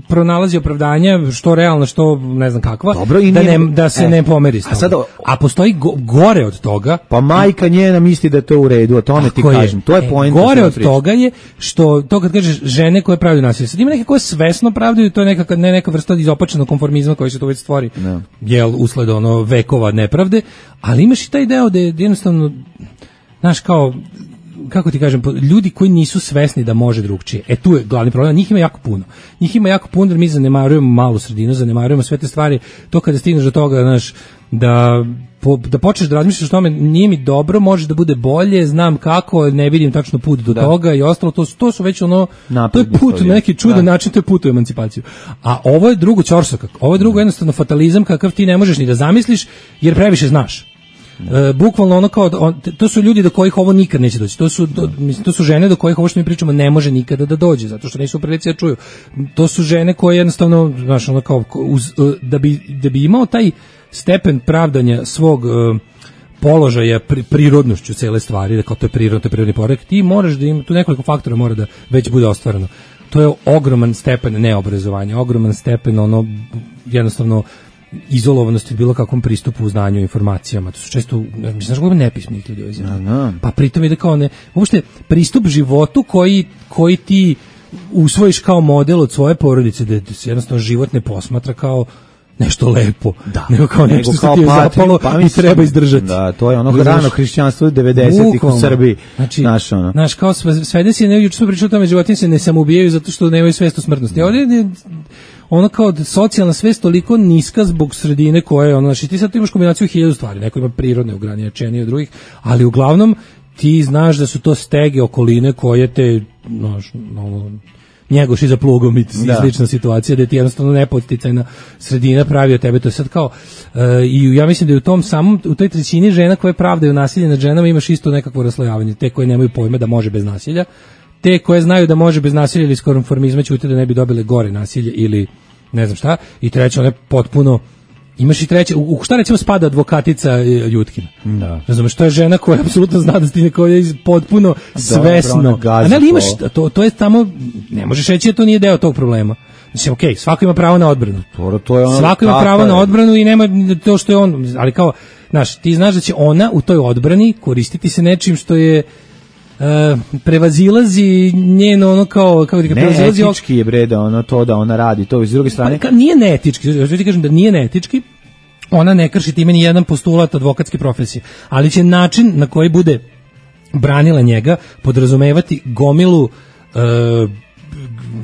pronalazi opravdanja, što realno, što ne znam kakva, dobro, i da, nije, ne, da se e, ne pomeri s toga. A, sad, a postoji go, gore od toga. Pa majka njena misli da je to u redu, a tome ti kažem. To je e, poenta. Gore od toga je što, to kad kažeš žene koje pravdaju nasilje, sad ima neke koje svesno pravdaju, to je neka, ne neka vrsta izopačenog konformizma koji se to već stvori, no. jel, usled ono vekova nepravde, ali imaš i taj deo da je jednostavno, znaš, kao, kako ti kažem, ljudi koji nisu svesni da može drugčije. E tu je glavni problem, njih ima jako puno. Njih ima jako puno, jer mi zanemarujemo malu sredinu, zanemarujemo sve te stvari. To kada stigneš do toga, znaš, da po, da počneš da razmišljaš o tome, nije mi dobro, može da bude bolje, znam kako, ne vidim tačno put do da. toga i ostalo, to, to su već ono, napredni, to je put na neki čudan da. način, to je put u emancipaciju. A ovo je drugo ćorsokak, ovo je drugo jednostavno fatalizam kakav ti ne možeš ni da zamisliš, jer previše znaš. Uh, bukvalno ono kao on, to su ljudi do kojih ovo nikad neće doći. To su do, mislim, to su žene do kojih ovo što mi pričamo ne može nikada da dođe, zato što nisu u prilici da čuju. To su žene koje jednostavno, znaš, ono kao uz, uh, da bi da bi imao taj stepen pravdanja svog uh, položaja pri, prirodnošću cele stvari, da kao to je prirodno, to je prirodni poredak, ti moraš da ima tu nekoliko faktora mora da već bude ostvareno. To je ogroman stepen neobrazovanja, ogroman stepen ono jednostavno izolovanosti od bilo kakvom pristupu u znanju i informacijama. To su često, mislim, znaš kako nepismenih ljudi ovdje. Pa pritom ide kao ne, uopšte pristup životu koji, koji ti usvojiš kao model od svoje porodice, da se jednostavno život ne posmatra kao nešto lepo, da. nego kao nešto nego što ti je zapalo pa i treba izdržati. Da, to je ono rano hrišćanstvo devedesetih u Srbiji. Znači, znaš, ono. Znaš, kao svede si, juče smo pričali o tome, životinje se ne samoubijaju zato što nemaju svest o smrtnosti. Mm. Ovdje je ono kao socijalna svest toliko niska zbog sredine koje, ono, znači ti sad imaš kombinaciju hiljadu stvari, neko ima prirodne ograničenja od drugih, ali uglavnom ti znaš da su to stege okoline koje te, znaš, ono, njegoši za plugom i da. slična situacija da ti jednostavno nepodsticajna sredina pravi od tebe, to je sad kao uh, i ja mislim da je u tom samom, u toj trećini žena koje pravdaju nasilje nad ženama imaš isto nekakvo raslojavanje, te koje nemaju pojma da može bez nasilja, te koje znaju da može bez nasilja ili iz konformizma ćute da ne bi dobile gore nasilje ili ne znam šta, i treće one potpuno imaš i treće, u, u šta recimo spada advokatica Jutkina. Da. Razumeš, to je žena koja apsolutno zna da ti koja je potpuno svesno. A ne li imaš, to, to je tamo, ne možeš reći da to nije deo tog problema. Mislim, okej, okay, svako ima pravo na odbranu. To, to je ono, svako ima pravo je. na odbranu i nema to što je on, ali kao, znaš, ti znaš da će ona u toj odbrani koristiti se nečim što je Uh, prevazilazi njeno ono kao kako ti prevazilazi neetički je bre da ono to da ona radi to iz druge strane pa, nije neetički, ja ti kažem da nije neetički, ona ne krši time ni jedan postulat advokatske profesije, ali će način na koji bude branila njega podrazumevati gomilu uh,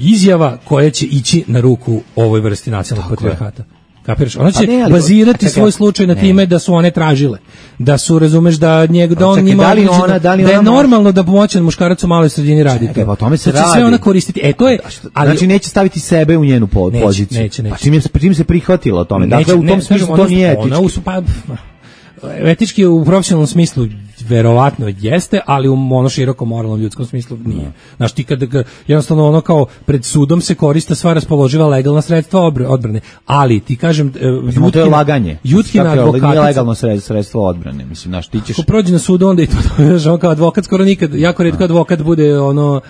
izjava koje će ići na ruku ovoj vrsti nacionalnog patrijarhata. Kapiraš? Ona će ne, ali, bazirati čekaj, svoj slučaj na ne. time da su one tražile. Da su, razumeš, da njeg, da on njima da, li ona, da, li da je ona normalno da pomoćan muškarac u maloj sredini radi čekaj, to. Pa o tome se da radi. Sve ona koristiti. E, to je, ali, znači neće staviti sebe u njenu po, neće, poziciju. Neće, neće. Pa čim, je, čim se prihvatila o tome. Neće, dakle, u tom ne, smislu to ona, nije etički. Ona, pa, etički u profesionalnom smislu verovatno jeste, ali u ono široko moralnom ljudskom smislu nije. Znaš, ti kad jednostavno ono kao pred sudom se koriste sva raspoloživa legalna sredstva odbrane, ali ti kažem Jutkina, to je laganje. Jutkina advokatica nije legalno sredstvo odbrane, mislim, znaš, ti ćeš ako prođe na sudu onda i to, znaš, kao advokat skoro nikad, jako retko advokat bude ono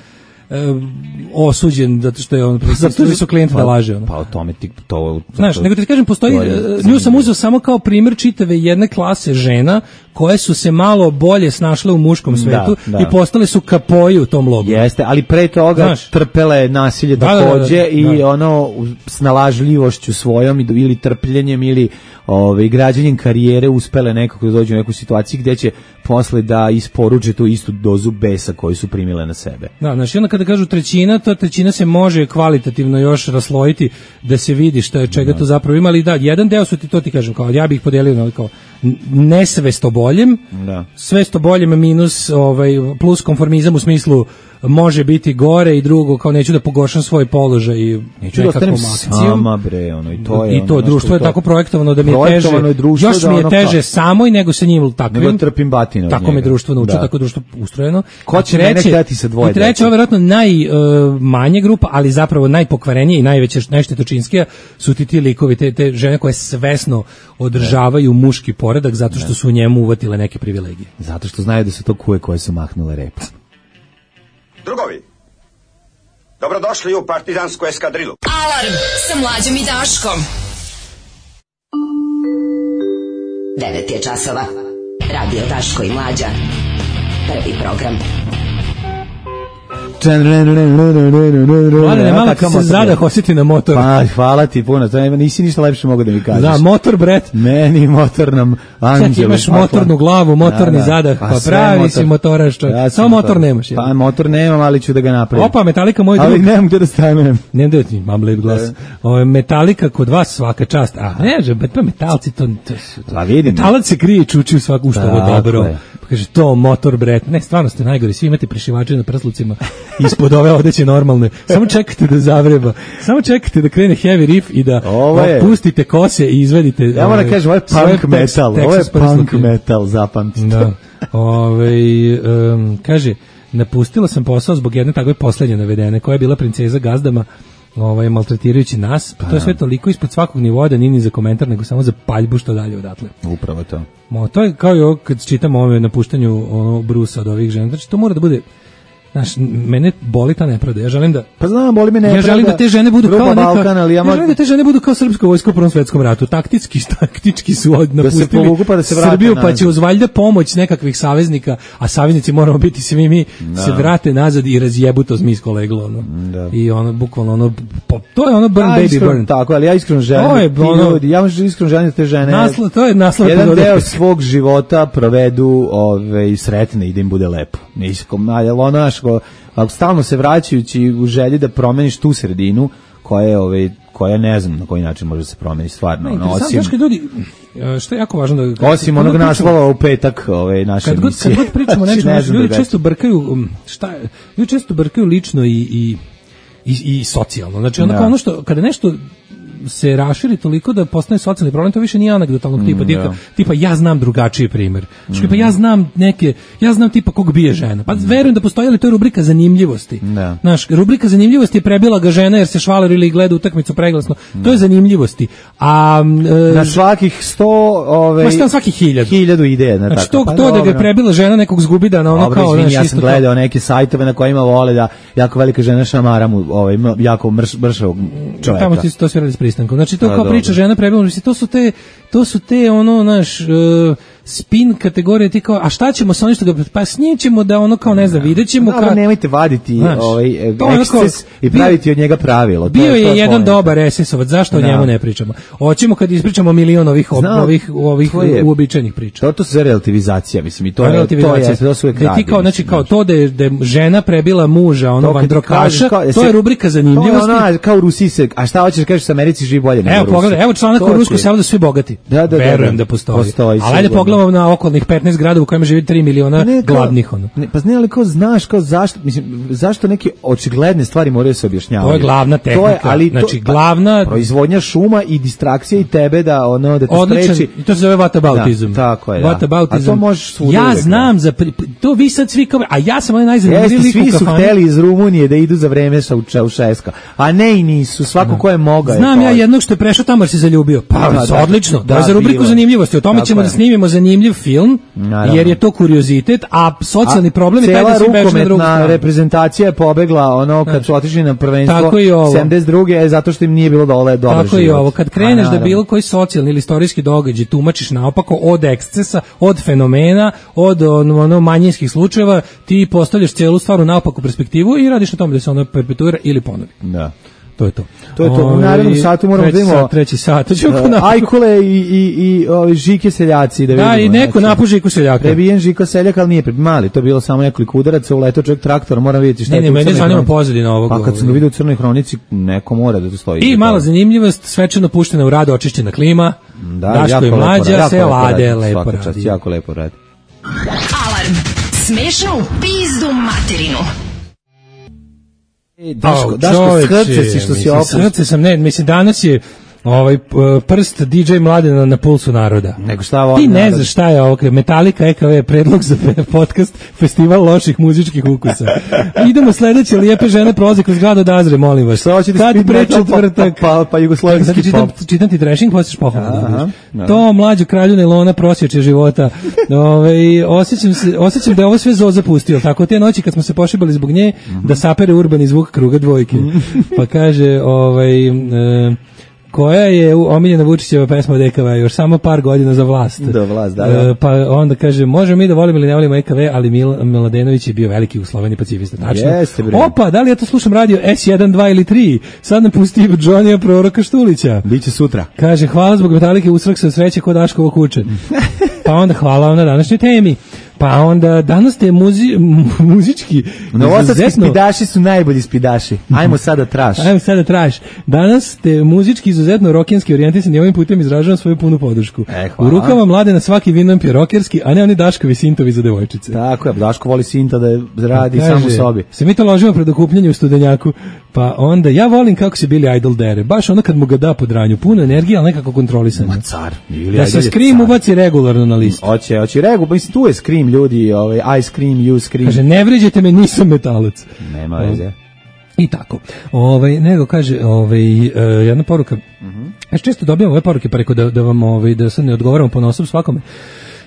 osuđen zato što je on zato su klijent da laže ono. Pa o tome ti to znaš, nego ti kažem postoji nju sam uzeo samo kao primjer čitave jedne klase žena koje su se malo bolje snašle u muškom svetu da, da. i postale su kapoji u tom logoru. Jeste, ali pre toga znaš, trpele nasilje da, takođe da, da, da, i da. ono snalažljivošću svojom ili trpljenjem ili ovaj građenjem karijere uspele nekako da dođu u neku situaciju gdje će posle da isporuče tu istu dozu besa koju su primile na sebe. Da, znači onda kada kažu trećina, to trećina se može kvalitativno još raslojiti da se vidi šta je čega da. to zapravo ima, ali da, jedan deo su ti, to ti kažem, kao ja bih ih podelio na kao nesvesto boljem, da. svesto boljem minus ovaj, plus konformizam u smislu može biti gore i drugo kao neću da pogoršam svoj položaj i neću da ostanem sama bre ono i to je i to ono, društvo je to, tako projektovano da mi je teže je društvo, još da mi je teže kao, samo i nego sa njim takvim nego trpim batinu tako me društvo nauči da. tako društvo ustrojeno ko će mene hteti sa dvoje dece treće verovatno najmanje uh, grupa ali zapravo najpokvarenije i najveće najštetočinskija su ti ti likovi te, te žene koje svesno održavaju ne. muški poredak zato što ne. su u njemu uvatile neke privilegije zato što znaju da su to kuje koje su mahnule repa. Drugovi, dobrodošli u partizansku eskadrilu. Alarm sa Mlađom i Daškom. devet je časova. Radio Daško i Mlađa. Prvi program. Mladene, malo se zadah osjeti na motor. Pa, hvala ti puno, to nisi ništa lepše mogu da mi kažeš. Da, motor, bret. Meni motor nam anđelu. Sad imaš motornu glavu, motorni da, da. zadah, pa, pa pravi motor. si motoraš čovjek. Ja samo motor, motor nemaš. Pa motor nemam, ali ću da ga napravim. Opa, Metallica moj drug. Ali nemam gdje da stanem. Nemam gdje da ti, mam lep glas. O, Metallica kod vas svaka čast. A, ne, že, pa metalci to... to, to pa vidim. Metalac se krije i čuči u svaku što ovo dobro. Je. Pa kaže, to motor, bret. Ne, stvarno ste najgori, svi imate prišivače na prslucima ispod ove odeće normalne. Samo čekate da zavreba. Samo čekate da krene heavy riff i da pustite kose i izvedite. Ja moram da kažem, ovo je punk metal. Ovo je punk metal, zapamtite. Da. Ove, um, kaže, napustila sam posao zbog jedne takve poslednje navedene, koja je bila princeza gazdama, ovaj, maltretirajući nas. Pa, to je sve toliko ispod svakog nivoa da nije ni za komentar, nego samo za paljbu što dalje odatle. Upravo to. Mo, to je kao i ovo kad čitamo ove napuštanju ono, Brusa od ovih žena. Znači, to mora da bude... Znaš, mene boli ta nepravda. Ja želim da Pa znam, boli me nepravda. Ja želim da te žene budu kao neka Balkan, ali ja, ja želim da te žene budu kao srpska vojska u Prvom svetskom ratu. Taktički, taktički su od napustili da se povuku pa da se vrate Srbiju, nazad. pa će uz valjda pomoć nekakvih saveznika, a saveznici moramo biti svi mi, da. Se vrate nazad i razjebu to zmijsko leglo. Ono. Da. I ono, bukvalno, ono, po, to je ono burn, baby, iskreno, burn. Tako, ali ja iskreno želim, je, ti ono, ljudi, ja iskreno želim da te žene naslo, to je naslov jedan deo svog života provedu ove, sretne i da im bude lepo. Niskom, ali ono naško, ako stalno se vraćajući u želji da promeniš tu sredinu koja je, ove, koja ne znam na koji način može se promeniti stvarno. No, osim, ljudi, što je jako važno da... Osim onog naslova u petak ove, naše kad emisije. God, kad god pričamo nešto, ne ljudi često brkaju, šta, ljudi često brkaju lično i, i, i, i socijalno. Znači, onako, ono što, kada nešto se raširi toliko da postane socijalni problem, to više nije anegdotalnog tipa, mm, tipa, yeah. tipa ja znam drugačiji primjer. Znači, mm. pa ja znam neke, ja znam tipa kog bije žena. Pa verujem da postoji, ali to je rubrika zanimljivosti. Yeah. Znaš, rubrika zanimljivosti je prebila ga žena jer se švaler ili gleda utakmicu preglasno. Mm. To je zanimljivosti. A e, na svakih sto, ove, ma šta svakih hiljadu. Hiljadu ide, na znači, tako. To, pa, to da ga je prebila žena nekog zgubida na ono dobro, kao, izvini, znaš, ja sam gledao neke sajtove na kojima vole da jako velika žena šamara mu, ovaj, jako mrš, mršavog čovjeka. Tamo ti to sve radi s pristankom. Znači, to kao priča žena prebila, to su te, to su te ono, naš, uh, spin kategorije, ti kao, a šta ćemo sa onim što ga, pa s njim ćemo da ono kao, ne znam, vidjet ćemo kao... nemojte vaditi znaš, ovaj, eksces i praviti bio, od njega pravilo. Bio to je, je to jedan dobar es esovac, zašto o njemu ne pričamo? Hoćemo kad ispričamo milion ovih, Znam, ovih, ovih uobičajenih priča. To, to se relativizacija, mislim, i to je, to je, to su uvek radi. Kao, znači, kao to da je, da je žena prebila muža, ono, vandrokaša, to je rubrika zanimljivosti. To je ono, kao u Rusiji se, a šta hoćeš, kažeš, u Americi živi bolje nego u Rusiji. Evo, pogledaj, evo članak u Rusku selo da su svi bogati. Da, da, verujem da postoji. Ali ajde pogledamo na okolnih petnaest gradova u kojima živi tri miliona ne, kao, gladnih ono. Ne, pa ne, ali kao znaš kao zašto, mislim, zašto neke očigledne stvari moraju se objašnjavati. To je glavna tehnika. To je, ali znači to, glavna pa, proizvodnja šuma i distrakcija i tebe da ono da te odličan, spreči. I to se zove whataboutizam. Da, tako je. Da. A to možeš svuda. Ja uvek, znam da. za to vi sad svi kao, a ja sam onaj najzanimljiviji lik u kafani. Svi su hteli iz Rumunije da idu za vreme sa Čaušeska, a ne i nisu, svako ko je mogao. Znam ja jednog što je prešao tamo jer se zaljubio. Pa odlično. To je za rubriku zanimljivosti. O tome ćemo da snimimo zanimljiv film. Jer je to kuriozitet, a socijalni a problem je taj da se beže na drugu stranu. Reprezentacija je pobegla ono kad su otišli na prvenstvo sedamdeset druge zato što im nije bilo dole dobro Tako život. I ovo, kad kreneš da bilo koji socijalni ili istorijski događaj tumačiš naopako od ekscesa, od fenomena, od ono, manjinskih slučajeva, ti postavljaš cijelu stvar u naopaku perspektivu i radiš na tome da se ono perpetuira ili ponovi. Da. To je to. To je to. U narednom satu moramo da imamo treći sat. Uh, ajkule i i i ovi Žike seljaci da vidimo. Da, i neko znači, napuži Žiku seljaka. Prebijen Žiko seljak, al nije mali, to je bilo samo nekoliko udaraca, uleteo čovjek traktor, mora vidjeti šta ne, je. Ne, mene zanima pozadina ovog. Pa kad sam ga vidio u Crnoj hronici, neko mora da to stoji. I mala zanimljivost, svečano puštena u rad, očišćena klima. Da, Daško i Mlađa se lade lepo radi. Jako lepo radi. Alarm. Smešno u pizdu materinu. E, Daško, Daško, srce si što si opust. Srce sam, ne, mislim, danas je ovaj prst D J Mladena na pulsu naroda. Nego šta ovo? Ti ne znaš šta je ovo, Metallica E K V, predlog za podcast Festival loših muzičkih ukusa. Idemo sledeće, lijepe žene prolaze kroz grad od Azre, molim vas. Šta hoćete Sad speed pre metal, četvrtak. pa, pa, pa jugoslovenski čitam, pop. čitam ti trashing, posješ pohvala. Aha, Da to mlađu kralju Nelona prosječe života. Ove, osjećam, se, osjećam da je ovo sve Zoza pustio. Tako te noći kad smo se pošibali zbog nje, da sapere urbani zvuk kruga dvojke. Pa kaže, ovaj... E, koja je omiljena Vučićeva pesma od E K V, još samo par godina za vlast. Da, vlast, da, da. E, pa onda kaže, možemo mi da volimo ili ne volimo E K V, ali Mil, Mladenović je bio veliki u Sloveniji pacifista. Tačno. Jeste, bre. Opa, da li ja to slušam radio S jedan, dva ili tri? Sad nam pusti Johnnyja proroka Štulića. Biće sutra. Kaže, hvala zbog Metalike, usrak se od sreće kod Daškovo kuće. Pa onda hvala vam na današnjoj temi. Pa onda danas ste muzi, muzički Novosadski spidaši su najbolji spidaši. Ajmo sada traš. Ajmo sada traš. Danas ste muzički izuzetno rokenski orijentisani, ovim putem izražavam svoju punu podršku. E, u rukama mlade na svaki vinom je rokerski, a ne oni Daškovi sintovi za devojčice. Tako je, Daško voli sinta da radi sam u sobi. Se mi to ložimo pred okupljanje u Studenjaku. Pa onda, ja volim kako se Billy Idol dere. Baš ono kad mu ga da pod ranju. Puno energije, ali nekako kontrolisano. Ma car. Da se Scream ubaci regularno na listu. Hoće, hoće regularno. Mislim, tu je Scream, ljudi. Ovaj, I Scream, you Scream. Kaže, ne vređajte me, nisam metalac. Nema veze. I tako. Ovaj, nego kaže, ovaj, uh, jedna poruka. Uh-huh. Ja često dobijam ove poruke, pa rekao da, da vam, ovaj, da sad ne odgovaramo po nosom svakome.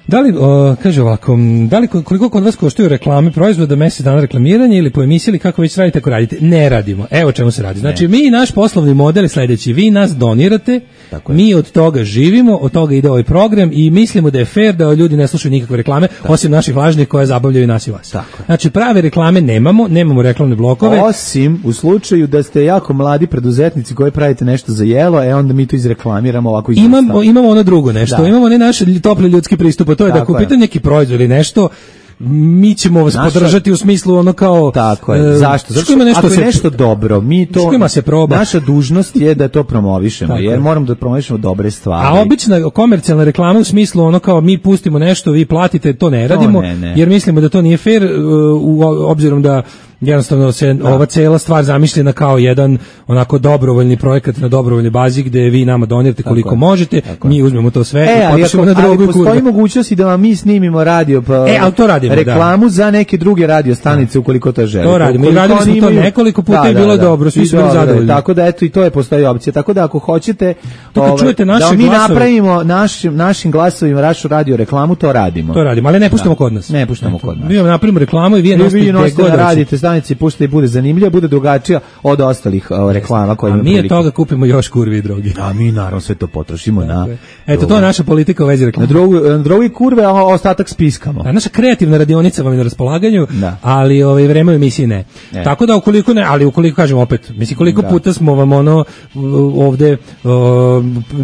Da li, o, kaže ovako, da li koliko kod vas koštaju reklame proizvoda, mesec dana reklamiranje ili po emisiji ili kako već radite ako radite? Ne radimo. Evo čemu se radi. Znači, mi naš poslovni model je sledeći. Vi nas donirate, mi od toga živimo, od toga ide ovaj program i mislimo da je fair da ljudi ne slušaju nikakve reklame, tako, osim naših važnih koje zabavljaju nas i vas. Tako. Znači, prave reklame nemamo, nemamo reklamne blokove. Osim u slučaju da ste jako mladi preduzetnici koji pravite nešto za jelo, e onda mi to izreklamiramo ovako izvrsta. Imamo, imamo ono drugo nešto, da. Imamo ne naš topli ljudski pristup, to je da kupite neki proizvod ili nešto, mi ćemo vas naša, podržati u smislu ono kao tako je. Zašto? Zato što nešto ako je se, nešto dobro, mi to se proba. Naša dužnost je da to promovišemo, tako jer je. Moramo da promovišemo dobre stvari. A obična komercijalna reklama u smislu ono kao mi pustimo nešto, vi platite, to ne radimo, to ne, ne. jer mislimo da to nije fair u obzirom da jednostavno se da. ova cela stvar zamišljena kao jedan onako dobrovoljni projekat na dobrovoljnoj bazi gde vi nama donirate koliko tako možete, tako mi uzmemo to sve e, i potrošimo na drogu i kurve. Postoji mogućnost i da vam mi snimimo radio pa e, ali to radimo, reklamu da. za neke druge radio stanice ukoliko to želite. To radimo i radili smo to imaju... nekoliko puta da, i bilo da, da, dobro, svi su bili zadovoljni. Tako da eto i to je postoji opcija. Tako da ako hoćete to kad čujete naše da mi glasove, napravimo našim našim glasovima našu radio reklamu, to radimo. To radimo, ali ne puštamo kod nas. Ne puštamo kod nas. Mi vam napravimo reklamu i vi je nosite gde radite stanice, puštate i bude zanimljivo, bude drugačija od ostalih uh, reklama koje imamo. A mi od toga kupimo još kurve i droge. A mi naravno sve to potrošimo na. Eto, to je naša politika u vezi reklame. Na drogu, na drogu i kurve, a ostatak spiskamo. A naša kreativna radionica vam je na raspolaganju, da. ali ovaj vreme u emisiji ne. ne. Tako da ukoliko ne, ali ukoliko kažemo opet, mislim koliko da. puta smo vam ono ovde o,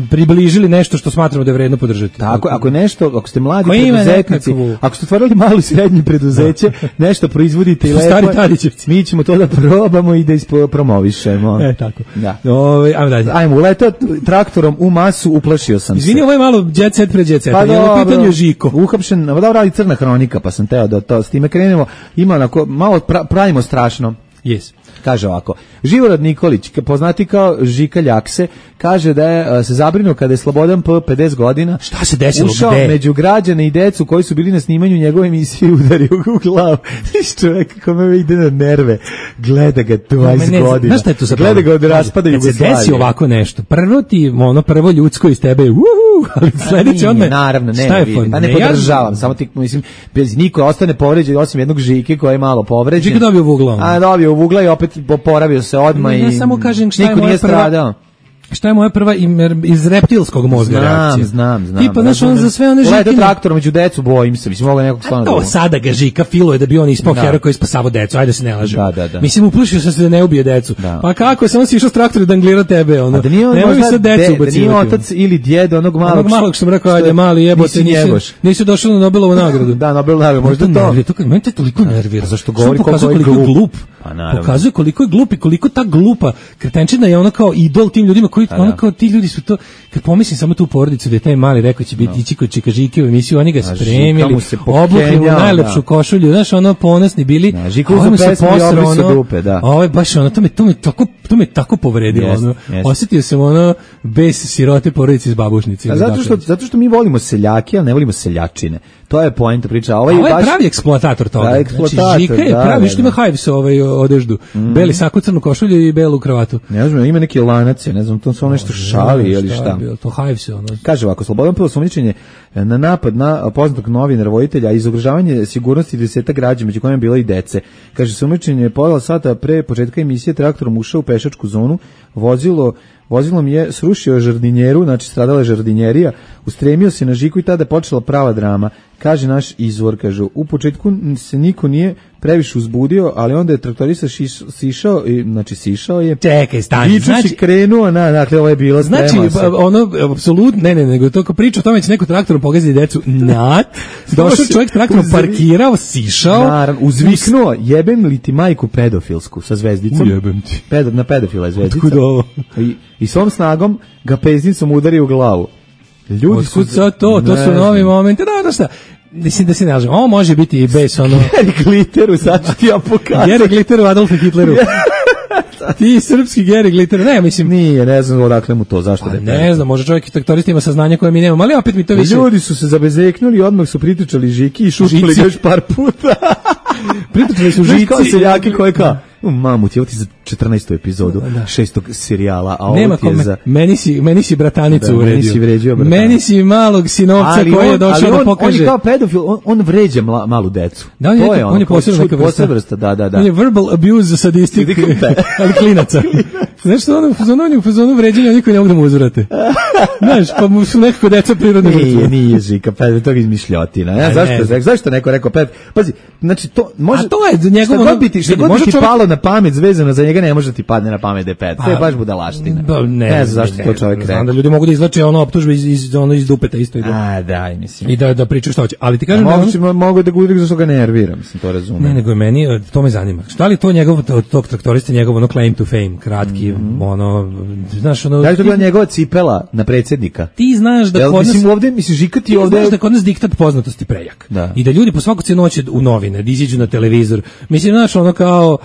približili nešto što smatramo da je vredno podržati. Tako, ako nešto, ako ste mladi preduzetnici, ako ste otvorili malo i srednje preduzeće, nešto proizvodite i lepo, stari Tadićevci, mi ćemo to da probamo i da ispromovišemo. E, tako. Da. Ove, ajmo dalje. Ajmo, uletao traktorom u masu, uplašio sam Izvini, se. ovo je malo jet set pre jet set. Pa je u pitanju Žiko. Uhapšen, dobro radi Crna hronika, pa sam teo da to s time krenemo. Ima onako, malo pra, pravimo strašno. Yes. Kaže ovako, Živorad Nikolić, poznati kao Žika Ljakse, kaže da je se zabrinuo kada je Slobodan P. pedeset godina šta se desilo, ušao gde? među građane i decu koji su bili na snimanju njegove emisije i udario u glavu. Iš čovjek kome ide na nerve, gleda ga dvadeset godina. Znaš šta je to za gleda ga od raspada Jugoslavije. Kad se desi ovako nešto, prvo ti, ono prvo ljudsko iz tebe je uhu, ali sledeće odmah. Naravno, ne, šta je vidi, pa ne, ne podržavam, samo ti, mislim, bez niko ostane povređen, osim jednog Žike koji je malo povređen. Žika dobio u ugla. A dobio u ugla i opet poravio se odmah i ja samo kažem šta je niko moja nije prva, stradao. Šta je moja prva iz reptilskog mozga reakcija? Znam, znam, znam. Tipa, znaš, on za sve one žikine... Leda traktorom među decu, bojim se, mislim, mogu nekog stvarno... To sada ga Žika filuje da bi on ispao heroj koji spasavo decu, ajde se ne lažemo. Da, da, da. Mislim, uplašio sam se da ne ubije decu. Da. Pa kako, samo si išao s traktora da anglira tebe, ono. A da nije on nemoj možda sad decu de, da nije otac ili djed onog malog... Onog malog što sam rekao, ajde, mali jebote, nisi, nisi došao na Nobelovu nagradu. Da, Nobelovu nagradu, možda to. To meni te toliko nervira. Zašto govori koliko je glup? Pa naravno. Pokazuje koliko je glup i koliko ta glupa kretenčina je ona kao idol tim ljudima koji, ona kao ti ljudi su to, kad pomislim samo tu porodicu da je taj mali rekao će biti ići kod Čika Žike u emisiju, oni ga spremili, obukli mu najlepšu košulju, znaš, ono ponosni bili, da, Žikovu su pesmi i obli su dupe, da. Ovo je baš ono, to me, to me tako, to me tako povredilo, yes, ono, yes. osjetio sam ono, bez sirote porodice iz babušnice. A zato što, zato što mi volimo seljake, ali ne volimo seljačine. To je poenta priča. Ovaj je baš pravi eksploatator toga. Da, eksploatator, znači, Žika je da, pravi, da, što ima Hives ovaj odeždu. Mm. Beli sako, crnu košulju i belu kravatu. Ne znam, ima neki lanac, ne znam, to su ono nešto šali ili šta. šta. To Hives ono. Kaže ovako, Slobodan Pilo sumnjičenje na napad na poznatog novinara voditelja i izogražavanje sigurnosti deseta građana, među kojima je bila i dece. Kaže, sumnjičenje pola sata pre početka emisije traktorom ušao u pešačku zonu, vozilo Vozilom je srušio žardinjeru, znači stradala je žardinjerija, ustremio se na Žiku i tada je počela prava drama. Kaže naš izvor, kaže, u početku se niko nije previše uzbudio, ali onda je traktorista šiš, sišao, i, znači sišao je. Čekaj, stani. Znači, krenuo, na, dakle, ovo je bilo znači, ono, apsolutno, ne, ne, nego to kao priča o tome će neko traktorom pogaziti decu, nat, došao čovjek traktorom parkirao, sišao. Naravno, uzviknuo, jebem li ti majku pedofilsku sa zvezdicom? Ujebem ti. Pedo, na pedofila je zvezdica. Otkud ovo? I, i svom snagom ga peznicom udari u glavu. Ljudi su to, to, to su novi momenti, da, da šta, mislim da se ne lažem, ovo može biti i bez ono... Geri Glitteru, sad ću ti ja pokazati. Geri Glitteru, Adolfu Hitleru. Ti srpski Geri Glitter, ne, mislim... Nije, ne znam odakle mu to, zašto pa, ne znam, može čovjek i traktorista ima saznanja koje mi nemamo, ali opet mi to više... Ljudi su se zabezeknuli, odmah su pritičali Žiki i šutili ga još par puta. Pritičali su Žici... Kao seljaki koje kao... Mamu ti, ovo ti za četrnaestu epizodu da. šestog serijala, a ovo nema ti je za... Meni si, meni si bratanicu da, uredio. Meni si vređio bratanicu. Meni si malog sinovca ali koji on, je došao on, da pokaže... On je kao pedofil, on, on vređa mla, malu decu. Da, on je, to je, on je posebno neka vrsta. vrsta. Da, da, da. On je verbal abuse sadistik, ali klinaca. Znaš što ono, on je u fazonu vređenja, niko ne mogu da mu uzvrate. Znaš, pa mu su nekako deca prirodne vrste. Nije, nije Žika, pedofil, to je izmišljotina. Ja, zašto, ne. zašto neko rekao pedofil? Pazi, znači, to može... A to je njegovo... Šta god bi ti, šta god bi ti palo na pamet zvezano za njega, ne može ti padne na pamet da je pedofil. To je baš budalaština. Da, ne, ne znam zašto ne, to čovjek rekao. Znam da ljudi mogu da izvlače ono optužbe iz, iz, ono iz dupeta isto. A, da, mislim. I da, da pričaju što hoće. Ali ti kažem... Mogu, on... mogu da ga udri zašto ga nervira, mislim, to razumem. Ne, nego je meni, to me zanima. Šta li to njegov, tog traktorista, njegov ono claim to fame, kratki, mm-hmm. ono, znaš, ono... Da li to bila njegova cipela na predsjednika? Ti znaš da Jel, kod nas... Mislim, ovde, mislim, Žika ti ovde... Znaš da kod nas diktat poznatosti prejak. Da. I da ljudi po svaku cenu hoće u novine, da iziđu na televizor. Mislim, znaš, ono kao...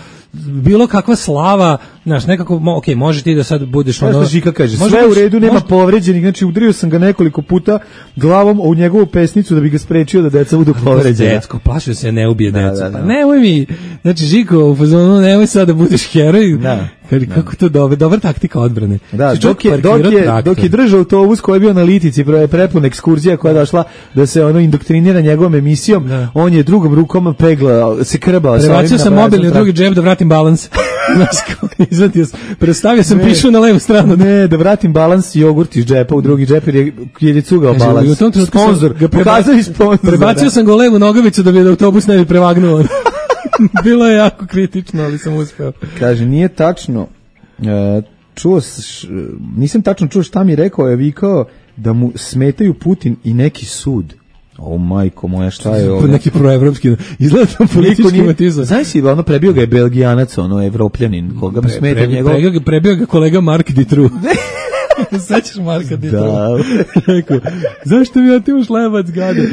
bilo kakva slava, znaš, nekako, ok, može ti da sad budeš ono... Znaš što Žika kaže, sve u redu, nema može... povređenih, znači udario sam ga nekoliko puta glavom u njegovu pesnicu da bi ga sprečio da deca budu povređena. Decko, plašio se ne ubije da, decu. Da, da. Pa nemoj mi, znači Žiko, u fazonu, nemoj sad da budeš heroj. Da. Kad, kako da. to dobro, dobra taktika odbrane. Da, dok je, dok, je, dok je držao autobus koji je bio na Litici, prepun ekskurzija koja je došla da se ono indoktrinira njegovom emisijom, da. On je drugom rukom pegla, se krbao. Prebacio sam mobilni u drugi džep da vratim balans. Izvatio sam, prestavio sam pišu na levu stranu. Ne, da vratim balans jogurt iz džepa u drugi džep jer je, jer je cugao balans. Sponzor, ga pokazao i sponzor. Prebacio sam ga u levu nogavicu da bi autobus ne bi prevagnuo. Bilo je jako kritično, ali sam uspeo. Kaže, nije tačno, e, čuo, š, nisam tačno čuo šta mi rekao, je vikao da mu smetaju Putin i neki sud. O majko moja, šta je ovo? Neki proevropski, izgleda tam politički matizam. Znaš si, ono prebio ga je Belgijanac, ono evropljanin, koga mi smeta pre, pre, njegov... Prebio, prebio ga kolega Mark Ditru. Sećaš Marka Ditru? Da. Rekao, zašto mi otimaš lebac, gade?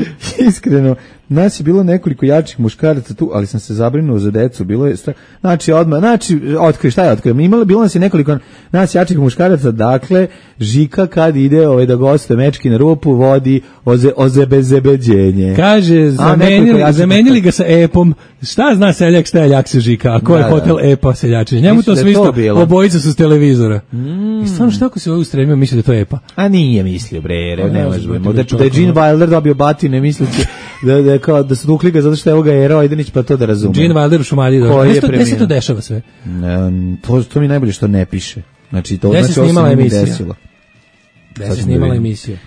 Iskreno, nas je bilo nekoliko jačih muškaraca tu, ali sam se zabrinuo za decu, bilo je stra... znači odmah, znači otkri, šta je otkrio? Imalo bilo nas je nekoliko nas jačih muškaraca, dakle Žika kad ide ovaj da gostuje mečki na rupu vodi oze ozebezebeđenje. Kaže, zamenili, A, zamenili ga sa epom. Šta zna seljak, šta je jak se Žika? A ko je da, hotel da. Epa seljačenje? Njemu to sve isto, obojica su s televizora. Mm. I stvarno šta ako se ovo ustremio, misli da to je Epa? A nije mislio, bre, ne, ne može. Da, da je Gene Wilder dobio batine, misliće da, da, kao, da su tukli ga zato što je ovoga Ero Ajdenić, pa to da razume. Gene Wilder u Šumadiji. Gde se to dešava sve? Ne, to, to mi najbolje što ne piše. Znači, to Gde znači se snimala ovo se emisija? desilo. Gde se snimala emisija?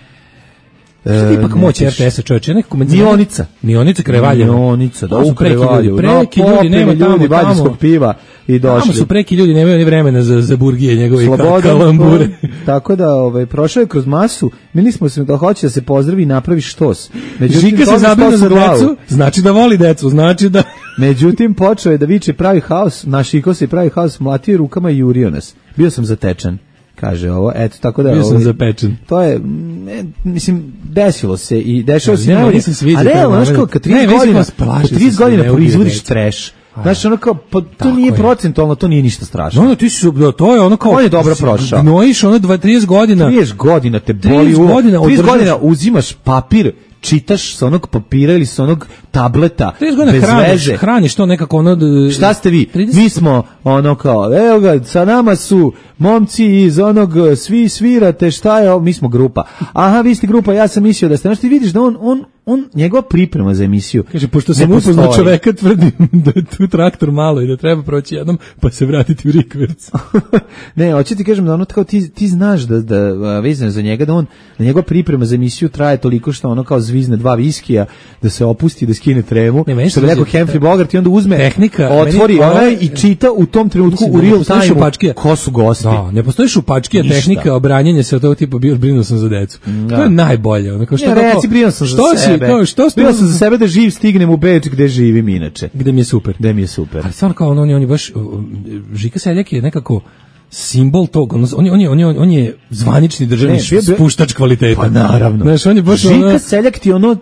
Što je ipak moć R T S-a, čovječe, nekako me... Mionica. Mionica kraj Valjeva. Mionica, da su preki kraj ljudi, preki no, ljudi, nema tamo, ljudi, tamo. piva i došli. Tamo su preki ljudi, nemaju ni vremena za, za burgije njegove Slobodan, kalambure. Tako da, ovaj, prošao je kroz masu, mislili smo se da hoće da se pozdravi i napravi štos. Međutim, Žika se zabrina za decu, znači da voli decu, znači da... Međutim, počeo je da viče pravi haos, našiko se pravi haos, mlatio rukama i jurio nas. Bio sam zatečen, kaže ovo, eto, tako da... Bio sam ovaj, zapečen. To je, ne, mislim, desilo se i dešava se... Ne, nisam se vidio. A realno, znaš kao, kad trideset godina, kad trideset godina proizvodiš trash, znaš, ono kao, pa to nije je. procentualno, to nije ništa strašno. No, no, ti si, to je ono kao... On je dobro prošao. Gnojiš ono dva, trideset godina. trideset godina te boli uvo. trideset godina uzimaš papir, čitaš sa onog papira ili sa onog tableta bez hraniš, veze. Hraniš to nekako ono... Šta ste vi? trideset Mi smo ono kao, evo ga, sa nama su momci iz onog svi svirate, šta je ovo? Mi smo grupa. Aha, vi ste grupa, ja sam mislio da ste. Znaš, ti vidiš da on, on, on njegova priprema za emisiju. Kaže, pošto sam upoznao čoveka, tvrdim da je tu traktor malo i da treba proći jednom, pa se vratiti u rikverc. Ne, hoću ti kažem da ono kao ti, ti znaš da, da vezano za njega, da on, da njegova priprema za emisiju traje toliko što ono kao zvizne dva viskija, da se opusti, da skine tremu, ne, što bi rekao Humphrey Bogart i onda uzme, tehnika, otvori meni, onaj i čita u tom trenutku u real time ko su gosti. Da, ne postoji šupačkija tehnika obranjenja se od tog tipa, bio brinuo sam za decu. Da. To je najbolje. Ono, kao što ja, reci, brinuo sam za što sebe. Si, kao, što brinuo sam za sebe da živ stignem u Beč gde živim inače. Gde mi je super. Gde mi je super. Ali stvarno kao on, on, je, on je baš, Žika Seljak je nekako simbol tog, on, on, je, on, je, on je zvanični državni ne, spuštač kvaliteta. Pa naravno. Znaš, on je baš Žika ono, Seljak ti ono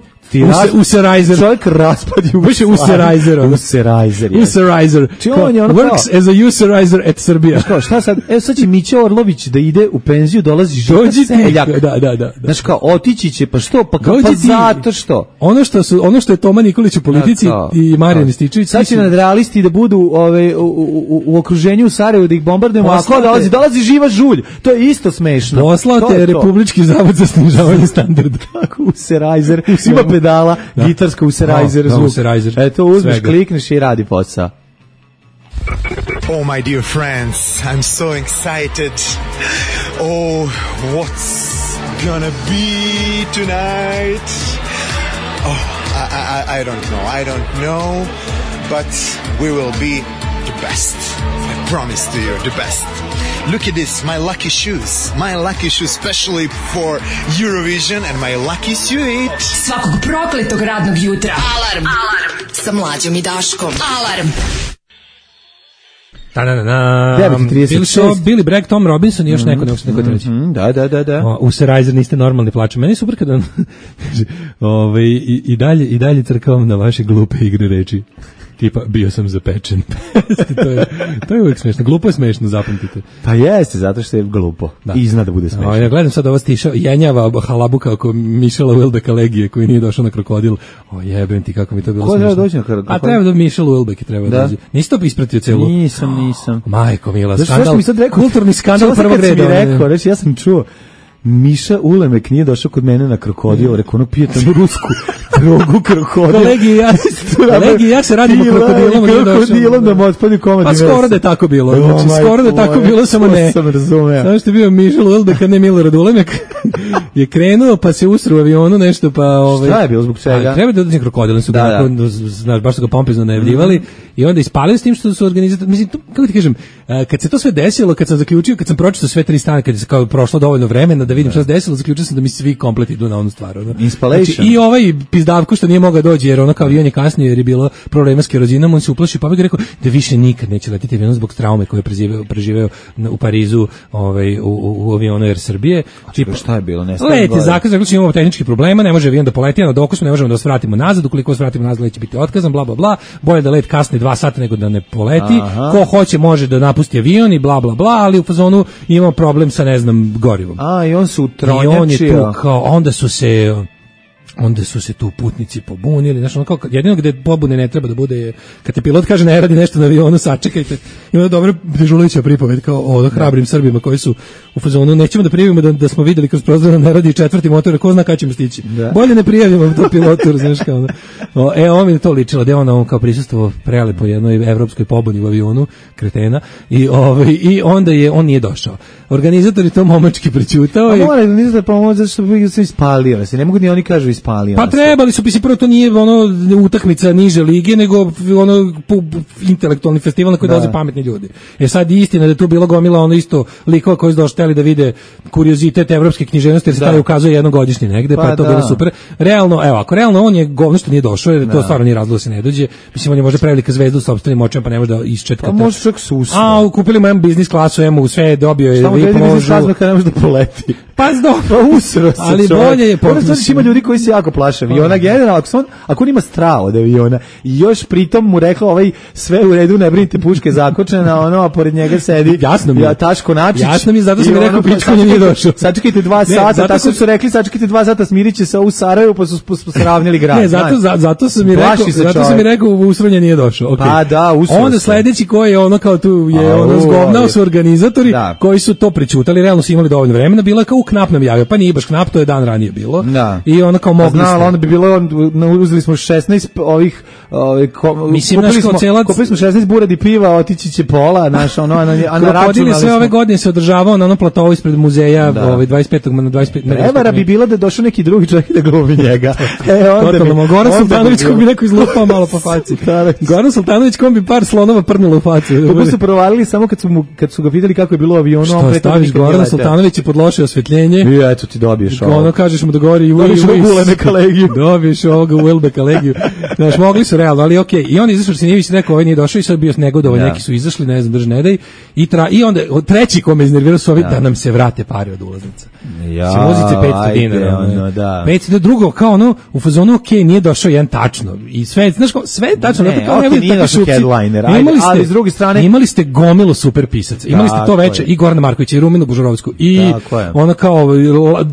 Userizer. Čovjek raspadi u Više Userizer. Userizer. Userizer. Works as a Userizer at Serbia. Kao, šta sad? Evo sad će Mića Orlović da ide u penziju, dolazi Žika Seljak. Da, da, da. Znaš kao, otići će, pa što? Pa, ka, pa zato što? Ono što, su, ono što je Toma Nikolić u politici da, i Marijan Rističević. Sad će nadrealisti da budu ove, u, u, u okruženju u Sarajevu da ih bombardujemo, a ko dolazi? Dolazi živa žulj. To je isto smešno. Poslate Republički zavod za snižavanje standarda. Tako, Userizer. Ima pedala, da. Gitarska Userizer, no, zvuk. No, eto, uzmeš, svega. Klikneš i radi posao. Oh, my dear friends, I'm so excited. Oh, what's gonna be tonight? Oh, I, I, I don't know, I don't know, but we will be the best. I promise to you, the best. Look at this, my lucky shoes. My lucky shoes specially for Eurovision and my lucky suit. Svakog prokletog radnog jutra. Alarm. Alarm. Sa Mlađom i Daškom. Alarm. Da, da, da, da. Bili su Billy Bragg, Tom Robinson i još neko, neko se neko treći. Da, da, da, da. Userizer, niste normalni, plačem. Meni je super kada ove, i, i, dalje, i dalje crkavam na vaše glupe igre reči. Tipa, bio sam zapečen. to, je, to je uvijek smešno. Glupo je smešno, zapamtite. Pa jeste, zato što je glupo. Da. I zna da bude smešno. O, ja gledam sad ovo stiša, jenjava halabuka oko Mišela Wilbeka Legije, koji nije došao na krokodil. O, jebem ti, kako mi to bilo ko smešno. Ko treba doći na krokodil? A treba da Mišel Wilbek treba da dođe. Nisi to ispratio celu? Nisam, nisam. Majko mila, Zašto, skandal. Mi sad rekao, kulturni skandal prvog reda. Mi rekao, reći, ja sam čuo, Miša Ulemek nije došao kod mene na krokodil, rekao, ono pije tamo rusku drogu krokodil. Kolegi, ja, kolegi, ja se radimo krokodilom. Krokodilom da mu otpadi komad. Pa skoro da je tako bilo. Znači, oh, skoro da je tako bilo, samo ne. Sam razumeo. Znaš što je bio Mišel Ulemek, a ne Milorad Ulemek. Je krenuo, pa se usru u avionu nešto, pa... Ove, šta je bilo zbog čega? Treba da dođe krokodil, su da, da. Znaš, baš su ga pompezno najavljivali mm -hmm. i onda ispalili s tim što su organizatori... Mislim, to, kako ti kažem, kad se to sve desilo, kad sam zaključio, kad sam pročitao sve tri strane, kad je kao prošlo dovoljno vremena da vidim šta se desilo, zaključio sam da mi svi komplet idu na onu stvar. Ono. Installation. Znači, i ovaj pizdavko što nije mogao doći, jer ono kao avion je kasnije, jer je bilo problema s kerozinom, on se uplašio, pa bih rekao da više nikad neće letiti avion zbog traume koje je preživeo, preživeo u Parizu ovaj, u, u, u avionu Air Srbije. Čipa, šta je bilo? Let je zakaz, rekli imamo tehnički problema, ne može avion da poleti, na doku smo, ne možemo da vas vratimo nazad, ukoliko vas vratimo nazad, let će biti otkazan, bla, bla, bla, bolje da let kasni dva sata nego da ne poleti, aha. Ko hoće može da napusti avion i bla, bla, bla, ali u fazonu imamo problem sa, ne znam, gorivom. A, i on su utronjačio. I on je tu, kao, onda su se... onda su se tu putnici pobunili, znači ono kao jedino gde pobune ne treba da bude je kad te pilot kaže ne radi nešto na avionu, sačekajte. I onda dobro Dežulića pripoved kao o hrabrim Srbima koji su u fazonu nećemo da prijavimo da, da smo videli kroz prozor da ne radi četvrti motor, ko zna kada ćemo stići. Da. Bolje ne prijavimo to pilotu, znaš kao. O, e on mi je to ličilo, da je on, on kao prisustvovao prelepo jednoj evropskoj pobuni u avionu, kretena i ovaj i onda je on nije došao. Organizator je to momački prećutao. A mora organizator pomoći zato što bi se ispalio, se ne mogu ni oni kažu ispalio. Pa trebali su, prvo to nije ono utakmica niže lige, nego ono intelektualni festival na koji dolaze pametni ljudi. E sad istina da je tu bilo gomila ono isto likova koji su došli da vide kuriozitet evropske književnosti, jer se tada ukazuje jednogodišnji negde, pa, pa je to da. bilo super. Realno, evo, ako realno on je govno što nije došao, jer to stvarno nije razlog da se ne dođe. Mislim, on je možda prevelika zvezda u sopstvenim očima, pa ne može da isčetka. Pa može čak susno. A, kupili mu jedan biznis klasu, emu, sve dobio je vi možu. Šta ne može da poleti? Pa zdo. Pa usro se. Ali bolje je potpuno. Znači ima ljudi koji se jako plaše aviona, generalno, ako on, ako on ima strah od aviona i još pritom mu rekla ovaj sve u redu, ne brinite, puške zakočena, ono, a pored njega sedi jasno mi ja, Taško Načić. Jasno mi, zato sam mi rekao pičkonje nije došao. Sačekajte dva sata, tako su rekli, sačekajte dva sata, smirit se u Sarajevu, pa su sravnili grad. Ne, zato, za, zato sam mi rekao, zato sam mi rekao u usronje nije došao. Okay. Pa da, usronje. Onda sledeći koji je ono kao tu je ono zgovnao su organizatori koji su to prećutali, realno su imali dovoljno vremena, bila kao u Knap nam javio, pa nije baš Knap, to je dan ranije bilo. Da. I ono kao mogli ste. Onda bi bilo, uzeli smo šesnaest ovih, ovih mislim, kupili, smo, celac... kupili smo šesnaest buradi piva, otići će pola, naš, ono, a na, a na računali sve smo... ove godine se održavao na onom platovu ispred muzeja, da. ovaj, dvadeset petog na dvadeset pet... Prevara bi bila da je došao neki drugi čovjek da glumi njega. E, onda Totalno, bi... Goran Sultanović ko bi neko izlupao malo po faci. Goran Sultanović kom bi par slonova prnulo u facu. Kako su provalili samo kad su, mu, kad su ga vidjeli kako je bilo u avionu. Što staviš Goran Sultanović je pod loše osvetljenje. I eto ti dobiješ ovo. Ono kažeš mu da govori i dobiješ Ulebeka legiju. Dobiješ ovoga Ulebeka legiju. Znaš, mogli su realno, ali okej. I on izašao, Sinijević rekao, ovaj nije došao i sad bio negodovan, ja. Neki su izašli, ne znam, drž ne daj. I, tra, i onda, treći kome iznervirao su ovi, ja. Da nam se vrate pare od ulaznica. Ja, Simuzice petsto dinara. Ono, da. petsto drugo, kao ono, u fazonu, okej, nije došao jedan tačno. I sve, znaš, sve je tačno. Ne, kao, okay, nije došao headliner, ajde, imali ste, ali s druge strane... Imali ste gomilu super pisaca. Imali ste to veče i Gorana Markovića i Ruminu Bužurovsku. I ona kao,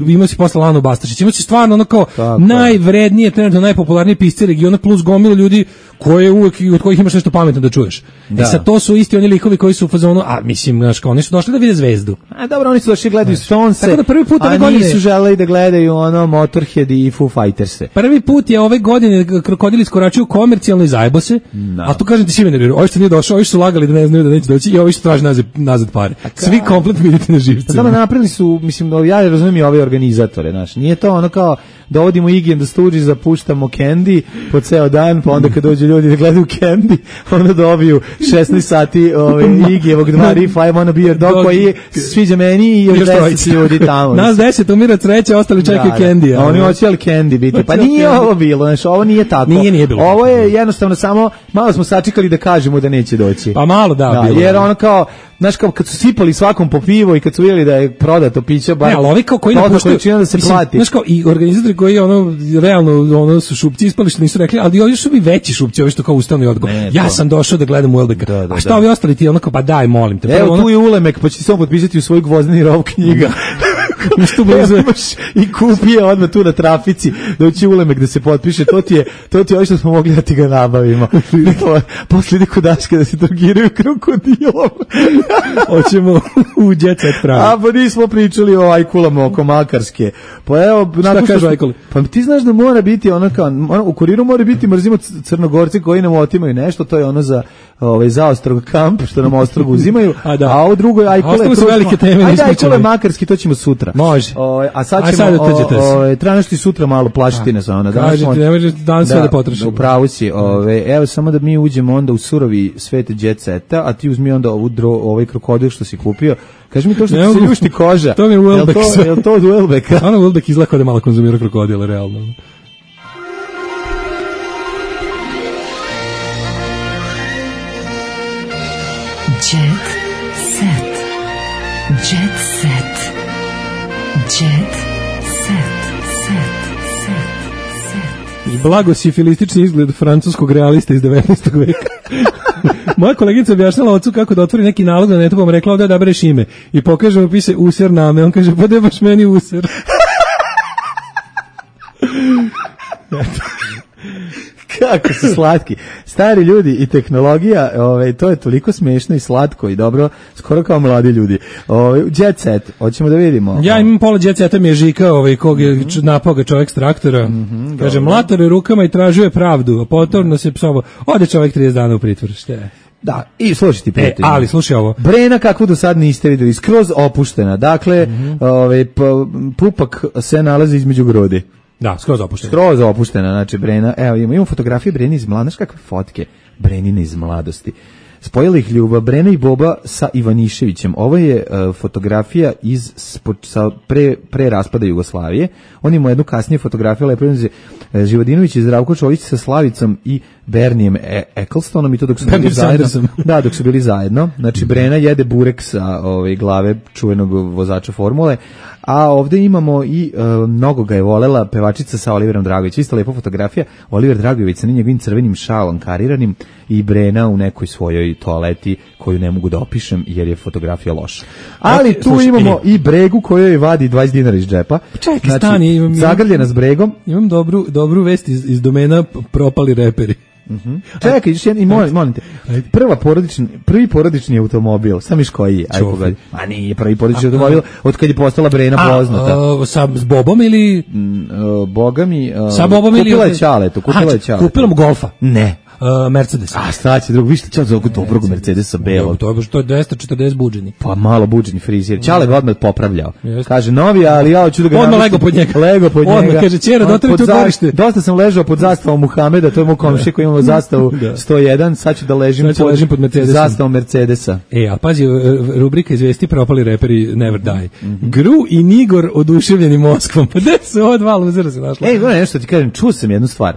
imali si posle Lanu Bastašić. Imali si stvarno ono kao najvrednije, trenutno najpopularnije pisci regiona plus gomilu ljudi koje uvek od kojih imaš nešto pametno da čuješ. Da. I sad to su isti oni likovi koji su u fazonu, a mislim, znaš, kao oni su došli da vide zvezdu. A dobro, oni su došli gledaju Stonese. Tako da prvi put ove godine, godine nisu želeli da gledaju ono Motorhead i Foo Fighters. Prvi put je ove godine krokodili iskoračuju komercijalno i zajebose. No. A tu kažem ti svi nerviraju. Ovi što nije došao, ovi su lagali da ne znaju da neće doći i ovi što traže nazad, nazad pare. Svi komplet mi idete na živce. Samo napravili su, mislim, ja razumijem i ove organizatore, znaš. Nije to ono kao dovodimo Iggy and the Stooges, zapuštamo Candy po ceo dan, pa onda kad dođu ljudi da gledaju Candy, onda dobiju šesnaest sati ove, Iggyjevog dva rifa, I wanna be your dog, koji sviđa meni i još deset ljudi tamo. Nas deset umira sreće, ostali čekaju da, Candy. Da. Oni hoće ali Candy biti. Pa nije ovo bilo, znaš, ovo nije tako. Nije, nije bilo. Ovo je jednostavno samo, malo smo sačekali da kažemo da neće doći. Pa malo da, da bilo. Jer ono kao, znaš, kao kad su sipali svakom po pivo i kad su vidjeli da je prodato piće, bar... Ne, ali ovi kao koji napuštaju, da se mislim, plati. Znaš kao, i organizatori koji ono, realno, ono su šupci ispali što nisu rekli, ali ovi su bi veći šupci, ovi što kao ustanu i odgo. Ja sam došao da gledam Uelbeka. Da, da, a šta da. Ovi ostali ti ono kao, pa daj, molim te. Evo ono... tu je Ulemek, pa će ti samo potpisati u svoj gvozdeni rov knjiga. Isto blizu i kupi je odmah tu na trafici, doći Ulemek da se potpiše, to ti je, to ti je ovo što smo mogli da ti ga nabavimo. Posle ide kod Daške da se drogiraju krokodilom. Hoćemo u Jet Set pravi. A pa nismo pričali o ajkulama oko Makarske. Pa evo, šta kažu ajkuli? Pa ti znaš da mora biti ono kao, ono, u kuriru mora biti mrzimo Crnogorci koji nam otimaju nešto, to je ono za ovaj za Ostrog kamp, što nam Ostrog uzimaju, a, da. A ovo drugo je ajkule. Ostalo su velike teme. Ajde ajkule Makarski, to ćemo sutra. Može. O, a sad ćemo, sad o, o, treba nešto i sutra malo plašiti nas. Ona, kažete, ne može dan sve da potrošimo. Upravo si. Ove, evo, samo da mi uđemo onda u surovi svet Jet Seta, a ti uzmi onda ovu dro, ovaj krokodil što si kupio. Kaži mi to što ne, ti se ljušti koža. To mi je Uelbek. Je li to od Uelbeka? Ono Uelbek izgleda kao da malo konzumira krokodila, realno. Jet Set. Jet Set. Jet Set. Set. Set. Set. Blago sifilistični izgled francuskog realista iz devetnaestog veka. Moja kolegica objašnjala ocu kako da otvori neki nalog na netu, pa mu rekla da da bereš ime. I pokaže mu piše user name. On kaže, pa da baš meni user. Kako su slatki. Stari ljudi i tehnologija, ovaj, to je toliko smešno i slatko i dobro, skoro kao mladi ljudi. Ovaj, jet set, hoćemo da vidimo. Ja imam pola jet seta, mi je Žika, ovaj, kog je mm-hmm. napao ga čovjek s traktora. Mm-hmm, kaže, mlator je rukama i tražio je pravdu, a potorno se psovo. Ode čovjek trideset dana u pritvor, šta je? Da, i slušaj ti prijatelj. E, ali slušaj ovo. Brena kakvu do sad niste videli, skroz opuštena. Dakle, mm-hmm. ovaj, pupak se nalazi između grudi. Da, skroz opuštena. Skroz opuštena, znači Brena. Evo, imamo, imamo fotografije Breni iz mladosti. Znaš kakve fotke Brenine iz mladosti? Spojila ih ljubav Brena i Boba sa Ivaniševićem. Ovo je uh, fotografija iz sa pre, pre raspada Jugoslavije. On ima jednu kasnije fotografiju, lepo je uh, Živodinović i Zdravko Čolić sa Slavicom i Bernijem e- Ecclestonom i to dok su bili zajedno. Da, dok su bili zajedno. Znači Brena jede burek sa ove glave čuvenog vozača formule, a ovde imamo i uh, mnogo ga je volela pevačica sa Oliverom Dragovićem. Isto lepa fotografija. Oliver Dragović sa njegovim crvenim šalom kariranim i Brena u nekoj svojoj toaleti koju ne mogu da opišem jer je fotografija loša. Ali tu slušaj, imamo i Bregu kojoj vadi dvadeset dinara iz džepa. Čekaj, znači, stani, imam, zagrljena s Bregom. Imam dobru, dobru vest iz, iz domena propali reperi. Mhm. Čekaj, još jedan, i molim, molim te. Prva porodični, prvi porodični automobil, sam iš koji je? Aj pogledaj. A nije prvi porodični a, automobil od kad je postala Brena poznata. A, sa s Bobom ili mm, uh, Boga mi uh, sa Bobom ili kupila je Ćaletu, kupila je Ćaletu. Kupila mu Golfa. Ne. Uh, Mercedes. A šta će drugo, vi ste čao za ovog dobrog Mercedesa belog. To je to je dvesta četrdeset budženi. Pa malo budženi frizer. Ćale ga odmah popravljao. Kaže novi, ali ja hoću da ga odmah lego pod njega. Lego pod njega. Odmah kaže ćera, doteri tu dvorište. Dosta sam ležao pod zastavom Muhameda, to je moj komšija koji imamo zastavu sto jedan, sad ću da ležim sad pod, ležim pod Mercedesom. Zastavom Mercedesa. E, a pazi, rubrika izvesti propali reperi Never Die. Mm-hmm. Gru i Nigor oduševljeni Moskvom. Pa gde su ova dva luzera se našla? Ej, gledaj nešto ti kažem, čuo sam jednu stvar.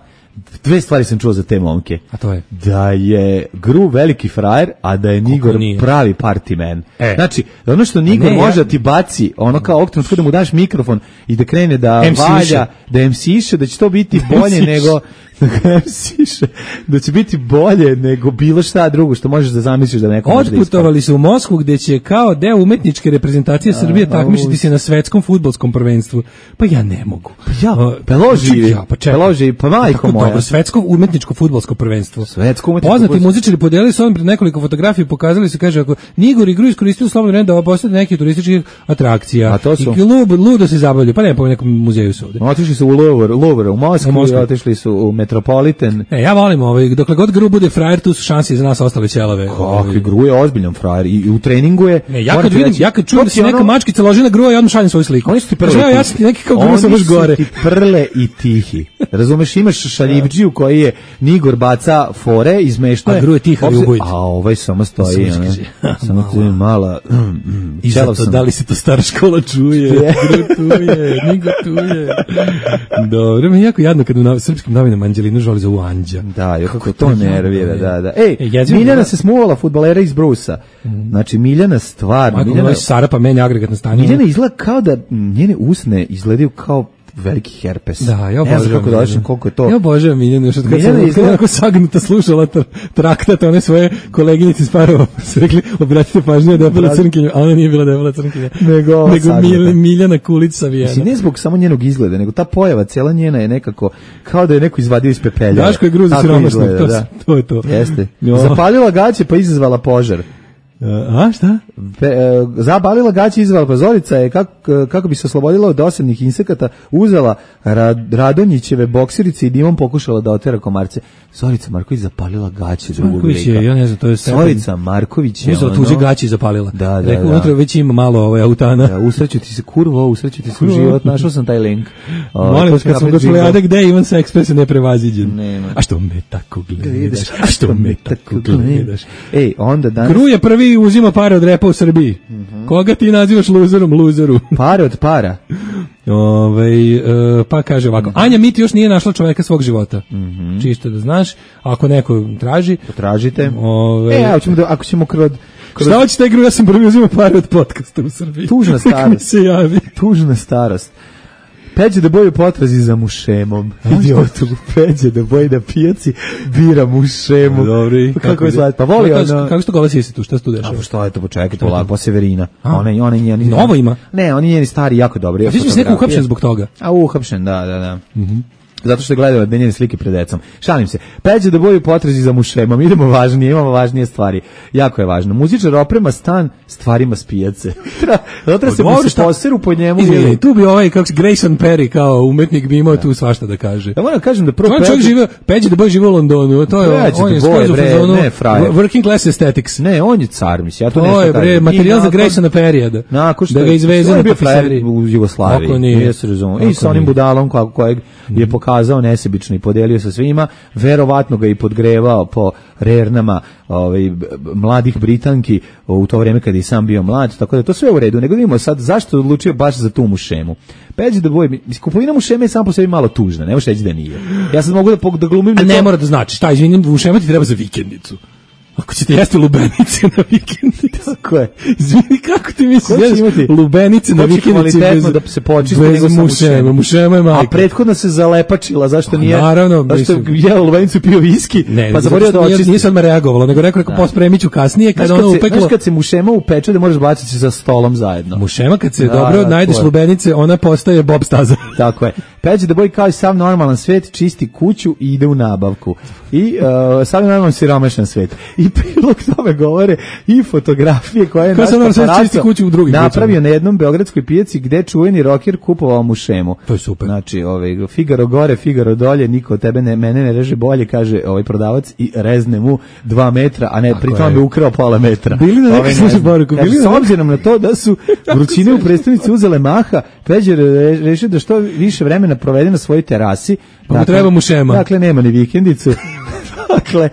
Dve stvari sam čuo za te momke. A to je? Da je Gru veliki frajer, a da je Nigor pravi party man. E. Znači, ono što Nigor ne, može ja... da ti baci, ono kao oktonom da mu daš mikrofon i da krene da M C valja, da em si-še, da će to biti bolje nego... da će biti bolje nego bilo šta drugo što možeš da zamisliš da neko može da ispada. Otputovali su u Moskvu gde će kao deo umetničke reprezentacije Srbije takmičiti se na svetskom fudbalskom prvenstvu. Pa ja ne mogu. Pa ja, Peloži, ja, pa čekaj. Peloži, pa majko moja. Dobro, svetsko umetničko fudbalsko prvenstvo. Svetsko umetničko. Poznati muzičari podelili su on pred nekoliko fotografija, pokazali su, kaže, ako Nigor i Gru iskoristili slobodno vreme da postane neki turističkih atrakcija. I ludo, ludo se zabavljaju, pa ne po nekom muzeju su ovde. Otišli su u Louvre, Louvre u Moskvu, i otišli su u Metropolitan. E, ja volim ovaj, dokle god Gru bude frajer, tu su šanse za nas ostale ćelave. Kakvi, Gru je ozbiljan frajer i, i u treningu je... Ne, ja kad vidim, ja kad čujem da se neka ono... mačkica loži na Grua, ja odmah šaljem svoju sliku. Oni su ti prle ja, ja sam neki kao Gru sam baš gore. Oni su ti prle i tihi. Razumeš, imaš šaljivđiju koji je Nigor baca fore, izmešto je... A Gru je tiha i ubojit. A ovaj samo stoji, ono, samo tu je mala... I zato, da li se to stara škola čuje? Gru tu je, Nigor tu je. Dobro, mi je jako jadno kad u srpskim novinama Anđelinu žali za u Anđa. Da, je kako to nervira, da, da. Ej, e, Miljana se smuvala fudbalera iz Brusa. Mm. Znači, Miljana stvarno... Majko, Miljana... Sara pa meni agregatno stanje. Miljana izgleda kao da njene usne izgledaju kao veliki herpes. Da, ja obožavam. Ne znam kako došli, koliko je to. Ja obožavam Miljanu, što kad sam izgleda... onako sagnuta slušala traktat, one svoje koleginice iz Parova, su rekli, obratite pažnje da je bila crnkinja, a ona nije bila da je bila crnkinja. Nego, nego Mil, Miljana Kulić savijena. Mislim, ne zbog samo njenog izgleda, nego ta pojava, cijela njena je nekako, kao da je neko izvadio iz pepelja. Daško je Gruzi siromašno, to, da. to je to. Jeste. No. Zapalila gaće pa izazvala požar. A šta? Pe, e, zabalila gaće izvala pozorica je kako, kako bi se oslobodila od dosadnih insekata, uzela Rad, Radonjićeve boksirice i dimom pokušala da otera komarce. Zorica Marković zapalila gaće drugog lika. Ja ne znam, to je Zorica Marković je uzela tuđe gaće i zapalila. Da, da, Rekao, da. unutra već ima malo ovaj autana. Da, usreću ti se kurvo, usreću ti se u život, našao sam taj link. O, molim, kad sam došla ja gde Ivan se Express neprevaziđen. Nema. A što me tako gledaš? A što me tako gledaš? Ej, onda danas... Gru je prvi uzima pare od repa u Srbiji. Mm-hmm. Koga ti nazivaš luzerom, luzeru? Pare od para. Ove, e, pa kaže ovako, mm-hmm. Anja Miti još nije našla čoveka svog života. Mm-hmm. Čisto da znaš, ako neko traži. Potražite. Ove, e, ako ćemo, da, ako ćemo kroz... kroz... Šta hoćete Gru, ja sam prvi uzima pare od podcasta u Srbiji. Tužna starost. se javi. Tužna starost. Peđe da boju potrazi za mušemom. Idiotu, peđe da boji da pijaci bira mušemu. Dobri. Pa kako je slat? Pa voli ono... Kako se to glasi si tu? Šta se tu dešava? A što je to, počekaj, to lako, Severina. Ona i ona i njeni... Novo ima? Ne, oni njeni stari jako dobri. A ti si neko uhapšen zbog toga? A uhapšen, da, da, da. Mhm. zato što je gledala njene slike pred decom. Šalim se. Peđa da boju potrazi za mušemom. Idemo važnije, imamo važnije stvari. Jako je važno. Muzičar oprema stan stvarima s pijace. Zato se mu se poseru po njemu. Izvini, tu bi ovaj, kako se Grayson Perry kao umetnik bi imao tu svašta da kaže. Ja moram kažem da prvo Peđa... Čovjek žive, Peđa da boju žive u Londonu. To je, on je skroz u fazonu working class aesthetics. Ne, on je car, mislim. Ja to, to nešto je, bre, materijal za Graysona Perrya. Da, nakon što da ga izveze na tapiseriji. U Jugoslaviji. Nije se razumio. I sa onim budalom kojeg je pokazao nesebično i podelio sa svima, verovatno ga i podgrevao po rernama ovaj, mladih Britanki u to vreme kad je sam bio mlad, tako da to sve u redu. Nego vidimo sad zašto je odlučio baš za tu mušemu. Peđa da boje, kupovina mušeme je sam po sebi malo tužna, ne možeš reći da nije. Ja sad mogu da, da glumim... A da ne to... mora da znači, šta, izvinim, mušema ti treba za vikendicu. Ako ćete jesti lubenice na vikendici. Tako je. Izvini, kako ti misliš jesti lubenice na vikendici bez, da se počiste bez mušema. Mušema je majka. A prethodno se zalepačila, zašto nije? A, naravno. Zašto je jela lubenicu i pio viski, ne, pa zaborio da očisti. Nije sad me reagovalo, nego rekao, rekao pospremit ću kasnije, kada ono upeklo. Znaš kad se mušema upeče da možeš baciti za stolom zajedno. Mušema kad se da, dobro najdeš lubenice, ona postaje Bob Staza. Tako je. Peđa da boji kao i sav normalan svet, čisti kuću i ide u nabavku. I uh, sav normalan siromašan svet. I prilog tome govore i fotografije koje je naš paparaco napravio na jednom beogradskoj pijaci gde čuveni roker kupovao mušemu. To je super. Znači, ovaj, Figaro gore, Figaro dolje, niko tebe ne, mene ne reže bolje, kaže ovaj prodavac i rezne mu dva metra, a ne, pri tome bi ukrao pola metra. Bili na nekoj služi poruku. Bili s obzirom na to da su vrućine u prestonici uzele maha, Peđa rešio da što više vremena provede na svojoj terasi. Pa mu treba mušema. Dakle, nema ni vikendicu. Dakle,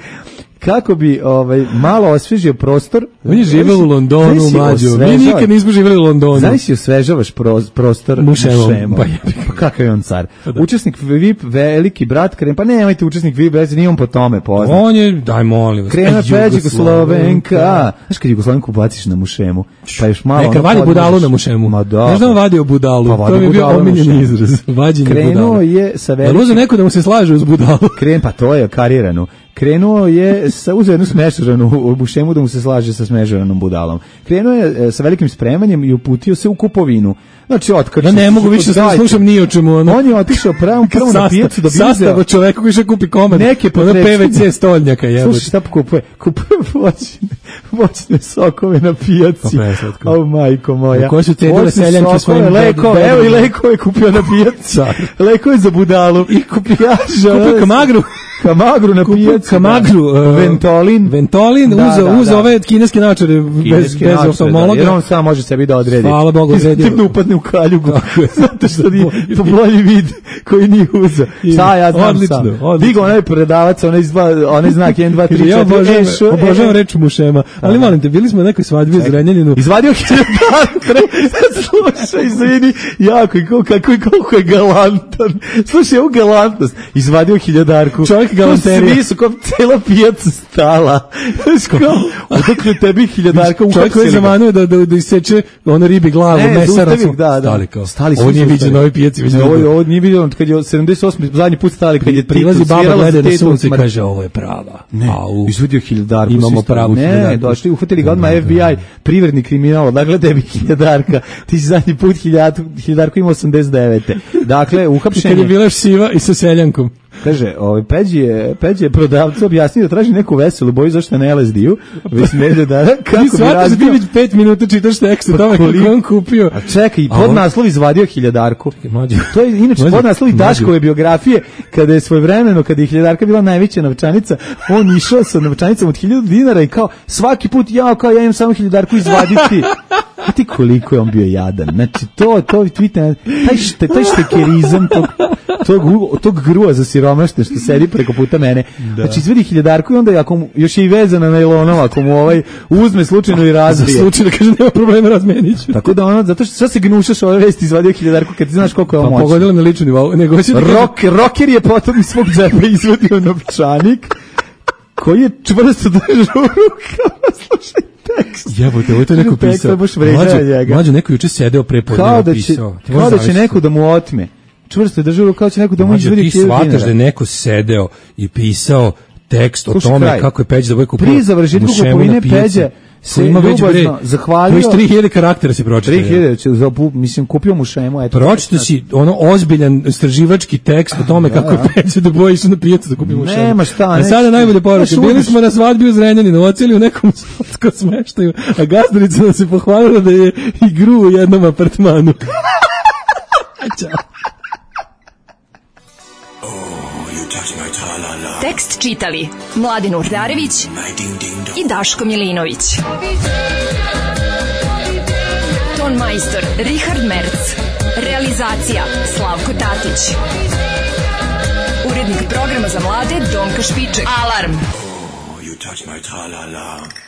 kako bi ovaj malo osvežio prostor. On je živeo u Londonu, mlađo. Mi nikad nismo živeli u Londonu. Znaš si osvežavaš prostor mušemom. Pa, pa kakav je on car. Da. Učesnik V I P, veliki brat, krem, pa nemojte učesnik V I P, nije on po tome poznat. On je, daj molim vas. Krena Peđa Slovenka. Znaš kad Jugoslovenku baciš na mušemu, pa još malo... Neka vadi budalu na mušemu. Ma da. Znaš da on vadio budalu? Pa to mi je bio omiljeni izraz. Vađenje budalu. Krenuo je sa velikim... Da luze neko da mu se slaže uz budalu. Kren, pa to je karirano. Krenuo je sa uzeo jednu smešaranu mušemu da mu se slaže sa smešaranom budalom. Krenuo je sa velikim spremanjem i uputio se u kupovinu. Znači, otkači. Ja ne mogu više da slušam ni o čemu. Ono. On je otišao pravo, prvo na pijacu da bi uzeo. Sastav čoveku koji še kupi komad. Neke ono P V C stoljnjaka jebote. Slušaj, šta kupuje? Kupuje voćne, voćne sokove na pijaci. Pa o, majko moja. Ko su cenile seljanke svojim lekove? Evo i lekove kupio na pijaci. Lekove za budalu. I kupijaža. Kupio kamagru. Kamagru na pijaci. Kamagru. Da. Ventolin. Ventolin, da, uzo, da, uzo da. Ove kineske naočare bez, bez oftalmologa. Da, jer on sam može sebi da odredi. Hvala Bogu, odredio. Tek da upadne u kaljugu. Zato što nije to bolji vid koji nije uzo. Šta ja znam odlično, sam. Odlično. Digo onaj prodavac, onaj, onaj znak jedan, dva, tri, četiri. Ja obožavam, obožavam reč mušema. Ali molim te, bili smo na nekoj svadbi u Zrenjaninu. Izvadio hiljadarku. Slušaj, izvini, jako, kako je, kako je galantan. Slušaj, ovu galantnost. Izvadio hiljadarku. Čovjek galanterija. Svi su kao cela pijaca stala. Odakle tebi hiljadarka uhapsili. Čovjek koji zamanuo da, da, da iseče ono ribi glavu, ne, mesaracu. Da, da. Stali kao. Stali ovo nije viđeno na ovoj pijaci. Ne, ovo, ovo nije viđeno kad je sedamdeset osmi zadnji put stali, kad je prilazi baba gleda na sunce i kaže ovo je prava. Ne, Au. izvadio hiljadarku. Imamo pravu hiljadarku. Ne, došli, uhvatili ga odmah F B I, privredni kriminal, odakle tebi hiljadarka. Ti si zadnji put hiljadarku imao osamdeset devete. Dakle, uhapšen je. Kad je bila siva i sa seljankom. Kaže, ovaj Peđi je, Peđi je prodavcu objasnio da traži neku veselu boju zašto ne L S D-u. Već ne da da kako bi razbio. Ti pet minuta čitaš tekst o tome kako on kupio. A čekaj, i podnaslov izvadio hiljadarku. To je inače podnaslov Daškove biografije kada je svojevremeno kada je hiljadarka bila najveća novčanica, on išao sa novčanicom od hiljadu dinara i kao svaki put ja kao ja imam samo hiljadarku izvaditi. A ti koliko je on bio jadan. Znači to to vidite taj šte, taj štekerizam tog tog tog grua za siromašne što sedi preko puta mene. Da. Znači izvedi hiljadarku i onda ako mu, još je i vezana najlonom, ako mu ovaj uzme slučajno i razbije. Za slučaj da kaže nema problema, razmeniću. Tako da ono zato što sve se gnušaš ove vesti izvadio hiljadarku kad ti znaš koliko je on moćan. Pa pogodilo na lični nivou. Nego hoće da Rock, rocker je potom iz svog džepa izvadio novčanik koji je čvrsto držao u rukama. Slušaj tekst. Jebote, ovo je to neko pisao. Mlađo, mlađo neko juče sedeo pre podne napisao. Kao da će neko da mu otme. Čvrsto je držao, kao će neko da mu izvedi hiljadu dinara. Ti shvataš da je neko sedeo i pisao tekst o tome kako je Peđa da boje kupio. Pri završetku kupovine Peđa se ima već bre, zahvalio. Koji tri hiljade karaktera se pročitao. tri hiljade, mislim, kupio mu šemu. Eto, pročitao si ono ozbiljan istraživački tekst o tome kako je Peđa da boji išao na pijacu da kupi mu šemu. Nema šta. A sada najbolje poruke. Bili smo na svadbi u Zrenjaninu, oceli u nekom slatko smeštaju, a gazdarica nam se pohvalila da je igru u jednom apartmanu. Ćao. Tekst čitali Mladin Urdarević i Daško Milinović. Ton majstor Richard Merc. Realizacija Slavko Tatić. Urednik programa za mlade Donka Špiček. Alarm! Oh, you touch my tra-la-la.